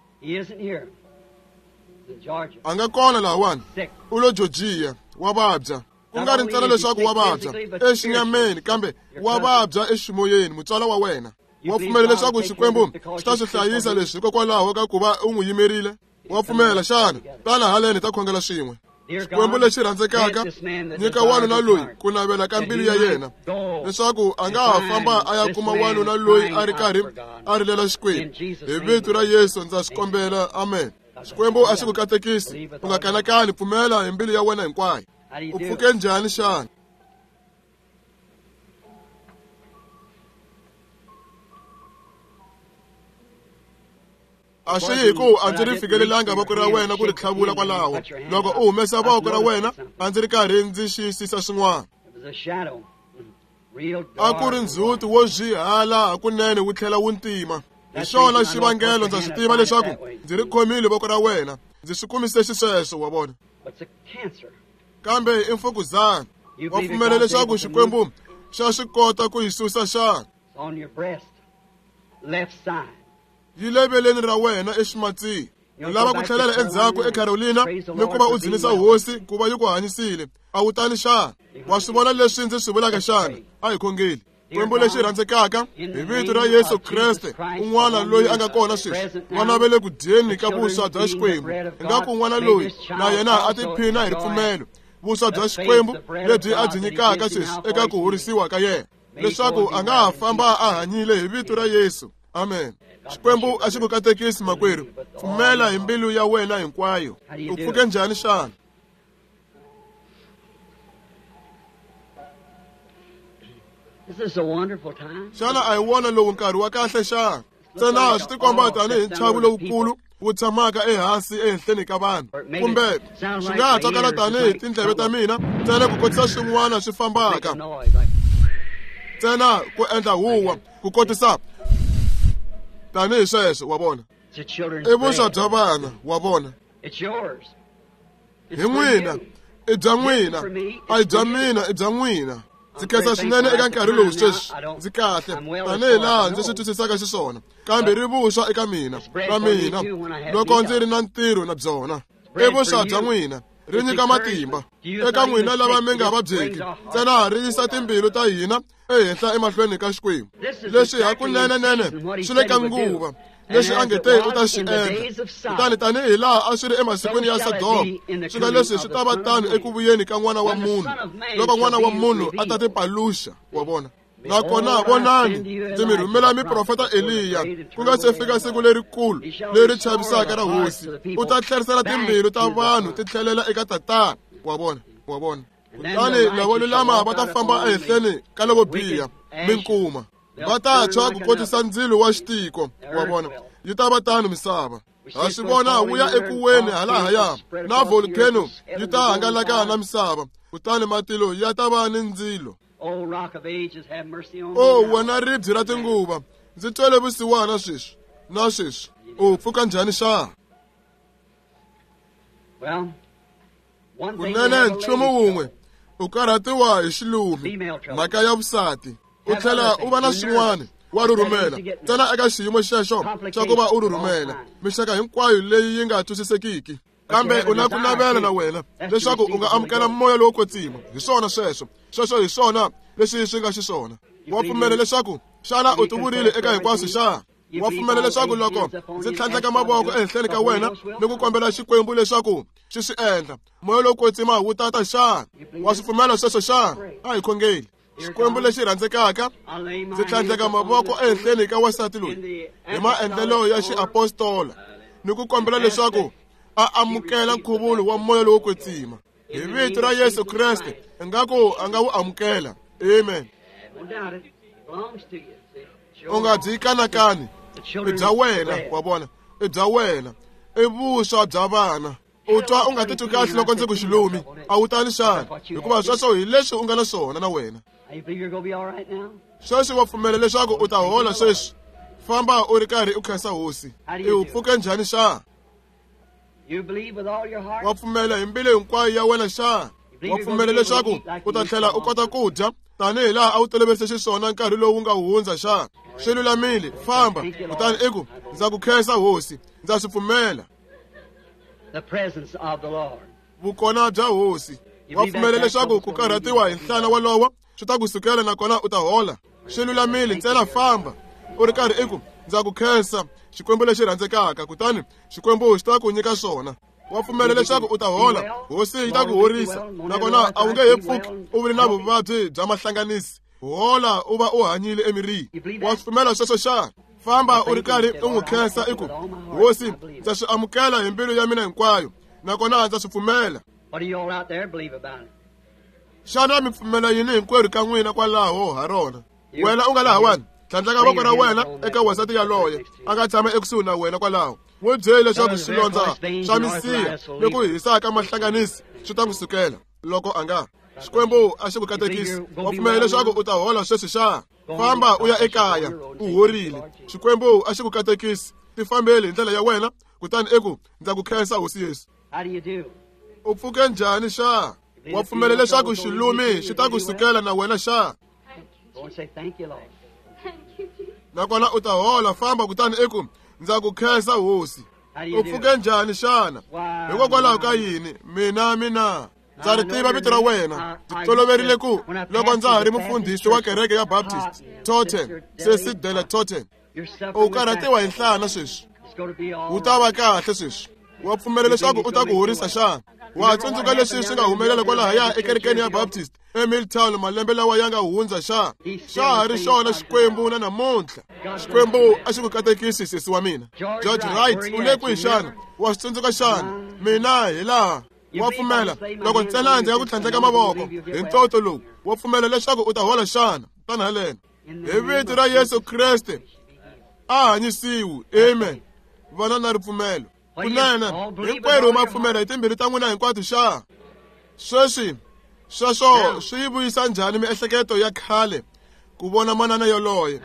A nga kona lahawani. U lo Georgia, wa vabya. Ku nga ri ntsena leswaku wa vabya exinyameni, kambe wa vabya eximoyeni, mutswala wa wena. Wa pfumela leswaku Xikwembu xi ta swi hlayisa leswi hikokwalaho ka ku va u n'wi yimerile? Wa pfumela xana? Tana haleni hi ta khongela swin'we. Xikwembu lexi rhandzekaka, nyika wanuna loyi ku navela ka mbilu ya yena, leswaku a nga ha famba a ya kuma wanuna loyi a ri karhi a rilela Xikwembu. Hi vito ra Yesu ndza swi kombela, amen. Xikwembu a xi ku katekisi, u nga kanakani, pfumela hi mbilu ya wena hinkwayo. U pfuke njhani xana? A swi hi ku a ndzi ri fikelelanga voko ra wena ku ri tlhavula kwalaho. Loko u humesa voko ra wena, a ndzi ri karhi ndzi xiyisisa swin'wana. A ku ri ndzhuti wo zwihala hakunene wu tlhela wu ntima. Hi xona xivangelo ndza swi tiva leswaku ndzi ri khomile voko ra wena, ndzi swi kumise xisweswo, wa vona. Kambe i mfukuzana. Wa pfumela leswaku Xikwembu xa swi kota ku yi susa xana? Yi le veleni ra wena eximatsini. U lava ku tlhelela endzhaku eCarolina ni ku va u dzunisa hosi ku va yi ku hanyisile. A wu tani xana? Wa swi vona leswi ndzi swi vulaka xana? A hi khongeli. Xikwembu lexi rhandzekaka, hi vito ra Yesu Kreste, un'wana loyi a nga kona sweswi, vana va le ku dyeni ka vuswa bya Xikwembu. Ingaku un'wana loyi na yena a tiphina hi ripfumelo, vuswa bya Xikwembu lebyi a byi nyikaka sweswi eka ku horisiwa ka yena, leswaku a nga ha famba a hanyile hi vito ra Yesu. Amen. Xikwembu a xi ku katekisi makwerhu. Pfumela hi mbilu ya wena hinkwayo. U pfuke njhani xana? Xana a hi wona lowu nkarhi wa kahle xana? Ntsena swi tikomba tanihi nchavu lowukulu wu tshamaka ehansi ehenhleni ka vanhu, kumbe swi nga ha twakala tanihi tindleve ta mina ntsena ku kotisa swin'wana swi fambaka, ntsena ku endla huwa ku kotisa tanihi sweswo, wa vona. I vuswa bya vana, wa vona. Hi n'wina, i bya n'wina, a hi bya mina, i bya n'wina. Ndzi khensa swinene eka nkarhi lowu sweswi, ndzi kahle tanihi laha ndzi swi twisisaka xiswona, kambe ri vuswa eka mina na mina loko ndzi ri na ntirho na byona. I vuswa bya n'wina, ri nyika matimba eka n'wina lava mi nga vabyeki, ntsena ri yisa timbilu ta hina ehenhla emahlweni ka Xikwembu. Leswi hakunenenene swi le ka nguva leswi a nge te u ta swi endla. Kutani tanihi laha a swi ri emasikwini ya Sodoma, swi nga leswi swi ta va tano eku vuyeni ka N'wana wa Munhu, loko N'wana wa Munhu a ta tipaluxa, wa vona. Nakona vonani, ndzi mi rhumela miprofeta Eliya, ku nga se fika siku lerikulu leri chavisaka ra Hosi. U ta tlherisela timbilu ta vanhu ti tlhelela eka Tatana, wa vona, wa vona. Kutani lavo lulama va ta famba ehenhleni ka lavo biha, minkuma va ta tshwa ku kotisa ndzilo wa xitiko, wa vona. Yi ta va tano misava. Ha swi vona wu ya ekuweni halahaya, na volcano yi ta hangalaka na misava, kutani matilo ya ta va ni ndzilo. O wena ribye ra tinguva, ndzi twele vusiwana sweswi na sweswi. U pfuka njhani xana? Kunene nchumu wun'we, u karhatiwa hi xilumi, mhaka ya vusati. U tlhela u va na swin'wana, wa rhurhumela ntsena eka xiyimo xexo xa ku va u rhurhumela mixaka hinkwayo leyi yi nga twisisekiki. Kambe u na ku navela na wena leswaku u nga amukela moya lowo kwetsima. Hi swona sweswo, sweswo hi swona leswi swi nga xiswona. Wa pfumela leswaku xana u tivurile eka hinkwaswo xana? Wa pfumela leswaku loko ndzi tlhandleka mavoko ehenhleni ka wena ni ku kombela Xikwembu leswaku xi swi endla, moya lowo kwetsima wu tata xana? Wa swi pfumela sweswo xana? A hi khongeli. Xikwembu lexi rhandzekaka, ndzi tlhandleka mavoko ehenhleni ka wansati loyi hi maendlelo ya xiapostola ni ku kombela leswaku a amukela nkhuvulo wa moya lowo kwetsima. Hi vito ra Yesu Kreste, ingaku a nga wu amukela. Amen. U nga byi kanakani, i bya wena, wa vona, i bya wena, i vuswa bya vana. U twa u nga titwi kahle loko ndzi ku xilumi, a wu tani xana? Hikuva sweswo hi leswi u nga na swona na wena. Sweswi wa pfumela leswaku u ta hola sweswi. Famba u ri karhi u khensa Hosi. I u pfuke njhani xana? Wa pfumela hi mbilu hinkwayo ya wena xana? Wa pfumela leswaku u ta tlhela u kota ku dya tanihi laha a wu toloverise xiswona nkarhi lowu nga hundza xana? Swi lulamile, famba. Kutani i ku, ndza ku khensa Hosi, ndza swi pfumela. Vukona bya Hosi. Wa pfumela leswaku ku karhatiwa hi nhlana walowo swi ta ku sukela nakona u ta hola. Swi lulamile, ntsena famba. U ri karhi i ku, ndza ku khensa Xikwembu lexi rhandzekaka, kutani Xikwembu xi ta ku nyika swona. Wa pfumela leswaku u ta hola, hosi yi ta ku horisa, nakona a wu nge he pfuki u vile na vuvabyi bya mahlanganisi. Hola u va u hanyile emirini. Wa swi pfumela sweswo xana? Famba u ri karhi u n'wi khensa i ku, hosi, ndza swi amukela hi mbilu ya mina hinkwayo, nakona ndza swi pfumela. Xana mi pfumela yini hinkwerhu ka n'wina kwalaho ha rona? Wena u nga lahawani, tlhandleka voko ra wena eka wansati yaloye a nga tshama ekusuhi na wena kwalaho. N'wi byeli leswaku swilondza swa misiha ni ku hisa ka mahlanganisi swi ta n'wi sukela loko a nga. Xikwembu a xi ku katekisi. Wa pfumela leswaku u ta hola sweswi xa? Famba u ya ekaya, u horile. Xikwembu a xi ku katekisi. Tifambeli hi ndlela ya wena, kutani i ku, ndza ku khensa hosi Yesu. U pfuke njhani xa? Wa pfumela leswaku xilumi xi ta ku sukela na wena xa? Nakona u ta hola. Famba kutani i ku, ndza ku khensa hosi. U pfuke njhani xana? Hikokwalaho ka yini? Mina mina ndza ri tiva vito ra wena. Ndzi toloverile ku loko ndza ha ri mufundhisi wa kereke ya Baptist Totten, Sesi Dela Totten. U karhatiwa hi nhlana sweswi. U ta va kahle sweswi. Wa pfumela leswaku u ta ku horisa xana? Wa tsundzuka leswi swi nga humelela kwalahaya ekerekeni ya Baptist eMilltown malembe lawa ya nga hundza xa? Xa ha ri xona Xikwembu na namuntlha. Xikwembu a xi ku katekisi sesi wa mina. George Wright, u le kwihi xana? Wa swi tsundzuka xana? Mina hi laha. Wa pfumela loko ntsena ndzi nga ku tlhandleka mavoko hi ntoto lowu, wa pfumela leswaku u ta hola xana? Tana haleno. Hi vito ra Yesu Kreste a hanyisiwi. Amen. Vana na ripfumelo. Kunene hinkwerhu ma pfumela hi timbilu ta n'wina hinkwato xa? Sweswi sweswo swi yi vuyisa njhani miehleketo ya khale ku vona manana yoloye?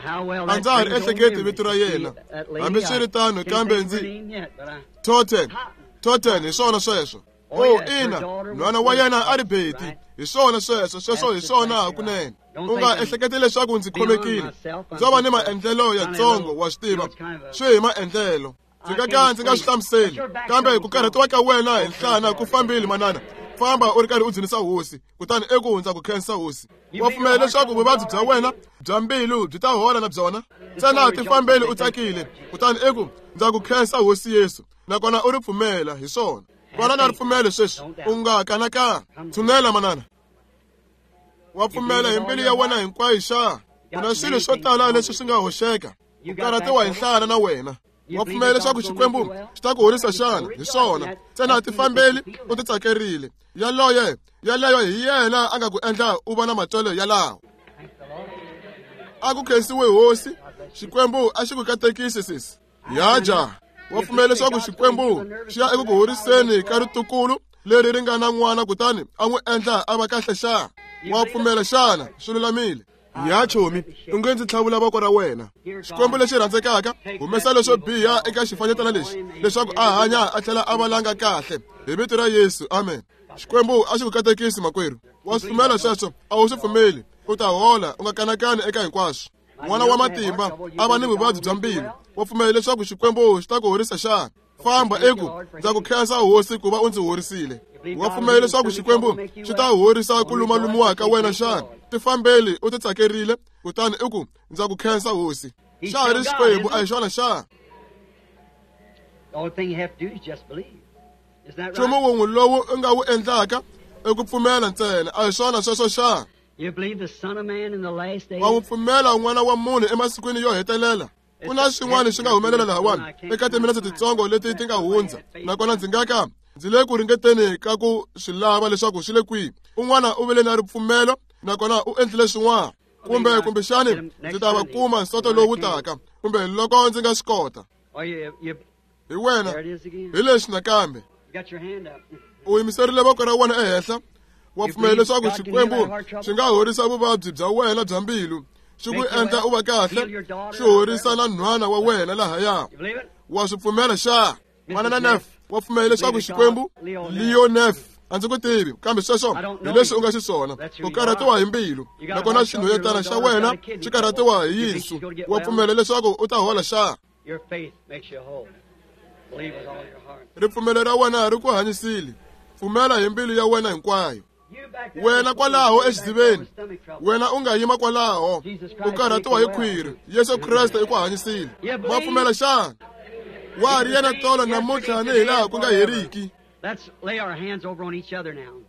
A ndza ha ri ehleketi vito ra yena, hambiswiritano, kambe ndzi Totten. Totten, hi swona sweswo. Oh, ina, nhwana wa yena a ri Betty. Hi swona sweswo, sweswo hi swona hakunene. U nga ehleketi leswaku ndzi khomekile. Ndzo va ni maendlelo yatsongo, wa swi tiva, swi hi maendlelo. Ndzi nga ka ndzi nga swi hlamuseli, kambe ku karhatiwa ka wena hi nhlana ku fambile manana. Famba u ri karhi u dzunisa hosi, kutani eku ndza ku khensa hosi. Wa pfumela leswaku vuvabyi bya wena bya mbilu byi ta hola na byona? Ntsena tifambeli u tsakile, kutani eku ndza ku khensa hosi Yesu, nakona u ri pfumela hi swona. Vana na ripfumelo sweswi, u nga kanakana. Tshunela manana. Wa pfumela hi mbilu ya wena hinkwayo xa? Ku na swilo swo tala leswi swi nga hoxeka. U karhatiwa hi nhlana na wena. Wa pfumela leswaku Xikwembu xi ta ku horisa xana? Hi swona. Ntsena tifambeli u titsakerile. Yaloye, yaleyo hi yena a nga ku endla u va na matswelo yalawo. A ku khensiwe hosi. Xikwembu a xi ku katekisi sesi. Ya ja. Wa pfumela leswaku Xikwembu xi ya eku ku horiseni ka ritukulu leri ri nga na n'wana kutani a n'wi endla a va kahle xa? Wa pfumela xana? Swi lulamile. Ya chomi, u nge ndzi tlhavula voko ra wena. Xikwembu lexi rhandzekaka, humesa leswo biha eka xifanyetana lexi leswaku a hanya a tlhela a va langa kahle. Hi vito ra Yesu, amen. Xikwembu a xi ku katekisi makwerhu. Wa swi pfumela sweswo? A wu swi pfumeli? U ta hola, u nga kanakani eka hinkwaswo. N'wana wa matimba a va ni vuvabyi bya mbilu. Wa pfumela leswaku Xikwembu xi ta ku horisa xana? Famba eku, ndza ku khensa hosi ku va u ndzi horisile. Wa pfumela leswaku Xikwembu xi ta horisa ku lumalumiwa ka wena xana? Tifambeli u titsakerile, kutani i ku, ndza ku khensa hosi. Xa ha ri Xikwembu, a hi xona xana? Nchumu wun'we lowu u nga wu endlaka i ku pfumela ntsena, a hi swona sweswo xana? Wa n'wi pfumela n'wana wa munhu emasikwini yo hetelela? Ku na swin'wana swi nga humelela lahawani eka timinetse titsongo leti ti nga hundza, nakona ndzi nga ka ndzi le ku ringeteni ka ku swi lava leswaku swi le kwihi. Un'wana u vile na ripfumelo, nakona u endlile swin'wana. Kumbe kumbexani ndzi ta va kuma nsoto lowu taka, kumbe loko ndzi nga swi kota. Hi wena, hi leswi nakambe. U yimiserile voko ra wena ehenhla. Wa pfumela leswaku Xikwembu xi nga horisa vuvabyi bya wena bya mbilu, xi ku endla u va kahle, xi horisa na nhwana wa wena lahaya. Wa swi pfumela xa? Manana Neff, wa pfumela leswaku Xikwembu? Leo Neff, a ndzi ku tivi, kambe sweswo hi leswi u nga xiswona. U karhatiwa hi mbilu, nakona xinhwanyetana xa wena xi karhatiwa hi yinsu. Wa pfumela leswaku u ta hola xa? Ripfumelo ra wena ri ku hanyisile. Pfumela hi mbilu ya wena hinkwayo. Wena kwalaho exidziveni, wena u nga yima kwalaho, u karhatiwa hi khwiri, Yesu Kreste i ku hanyisile. Ma pfumela xana? Wa ha ri yena tolo namuntlha ni hi laha ku nga heriki.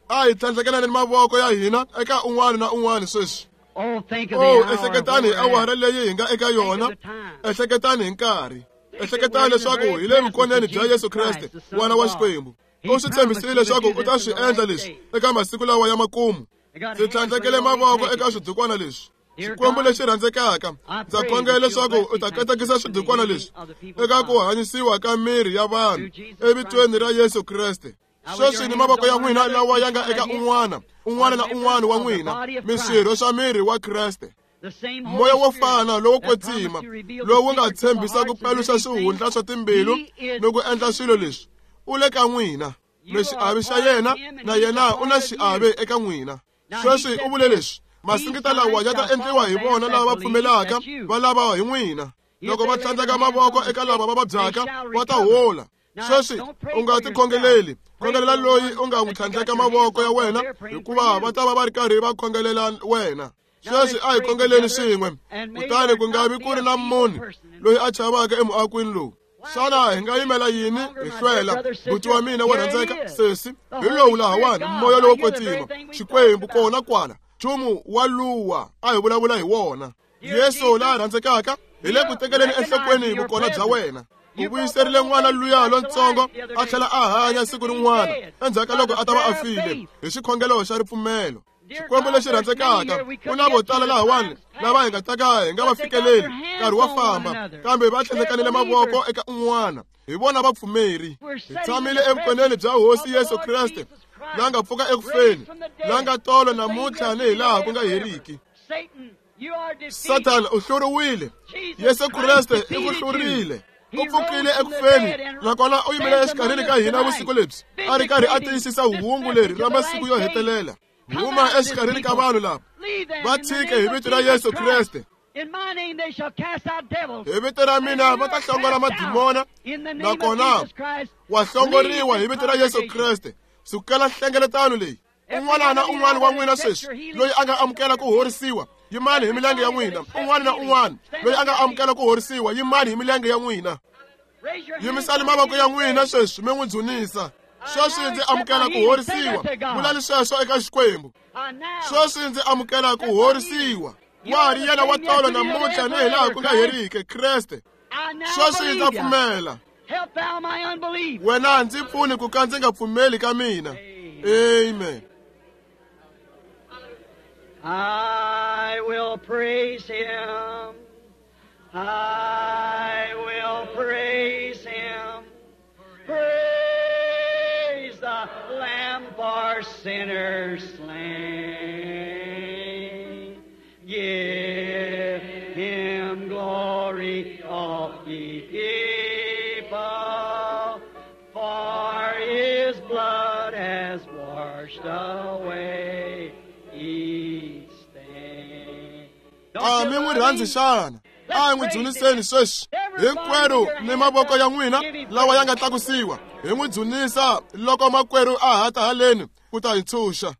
A hi tlhandlekelani mavoko ya hina eka un'wana na un'wana sweswi. Oh, think of Oh, the hour ehleketani hi where we're awara at. leyi hi nga eka yona, Think of the time. ehleketani hi nkarhi. Think Ehleketani that we're in the leswaku very hi le vukoneni presence bya of Yesu Jesus Kreste, Christ, the Son N'wana of wa God. Xikwembu. He U swi tshembisile promised he would leswaku do u ta this swi in the endla last leswi days. eka masiku lawa ya makumu. I got Ndzi hands tlhandlekele laid on these mavoko eka handkerchiefs. swidukwana leswi. Dear Xikwembu God, lexi rhandzekaka, I ndza pray khongela that you'll leswaku bless u ta these katekisa handkerchiefs to the swidukwana healing leswi of the people of eka ku God. hanyisiwa ka miri ya vanhu Through Jesus evitweni Christ. ra Yesu Kreste. Now with your Sweswi ni hands mavoko ya on one n'wina another, lawa ya each nga one eka of you un'wana, un'wana are na members un'wana wa of the n'wina, body of mi Christ. swirho swa miri wa Kreste. The same Moya Holy wo Spirit fana lowo that promised kwetsima to reveal the lowu nga secrets of the tshembisa ku hearts and do paluxa these swihundla things, swa timbilu He is ni ku endla swilo leswi, u le ka n'wina. You Mi are xiave xa part of yena him and na he's a yena u na part of you. xiave eka n'wina. Now he Sweswi u said vule this, leswi, these masingita lawa signs ya ta shall endliwa follow hi them vona that lava va believe, pfumelaka, that's you. va lava hi n'wina. If Loko they va lay their tlhandleka hands mavoko on the eka sick, lava va they vabyaka, shall va ta recover. hola. Now, Sweswi don't pray u nga for ti yourself. khongeleli, Pray khongelela for the loyi one u nga n'wi that you got tlhandleka your hands mavoko ya on while wena, they're praying for hikuva va you. ta va va ri karhi va khongelela wena. Now Sweswi let's a hi pray khongeleni together, swin'we, and may kutani there ku nga not vi be ku ri a na feeble munhu person in loyi this a chavaka emuakweni lowu. Xana hi nga yimela yini longer, hi my dear hlwela? brother, Buti wa sister, mina wo here rhandzeka, he is, sesi, the hi Holy lowu Spirit lahawani, God. moya Now lowo hear the very kwetsima, thing we talked Xikwembu about. kona kwala, nchumu wa luwa a hi vulavula hi wona. Dear Yesu la Jesus, rhandzekaka, hi le ku tekeleni you enhlokweni recognize your vukona bya presence. wena. U You brought the vuyiserile little n'wana baby luya back to lontsongo life the other a day tlhela a hanya after siku being rin'wana dead endzhaku ka by loko the a ta va a prayer of file faith. hi xikhongelo xa ripfumelo. Dear Xikwembu God, lexi there's many rhandzekaka, here we ku couldn't na vo get to tala the lahawani time's lava hi past, nga ta ka hi nga va but they got fikeleli, their hands nkarhi wa on one famba, another. kambe va They're tlhandlekanile mavoko believers. eka un'wana. Hi vona vapfumeri. We're Hi sitting in tshamile the evukoneni presence bya Hosi of the Yesu Lord Kreste, Jesus la nga Christ, pfuka eku raised feni, from the la dead, nga tolo the same namuntlha ni yesterday, hi laha today, ku and nga forever. heriki. Satan, you are defeated. Sathana u hluriwile. Jesus Yesu Christ Kreste i ku defeated you. hlurile. U He pfukile rose from eku the feni, dead and nakona u yimile stands exikarhini among ka us hina vusiku tonight, lebyi, a ri karhi a vindicating tiyisisa this hungu leri message ra of the masiku yo last days. hetelela. Come Huma out of this exikarhini ka people. vanhu lava, Leave them va in the tshike name hi of vito ra Jesus Yesu Christ. Kreste. In my name they shall cast out devils. Hi vito ra And mina you va ta are hlongola cast out madimona, in the name of nakona Jesus Christ. wa Leave hlongoriwa hi this vito ra Yesu congregation. Kreste. Sukela nhlengeletano leyi. Every Un'wana one na of you un'wana now wa that n'wina accepts sweswi your healing, loyi a nga stand up amukela to ku your feet. horisiwa, yimani hi milenge ya Everybody that n'wina. accepts Un'wana na healing, un'wana stand loyi up a to nga your feet. amukela ku horisiwa, yimani hi milenge ya n'wina. Raise your hands Yimisani like mavoko you ya just n'wina said. sweswi mi n'wi dzunisa. I Sweswi now ndzi accept my amukela ku healing. Say that horisiwa. to God. Vulani sweswo eka Xikwembu. I now Sweswi ndzi amukela ku accept my healing. horisiwa. You Wa ha are ri the yena wa same tolo yesterday, today, namuntlha and ni hi laha forever, ku nga Christ. heriki, Kreste. I now Sweswi ndza believe you. pfumela. Help thou my unbelief. Wena ndzi pfuni ku ka ndzi nga pfumeli ka mina. Amen. Amen. I will praise him. I will praise him. Praise the Lamb for sinners slain. Give him glory, all ye people, for his blood has washed away each stain. Don't A you mi n'wi love rhandzi him? xana? A hi Let's n'wi praise him. dzuniseni sweswi. Everybody Hinkwerhu with your ni hands mavoko up, ya n'wina give him lawa ya praise. nga tlakusiwa, hi n'wi dzunisa loko makwerhu a ha ta haleni ku ta hi ntshunxa.